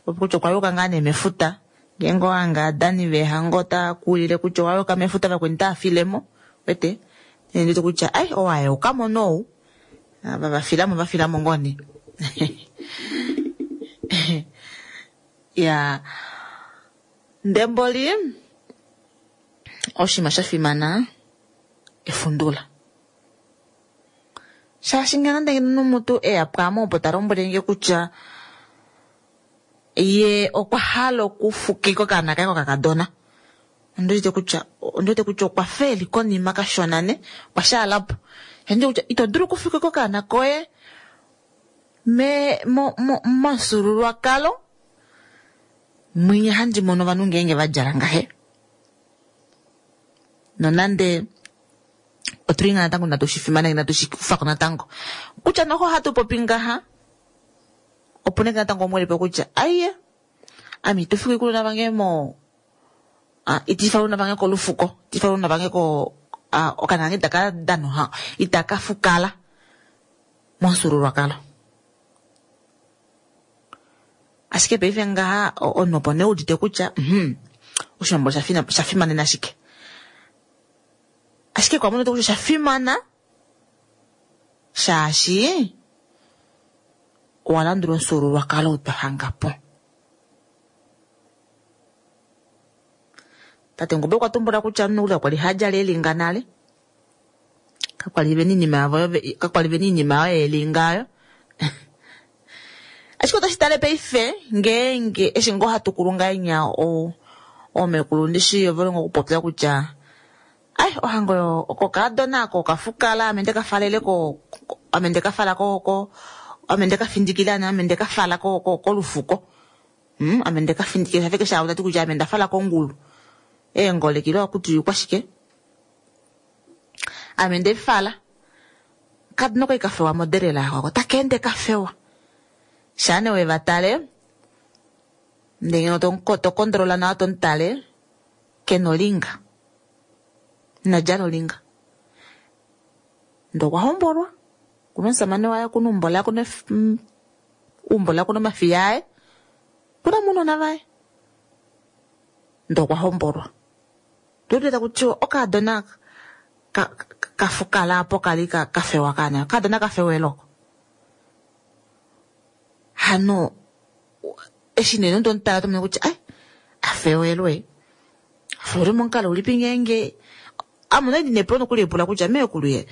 S1: Kutya okwa yuka ngaa nee mefuta ngeenge owahanga adani veehango otava kuwilile kutya owa yuka mefuta vakweni otava filemo wete ndiwete kutya ai owayukamo nou ava vafilamo vafilamo ngoo nee. Ya ndemboli oshinima sha fimana efundula. Shaashi ngeno nande ngeno nomutu eya pwaame opo ta lombwele nge kutya ye okwa hala okufukika okaana kaye kokakadona, ondiwete kutya ondiwete kutya okwa fa eli konima kashona ne, okwa shaalapo. Ondiwete kutya ito dulu okufukika okaana koye me mo momufyuululwakalo mwinya handi mono ovanhu ngeenge va djala ngahe. Nonande otuli ngaa natango inatu shi fimaneka inatu shi kufako natango. Kutya noho ohatu popi ngaha opo nee natango umwe elipo kutya aiye ame ito fiki kuluna vange mo iti faluna vange kolufuko, iti faluna vange ko okaana kange itaka dana itaka fukala momufyuululwakalo. Ashike paife ngaha omunhu opo nee udite kutya oshiwambo osha fimanena shike. Ashike kwa mono kutya osha fimana shaashi owa landula omufyuululwakalo ou twa hanga po. Tate Ngube okwa tumbula kutya omunhu ula kwali ha djala elinga nale, kakwali vena iinima yavo kakwali vena iinima yayo yelinga oyo. Ashike otoshi tale paife ngeenge eshi ngoo hatu kulu ngahenya oomekulu ndishi ove longo okupopya kutya ai ohango oyo okokadona ako okafukala ame ndeka falele ko ame ndeka fala ko ko ame ndeka findikila ame ndeka fala ko kolufuko. Ame ndeka findikila shafike sha tati kutya ame ndafala kongulu. Eengole kilo akuti kwashike? Ame ndefala. Kadino koi kafewa moderela ako takeende kafewa. Shane we vatale ndenge to kondrola nawa tontale kenolinga. Inadjala olinga. Ndee okwa hombolwa kuna omusamane waye, kuna eumbo laye, kuna eumbo laye, kuna omafiya aye, kuna omunona vaye. Ndee okwa hombolwa. Tuudite kutya okadona kafukala apo kali kafewa kaana. Okadona kafewa eloko. Hano eshi nee nonto tomono kutya ai afewelwe. Afewelwe momukalo ulipi ngeenge ame onda li ndina epulo nokuli epula kutya meekulu ye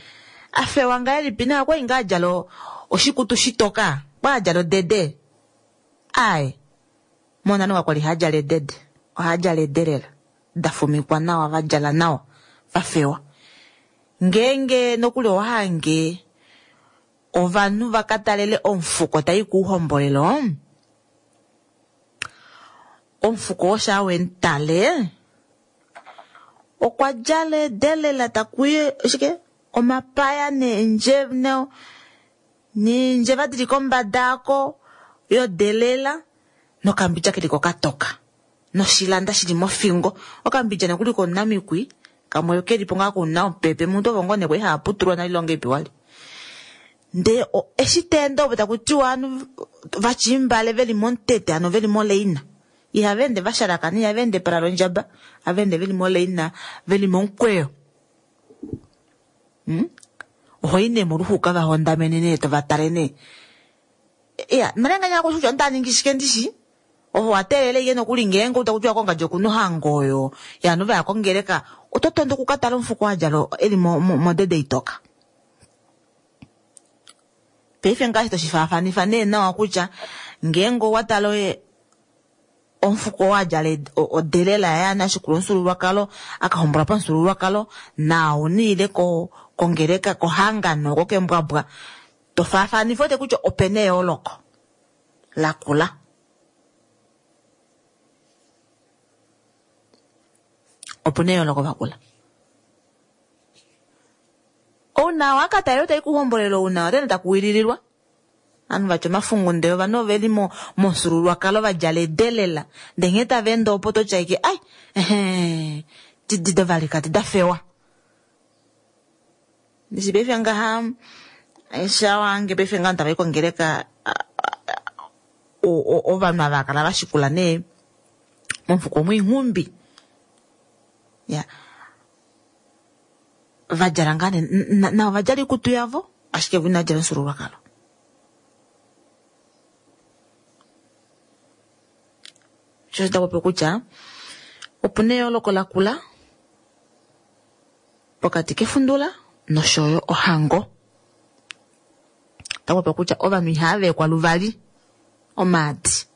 S1: afewa ngahelipi naye okwali ngaa adjala oshikutu shitoka, okwali adjala odede. Aaye, monale kakwali hadjala edede, ohadjala edelela dafumikwa nawa, vadjala nawa, vafewa. Ngeenge nokuli owa hange ovanhu va ka talele omufuko ta i kuuhombolelo, omufuko oo shaa we mu tale, okwa djala edelela taku i shike omapaya neendjeva dili kombada ako yodelela nokambidja keli ko katoka noshilanda shili mofingo. Okambidja nokuli komunamikwi kamwe kelipo ngaa kuna omupepe muntu ovo ngoo nee kwali haa putulwa nale ilonga ipi wali. Ndee eshi ta ende opo taku tiwa ovanhu vachimbale veli momutete ano veli moleina. Ihava ende va shalakana, ihava ende pala londjaba, ohava ende veli moleina veli momukweyo. Oho i nee moluxuka va hondamene nee tova tale nee. Iya, nale nganya kutya onda ningi shike ndishi? Ovo wa teelele ye nokuli ngeenge utaku tiwa kongadi okuna ohango oyo yovanhu va ya kongeleka, oto tondo oku ka tala omufuko wa djala eli modede itoka. Paife ngaashi toshi faafanifa nee nawa kutya ngeenge owa tala omufuko wa djala odelela yaye ana ashikula omufyuululwakalo, a ka hombolwa pamufyuululwakalo, naau niile kongeleka, kohangano, oko kembwabwa, to faafanifa wete kutya opena eyooloko lakula. Opuna eyooloko vakula. Ouna wa ka talela tai kuhombolelo ouna otene taku wilililwa. Ovanhu vatya omafungu ndee ovanhu oveli momufyuululwakalo va djala edelela. Ndee nghee tava ende opo to tya ike ai ehe didi dovalikadi da fewa. Ndishi paife ngaha shawange paife ngaha tava i kongeleka ovanhu ava kala va shikula nee momufuko omwiinghumbi. Ya. Va djala ngaa nee navo va djala oikutu yavo ashike vo inava djala omufyuululwakalo. Sho osho tapopi kutya opuna eyooloko lakula pokati kefundula noshoyo ohango. Tapopi kutya ovanhu ihava vekwa luvali omaadi.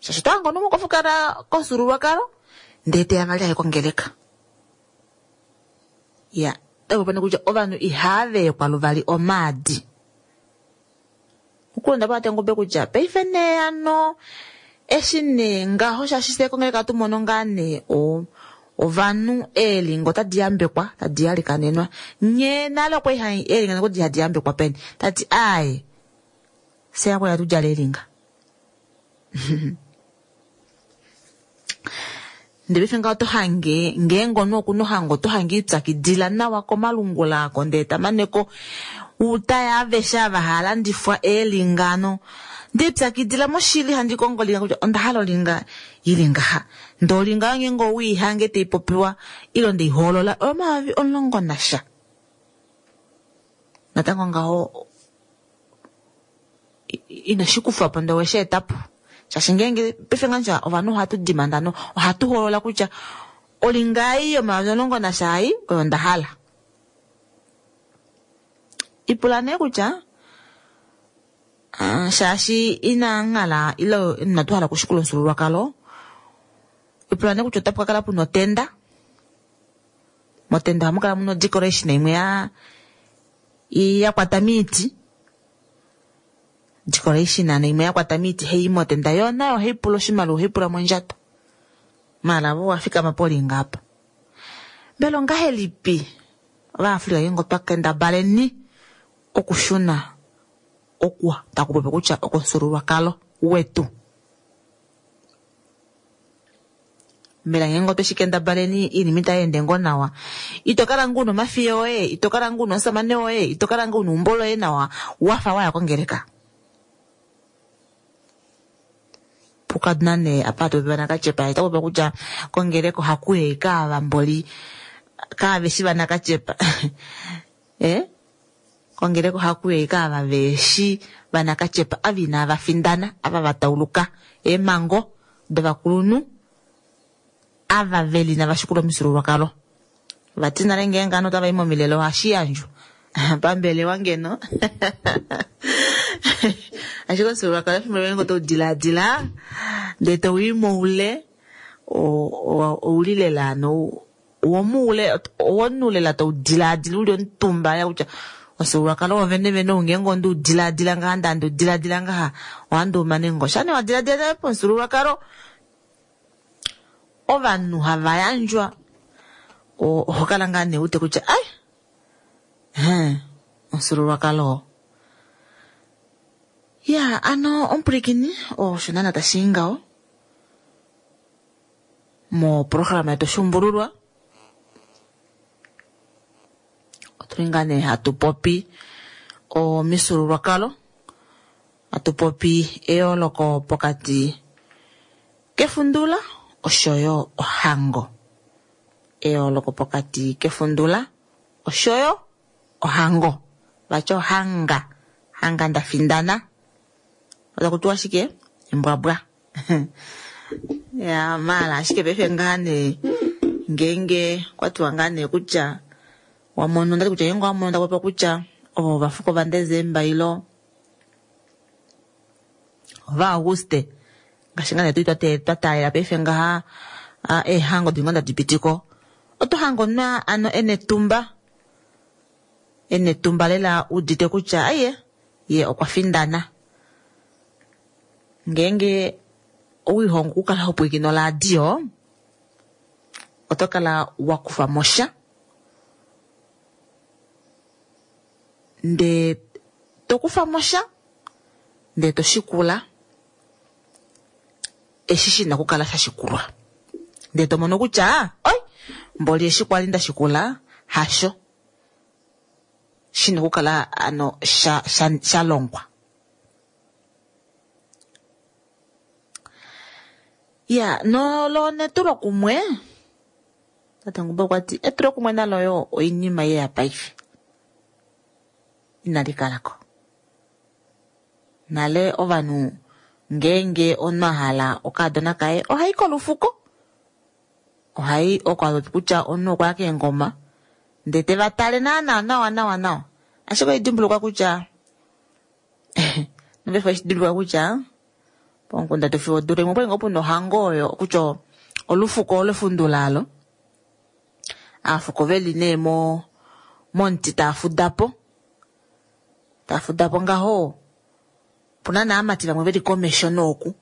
S1: Shaashi oto hango nomukofukala komufyuululwakalo ndee teya vali aye kongeleka. Ya, tapopi kutya ovanhu ihava vekwa luvali omaadi. Okulonda pa Tengombe kutya paife nee hano eshi nee ngaho shaashi fye kongeleka tu mono ngaa nee ovanhu eelinga otadi yambekwa tadi yalikanenwa. Nye nale okwa iha eelinga nokudi hadi yambekwa peni. Tati aaye fye akwali hatu djala eelinga. Ndele paife ngaho oto hange ngeenge omunhu okuna ohango oto hange ipyakidila nawa komalungula ako ndee tamaneko utaya aveshe ava hava landifwa eelinga ano ndipyakidila moshili handi kongo olinga kutya onda hala olinga ili ngaha. Ndee olinga oyo ngeenge owiihange taipopiwa ile ndeihoolola oyo 10,000. Natango ngaho ino shi kufa po ndee oweshi eta po. Shaashi ngeenge paife ngaha ovanhu ohatu dimanda no ohatu hoolola kutya olinga ei yo10,000 ai oyo nda hala. Ipula nee kutya shaashi ina nghala ile inatu hala okushikula omufyuululwakalo, ipula nee kutya otapu ka kala puna otenda. Motenda ohamu kala muna odecoration imwe ya kwata miiti. Decoration ano imwe ya kwata miiti hei motenda yo nayo ohai pula oshimaliwa, ohai pula mondjato. Maala vo wafikama polinga apa. Mbela ongahelipi Ovaafrika ngeenge otwa kendabaleni okushuna oku taku popi kutya okomufyuululwakalo wetu. Mbela ngeenge otwe shi kendabaleni oinima itai ende ngoo nawa. Ito kala ngoo una omafiya oye, ito kala ngoo una omusamane woye, ito kala ngoo una eumbo loye nawa wafa waya kongeleka. Pukaduna nee apa hatu popi vanakatyepa, ota popi kutya kongeleka ohaku yei kaavamboli kaaveshi vanakatyepa. Kongeleka ohaku yei kaava veshi vanakatyepa ava inava findana, ava va tauluka eemhango dovakulunhu, ava veli inava shikula omifyuululwakalo. Vati nale ngeenge ovanhu otava i momilele ohashi yandjwa pambelewa ngeno. Ashike omufyuululwakalo efimbo limwe ngeenge oto dilaadila ndee tau i moule ouli lela ano womuule owomunhu lela tau dilaadila uli omutumba ya kutya omufyuululwakalo wovene vene ou ngeenge onde u dilaadila ngaha ndee handi u dilaadila ngaha ohandi u mane ngoo. Shaa nee wa dilaadila nale pomufyuululwakalo ovanhu hava yandjwa oho kala ngaa nee wete kutya ai hee omufyuululwakalo oo. Ya ano omupwilikini osho naana tashi i ngaho moprograma yetu Oshuumbululwa otuli ngaa nee hatu popi omifyuululwakalo hatu popi eyooloko pokati kefundula oshoyo ohango. Eyooloko pokati kefundula oshoyo ohango. Vati ohanga, hanga nda findana. Otaku tiwa shike? Embwabwa. Ya maala ashike paife ngaa nee ngeenge kwa tiwa ngaa nee kutya wa mono ndati kutya ngeenge owa mono taku popiwa kutya ovo ovafuko vaDesemba ilo vaAuguste ngaashi ngaa nee tuli twa taalela paife ngaha eehango dili ngoo tadi piti ko oto hange omunhu ano e na etumba e na etumba lela udite kutya aiye ye okwa findana. Ngeenge owelihongo okukala ho pwilikine oradio oto kala wa kufa mo sha ndee to kufa mo sha ndee to shikula eshi shi na okukala sha shikulwa. Ndee to mono kutya oi mboli eshi kwali nda shikula hasho shi na okukala ano sha, sha, sha longwa. Ya nolo netulokumwe tate Ngumba okwa ti etulokumwe nalo yo oinima ye ya paife inali kala ko. Nale ovanhu ngeenge omunhu a hala okaadona kaye ohai kolufuko ohai oko a kutya omunhu okwa ya keengoma ndee te va tale naana nawa nawa nawa ashike oidimbulukwa kutya nopaife oidimbulukwa kutya pomukunda tu fiyo odula imwe okwali ngoo puna ohango oyo kutya olufuko olefundula alo aafuko veli nee mo momuti tava fuda po tava fuda po ngaho opuna naamati vamwe veli komesho nooku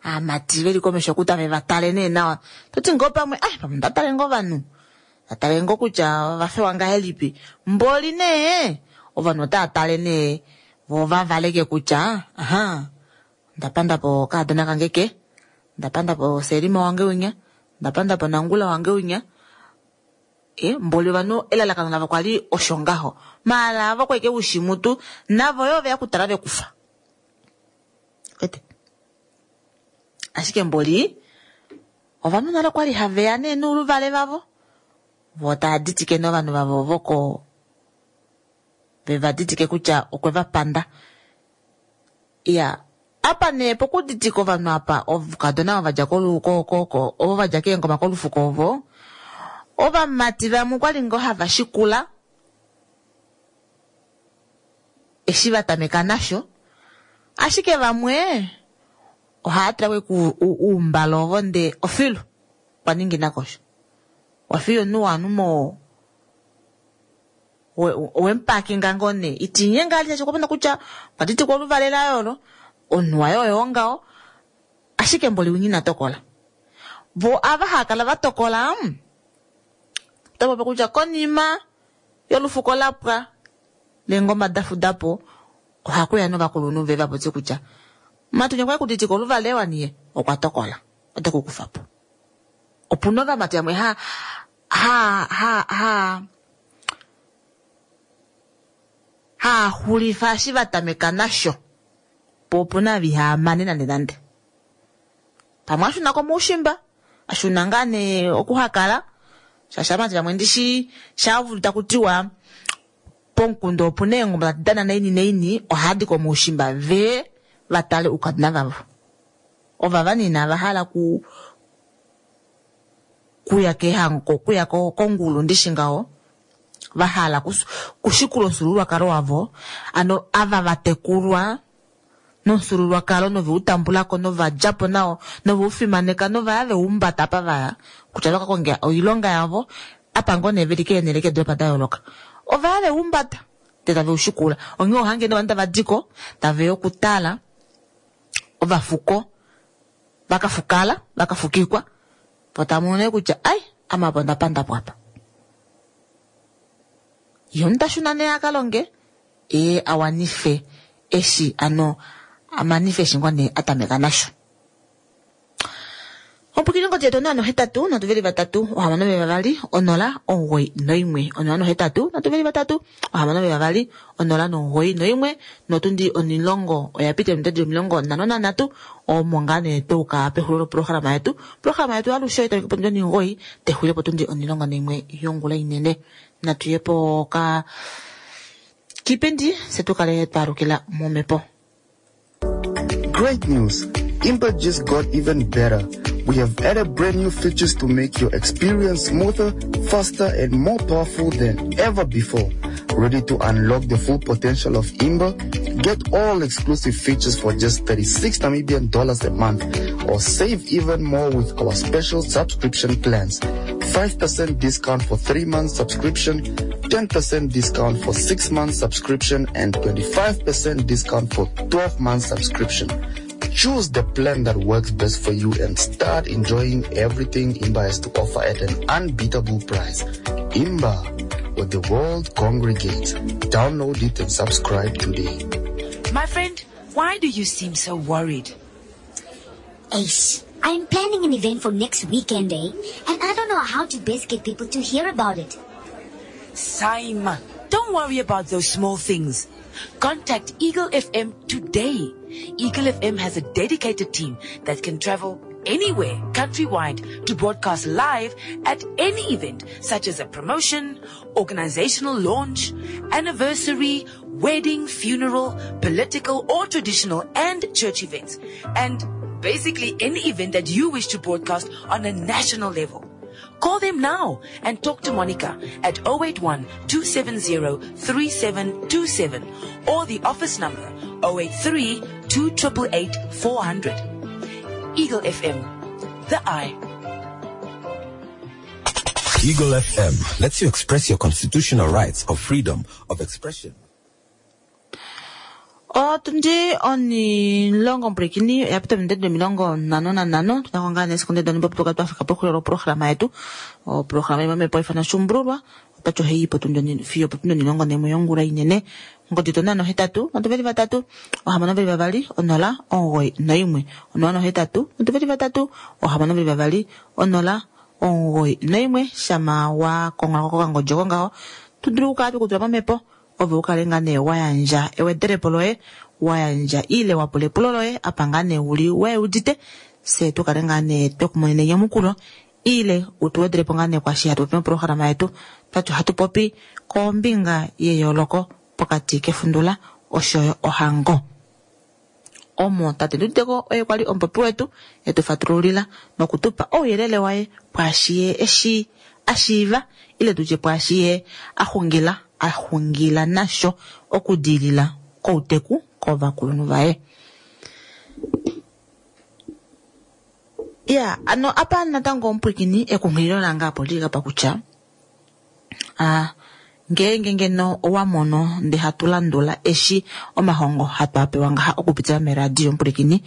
S1: aamati veli komesho oku tave va tale nee nawa toti ngoo pamwe ah pamwe nda tale ngoo ovanhu nda tale ngoo kutya ova fewa ngahelipi mboli nee ovanhu otava tale nee vo va valeke kutya aha onda panda po okaadona kange ke onda panda po Selima wange winya onda panda po Nangula wange winya e mboli ovanhu elalakano lavo kwali osho ngaho maala avo kweke ushimutu navo yo veya kutala vekufa ete ashike mboli ovanhu nale kwali haveya nee nouluvale vavo vo tava ditike nee ovanhu vavo voko veva ditike kutya okwe va panda iya apa nee pokuditika ovanhu apa ovakadona ovo vadja ko ovo vadja keengoma kolufuko ovo ovamati vamwe okwali ngoo hava shikula eshi va tameka nasho ashike vamwe ohava tula ko uumbala ovo ndee ofilu kwa ningina kosho wafiya omunhu waanhu mo wemupakinga ngoo nee itinyenga ali shaashi okwa mona kutya okwa ditikwa oluvale laye olo omunhu waye oyo ngaho ashike mboli winya ina tokola vo ava hava kala va tokola ota popi kutya konima yolufuko la pwa leengoma da fuda po ohakuya novakulunhu ve va popye kutya matunya okwa kuditika oluvale waniye okwa tokola ote ku kufa po. Opuna ovamati vamwe ha ha ha ha haa xulifa eshi va tameka nasho po opuna ava ihaa mane nande nande. Pamwe a shuna komoushimba, a shuna ngaa nee oku ha kala shaashi ovamati vamwe ndishi shaa udu taku tiwa pomukunda opuna eengoma tadi dana naini naini ohava di komoushimba ve va tale oukadona vavo. Ovava nee inava hala ku kuya kehango kuya kongulu ndishi ngaho va hala kushikula omufyuululwakalo wavo ano ava va tekulwa nomufyuululwakalo nove u tambula ko nova dja po nao nove u fimaneka novaya ve umbata apa vaya kutya vaka konge oilonga yavo. Apa ngoo nee veli keenhele keedoolopa da yooloka. Ova ya veumbata ndee tave ushikula. Onghee ohange nee ovanhu tava diko taveya okutala ovafuko vakafukala vakafukikwa po tamono nee kutya ai ame apa onda pandapo apa. Ye omunhu tashuna nee akalonge ye a wanife eshi ano amanife eshi ngoo nee atameka nasho. Ompwikini ongodi yetu 083 3 6 2 091 083 3 6 2 091 notundi 10 oya pita ominute dili 53 omo ngaa nee twauka pexulilo loprograma yetu. Oprograma yetu alushe otai tameke potundi 9 texulile potundi 11 yongula inene. Natu ye poka kipindi fye tukale twaalukila momhepo.
S10: Great news! Imba just got even better. We have added brand new features to make your experience smoother, faster, and more powerful than ever before. Ready to unlock the full potential of Imba? Get all exclusive features for just 36 Namibian dollars a month or save even more with our special subscription plans. 5% discount for 3 months subscription, 10% discount for 6 months subscription, and 25% discount for 12 months subscription. Choose the plan that works best for you and start enjoying everything Imba has to offer at an unbeatable price. Imba, where the world congregates. Download it and subscribe today.
S6: My friend, why do you seem so worried?
S11: Ace, I'm planning an event for next weekend, eh? And I don't know how to best get people to hear about it.
S6: Saima, don't worry about those small things. Contact Eagle FM today. Eagle FM has a dedicated team that can travel anywhere countrywide to broadcast live at any event such as a promotion, organizational launch, anniversary, wedding, funeral, political or traditional and church events. And basically any event that you wish to broadcast on a national level. Call them now and talk to Monica at 081 270 3727 or the office number 083 2888 400. Eagle FM, the eye.
S2: Eagle FM lets you express your constitutional rights of freedom of expression.
S1: Otundi onilongo mpwilikini oya pita ominute dili 55 tuna ko ngaa nee sekonde donimbo opo tukale twafika pexulilo loprograma yetu. Oprograma imwe omhepo haifana Shumbululwa otati ohaiyi potundi fiyo opotundi 11 yongula inene. Ongodi yetu 083 3 622 091 083 3 622 091 shama wa kongholako kokangodi oko ngaho to dulu okukala twekutula momhepo ove u kale ngaa nee wa yandja ewedelepo loye, wa yandja ile wa pula epulo loye apa ngaa nee uli we udite, fye tu kale ngaa nee twe ku monena enyamukulo ile u tu wedelepo ngaa nee kwaashi hatu popi moprograma yetu. Twati ohatu popi kombinga yeyooloko pokati kefundula oshoyo ohango. Omo tate Nduditeko oye kwali omupopi wetu e tu fatululila noku tu pa ouyelele waye pwaashi ye eshi a shiiva ile tutye pwaashi ye a xungila a xungila nasho okudilila kouteku kovakulunhu vaye. Ya, ano apa natango omupwilikini ekunghililo lange apa olili apa kutya a ngeenge ngeno owa mono nde hatu landula eshi omahongo hatu a pewa ngaha okupitila meradio omupwilikini,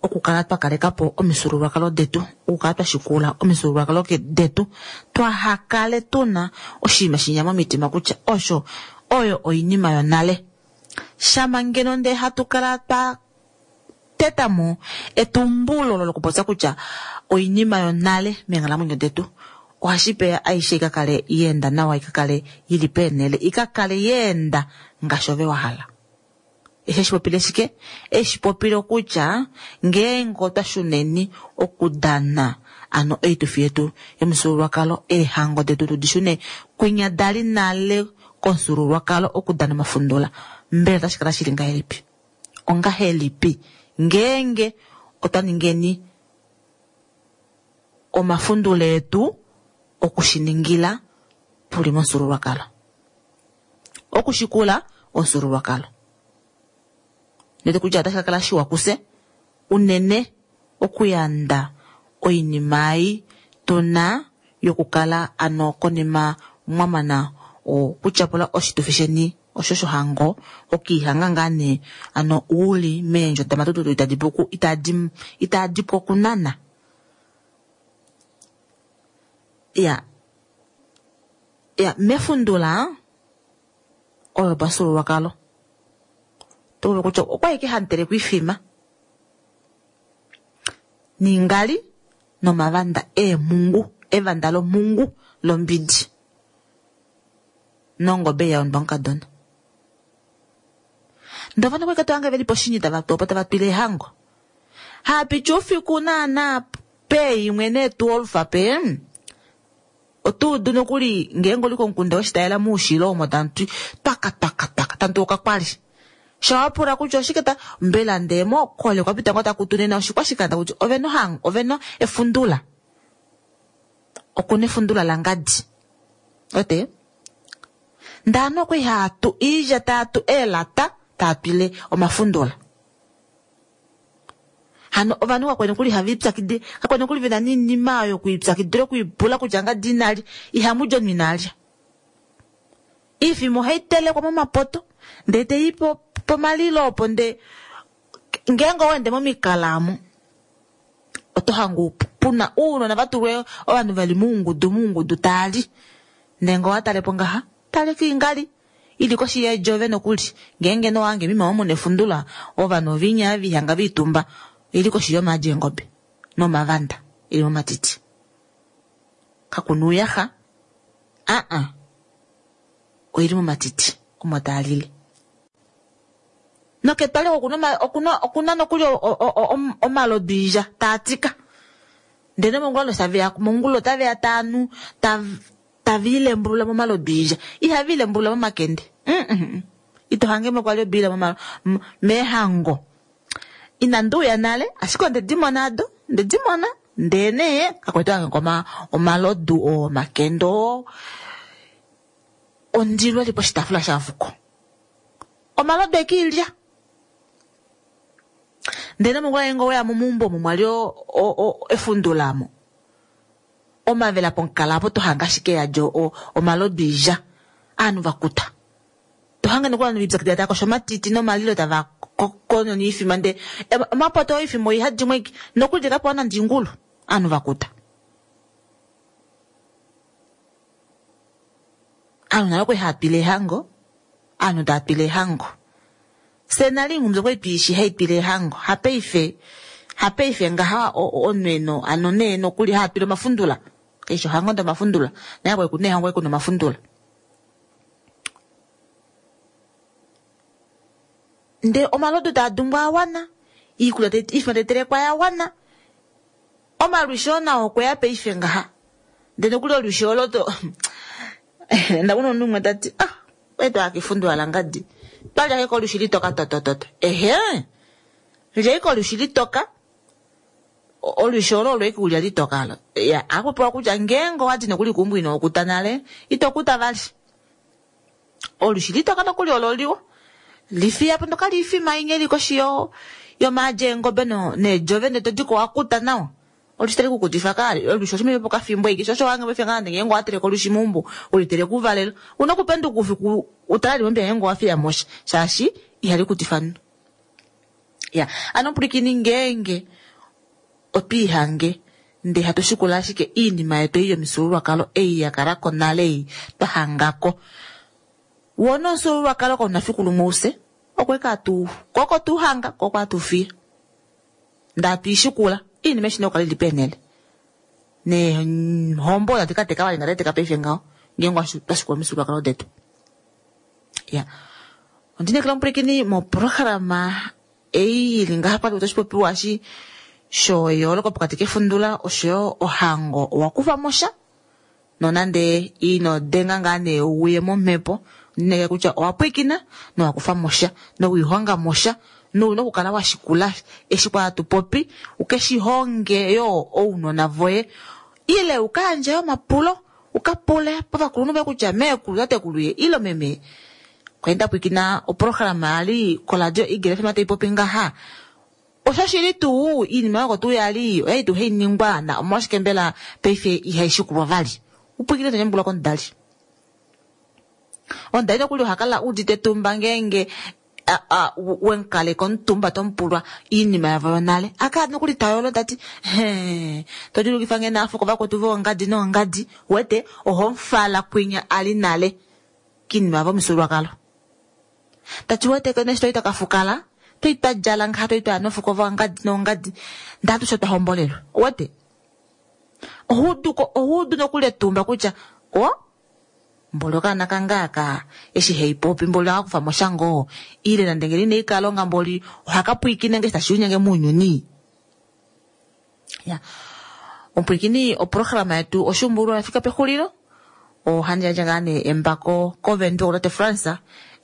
S1: okukala twa kaleka po omifyuululwakalo detu, okukala twa shikula omifyuululwakalo detu, twaha kale tu na oshinima shinya momitima kutya osho oyo oinima yonale. Shama ngeno ndee hatu kala twa teta mo etumbulo olo lokupopya kutya oinima yonale meenghalamwenyo detu, ohashi peya aishe i ka kale ya enda nawa, i ka kale i li peenhele, i ka kale ya enda ngaashi ove wa hala. Eshi eshi popile shike? Eshi popile kutya ngeenge otwa shuneni okudana ano oitufi yetu yomufyuululwakalo, eehango detu tu di shune kwinya dali nale komufyuululwakalo okudana omafundula, mbela otashi kala shili ngahelipi? Ongahelipi ngeenge otwa ningeni omafundula etu oku shi ningila tuli momufyuululwakalo? Okushikula omufyuululwakalo. Ndele kutya otashi ka kala shiwa kufye unene okuyanda oinima ei tu na yokukala ano konima mwamana okutyapula oshitufi sheni osho shohango okiihanga ngaa nee ano uli meendjo damatututu itadi puku itadi itadi pu okunana ya ya mefundula oyo pafyuululwakalo oto vulu kutya okwali ike hamu telekwa oifima ningali nomavanda eemhungu evanda lomhungu lombidi nongobe ya ondwa omukadona. Ndee ovanhu okwali to hange veli poshinyi tava tu opo tava twile ehango. Haapiti oufiku naana peimwe nee 12 pe oto udu nokuli ngeenge oli komukunda weshitayela moushilo omo tamu ti twaka twaka twaka tamu tu okakwali. Sha wapula kutya oshike ta mbela ndee mokole kwa pita ngoo taku tu nena oshikwashikanda kutya ovena ohango ovena efundula. Okuna efundula langadi. Wete? Ndee ovanhu okwali hava tu iilya tava tu eelata tava twile omafundula. Hano ovanhu kakwali nokuli hava ipyakidile, kakwali nokuli vena noinima oyo yokulipyakidila okwiipula kutya ngadi inalya, ihamu li omunhu inalya. Iifima ohai telekwa momapoto ndee tai pomalilo opo ndee ngeenge owa ende momikala omo oto hange puna ounona vatulwa ovanhu veli moungudu moungudu taali ndee ngee owatalepo ngaha tale kiingali ili koshi yeedjove nokuli ngeenge nee owahange moima omo muna efundula ovanhu ovinya vihanga viitumba ili koshi yomaadi eengobe nomavanda eli momatiti kakuna ouyaxa aa oili momatiti omo taalile noketwali okuna okuna nokuli omalodu iilya taatika ndele mongula taveya mongula otaveya taanu taviilembulula momalodu iilya ihaviilembulula momakende ito hangemo kwali obiila meehango inandi uya nale ashike onde dimona ado onde dimona ndee nee kakwali tohange omalodu oo omakende oo ondilo eli poshitaafula shamufuko omalodu ekiilya ndele mongula ngeenge oweya momeumbo omo mwali efundula omo omavela pomukala apo tohange ashike yadja omalodu oilya ovanhu vakuta tohange nokuli ovanhu vipyakidila tava kosho omatiti nomalilo tava konona oifima ndee omapoto oifima oihadi mo ashike nokuli tekapewa nande oingulu ovanhu vakuta ovanhu nale okwali hava twile eehango ovanhu tava twile eehango fye nale oinghumbi okwali tuishi haitwile eehango hapaife hapaife ngaha omunhu hano nee nokuli haatwile omafundula kaishi ohango ndee omafundula nale kwali kuna eehango kwali kuna omafundula ndee omalodu taa dumbwa awana iikulya iifima taitelekwa yawana omalwisho nao okweya paife ngaha ndee nokuli olwisho olo to ndamona omunhu umwe tati ah okwali twaya kefundula langadi twalya ashike olwishi litoka totototo ehe lya ashike olwishi litoka olwishi olo olo ashike ulya litoka olo ya ohakupewa kutya ngeenge owadi nokuli keumbo ino kuta nale ito kuta vali olwishi litoka nokuli olo liwa lifiyapo nokali ifima inya ili koshi yomaadi eengobe needjove ndee todiko wakuta nawa olwishi tali kukutifa kaali olwishi oshimene pokafimbo ashike sho osho wahange paife ngaa ngeenge owateleke olwishi meumbo uliteleke ouvalelo una okupenduka oufiku utale limwe ngeenge owafiyamo sha shaashi ihali kutifa omunhu ya hano pwilikini ngeenge otwiihange ndee hatu shikula ashike oinima yetu ei yomifyuululwakalo ei yakalako nale ei twahangako woo nomufyuululwakalo kauna fiku lumwe ufye okwali atu koko tuuhanga koko atuufiya ndee hatuishikula oinima eshi nee okukala ili peenele neehombo tadi kateka vali ngadi teka paife ngaho ngeenge twashikula omifyuululwakalo detu ya ondinekela omupwilikini moprograma ei ili ngaha pali otoshipopiwa eshi shoyooloko pokati kefundula oshoyo ohango owakufa sha nonande ino denga ngaa nee uye momhepo ondinekela kutya owapwilikina nowakufa mosha nowiihonga mosha nouna okukala washikula eshi kwa hatu popi ukeshihonge yoo ounona voye ile ukayandje omapulo ukapule povakulunhu voye kutya meekulu tatekulu ye ile meme kwali ndapwilikina oprograma yali koradio Eagle FM taipopi ngaha. Oshoshili tuu iinima yoko tuu yali oyali tuu hayi ningwa na omolwashike mbela paife ihayi shikulwa vali? Upwikine to nyamukula komudali. Omudali nokuli oha kala udite etumba ngeenge wemukaleka omutumba to mupulwa iinima yavo yonale. Akala nokuli ta yolo ta ti, Hee, to djulukifa nge naafuko vakwetu voongadi noongadi, wete, oho mufala kwinya a li nale kiinima yavo yomufyuululwakalo. Ta ti, wete kene eshi twali twa ka fukala, twali twa djala ngaha, twali twa ya nofuko voongadi noongadi, ndee atushe otwa hombolelwa. Wete? Oho udu ko, oho udu nokuli etumba kutya, o, Mboli okaana kange aka eshi hei popi mboli ohaka kufa mo sha ngoo ile nande ngeno inei ka longa mboli ohaka pwiikine nge eshi tashi linyenge mounyuni. Ya. Omupwiikini oprograma yetu Oshuumbululwa oya fika pexulilo. Ohandi yandje ngaa nee embako koVenduka kutate Frans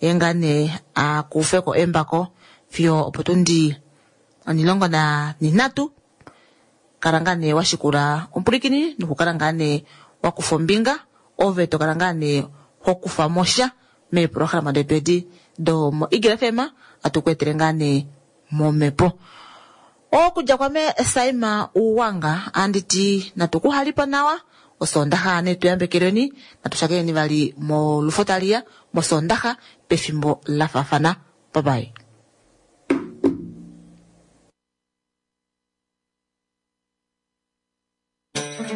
S1: ye ngaa nee a kufe ko embako fiyo opotundi onhilongo nanhinhatu. Kala ngaa nee wa shikula omupwilikini nokukala ngaa nee wa kufa ombinga, ove to kala ngaa nee ho kufa mo sha meeprograma detu edi do moEagle FM atu ku etele ngaa nee momhepo. Okudja kwame Saima Uwanga andi ti natu ku halipo nawa Osoondaxa ne tu yambekelweni, natu shakeneni vali molufo tali ya mOsoondaxa pefimbo la faafana. Bye bye.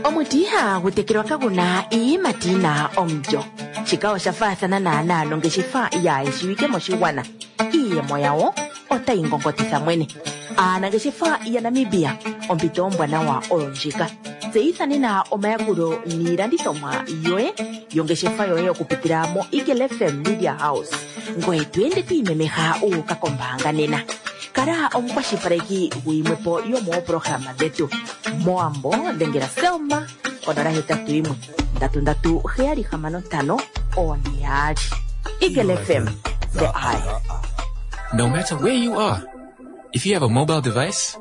S6: Omuti ihagu tekelwa kagu na iiyimati yi na omulyo. Shika osha faathana naanaa nongeshefa yaayeshiwike moshigwana. Iiyemo yawo otayi ngongotitha mwene. Aanangeshefa yaNamibia, ompito ombwanawa oyo ndjika. Tseyitha nena omayakulo niilandithomwa yoye yongeshefa yoye okupitila moEagle FM Media House. Ngoye to ende to imemeha wu uka kombaanga nena. Kala omukwashilipaleki guyimwe po yomooprograma dhetu. Mowambo dhengela Selma konola hetatu yimwe ndatu ndatu heyali hamano ntano one yaali. Eagle FM, the eye.
S8: No matter where you are, if you have a mobile device,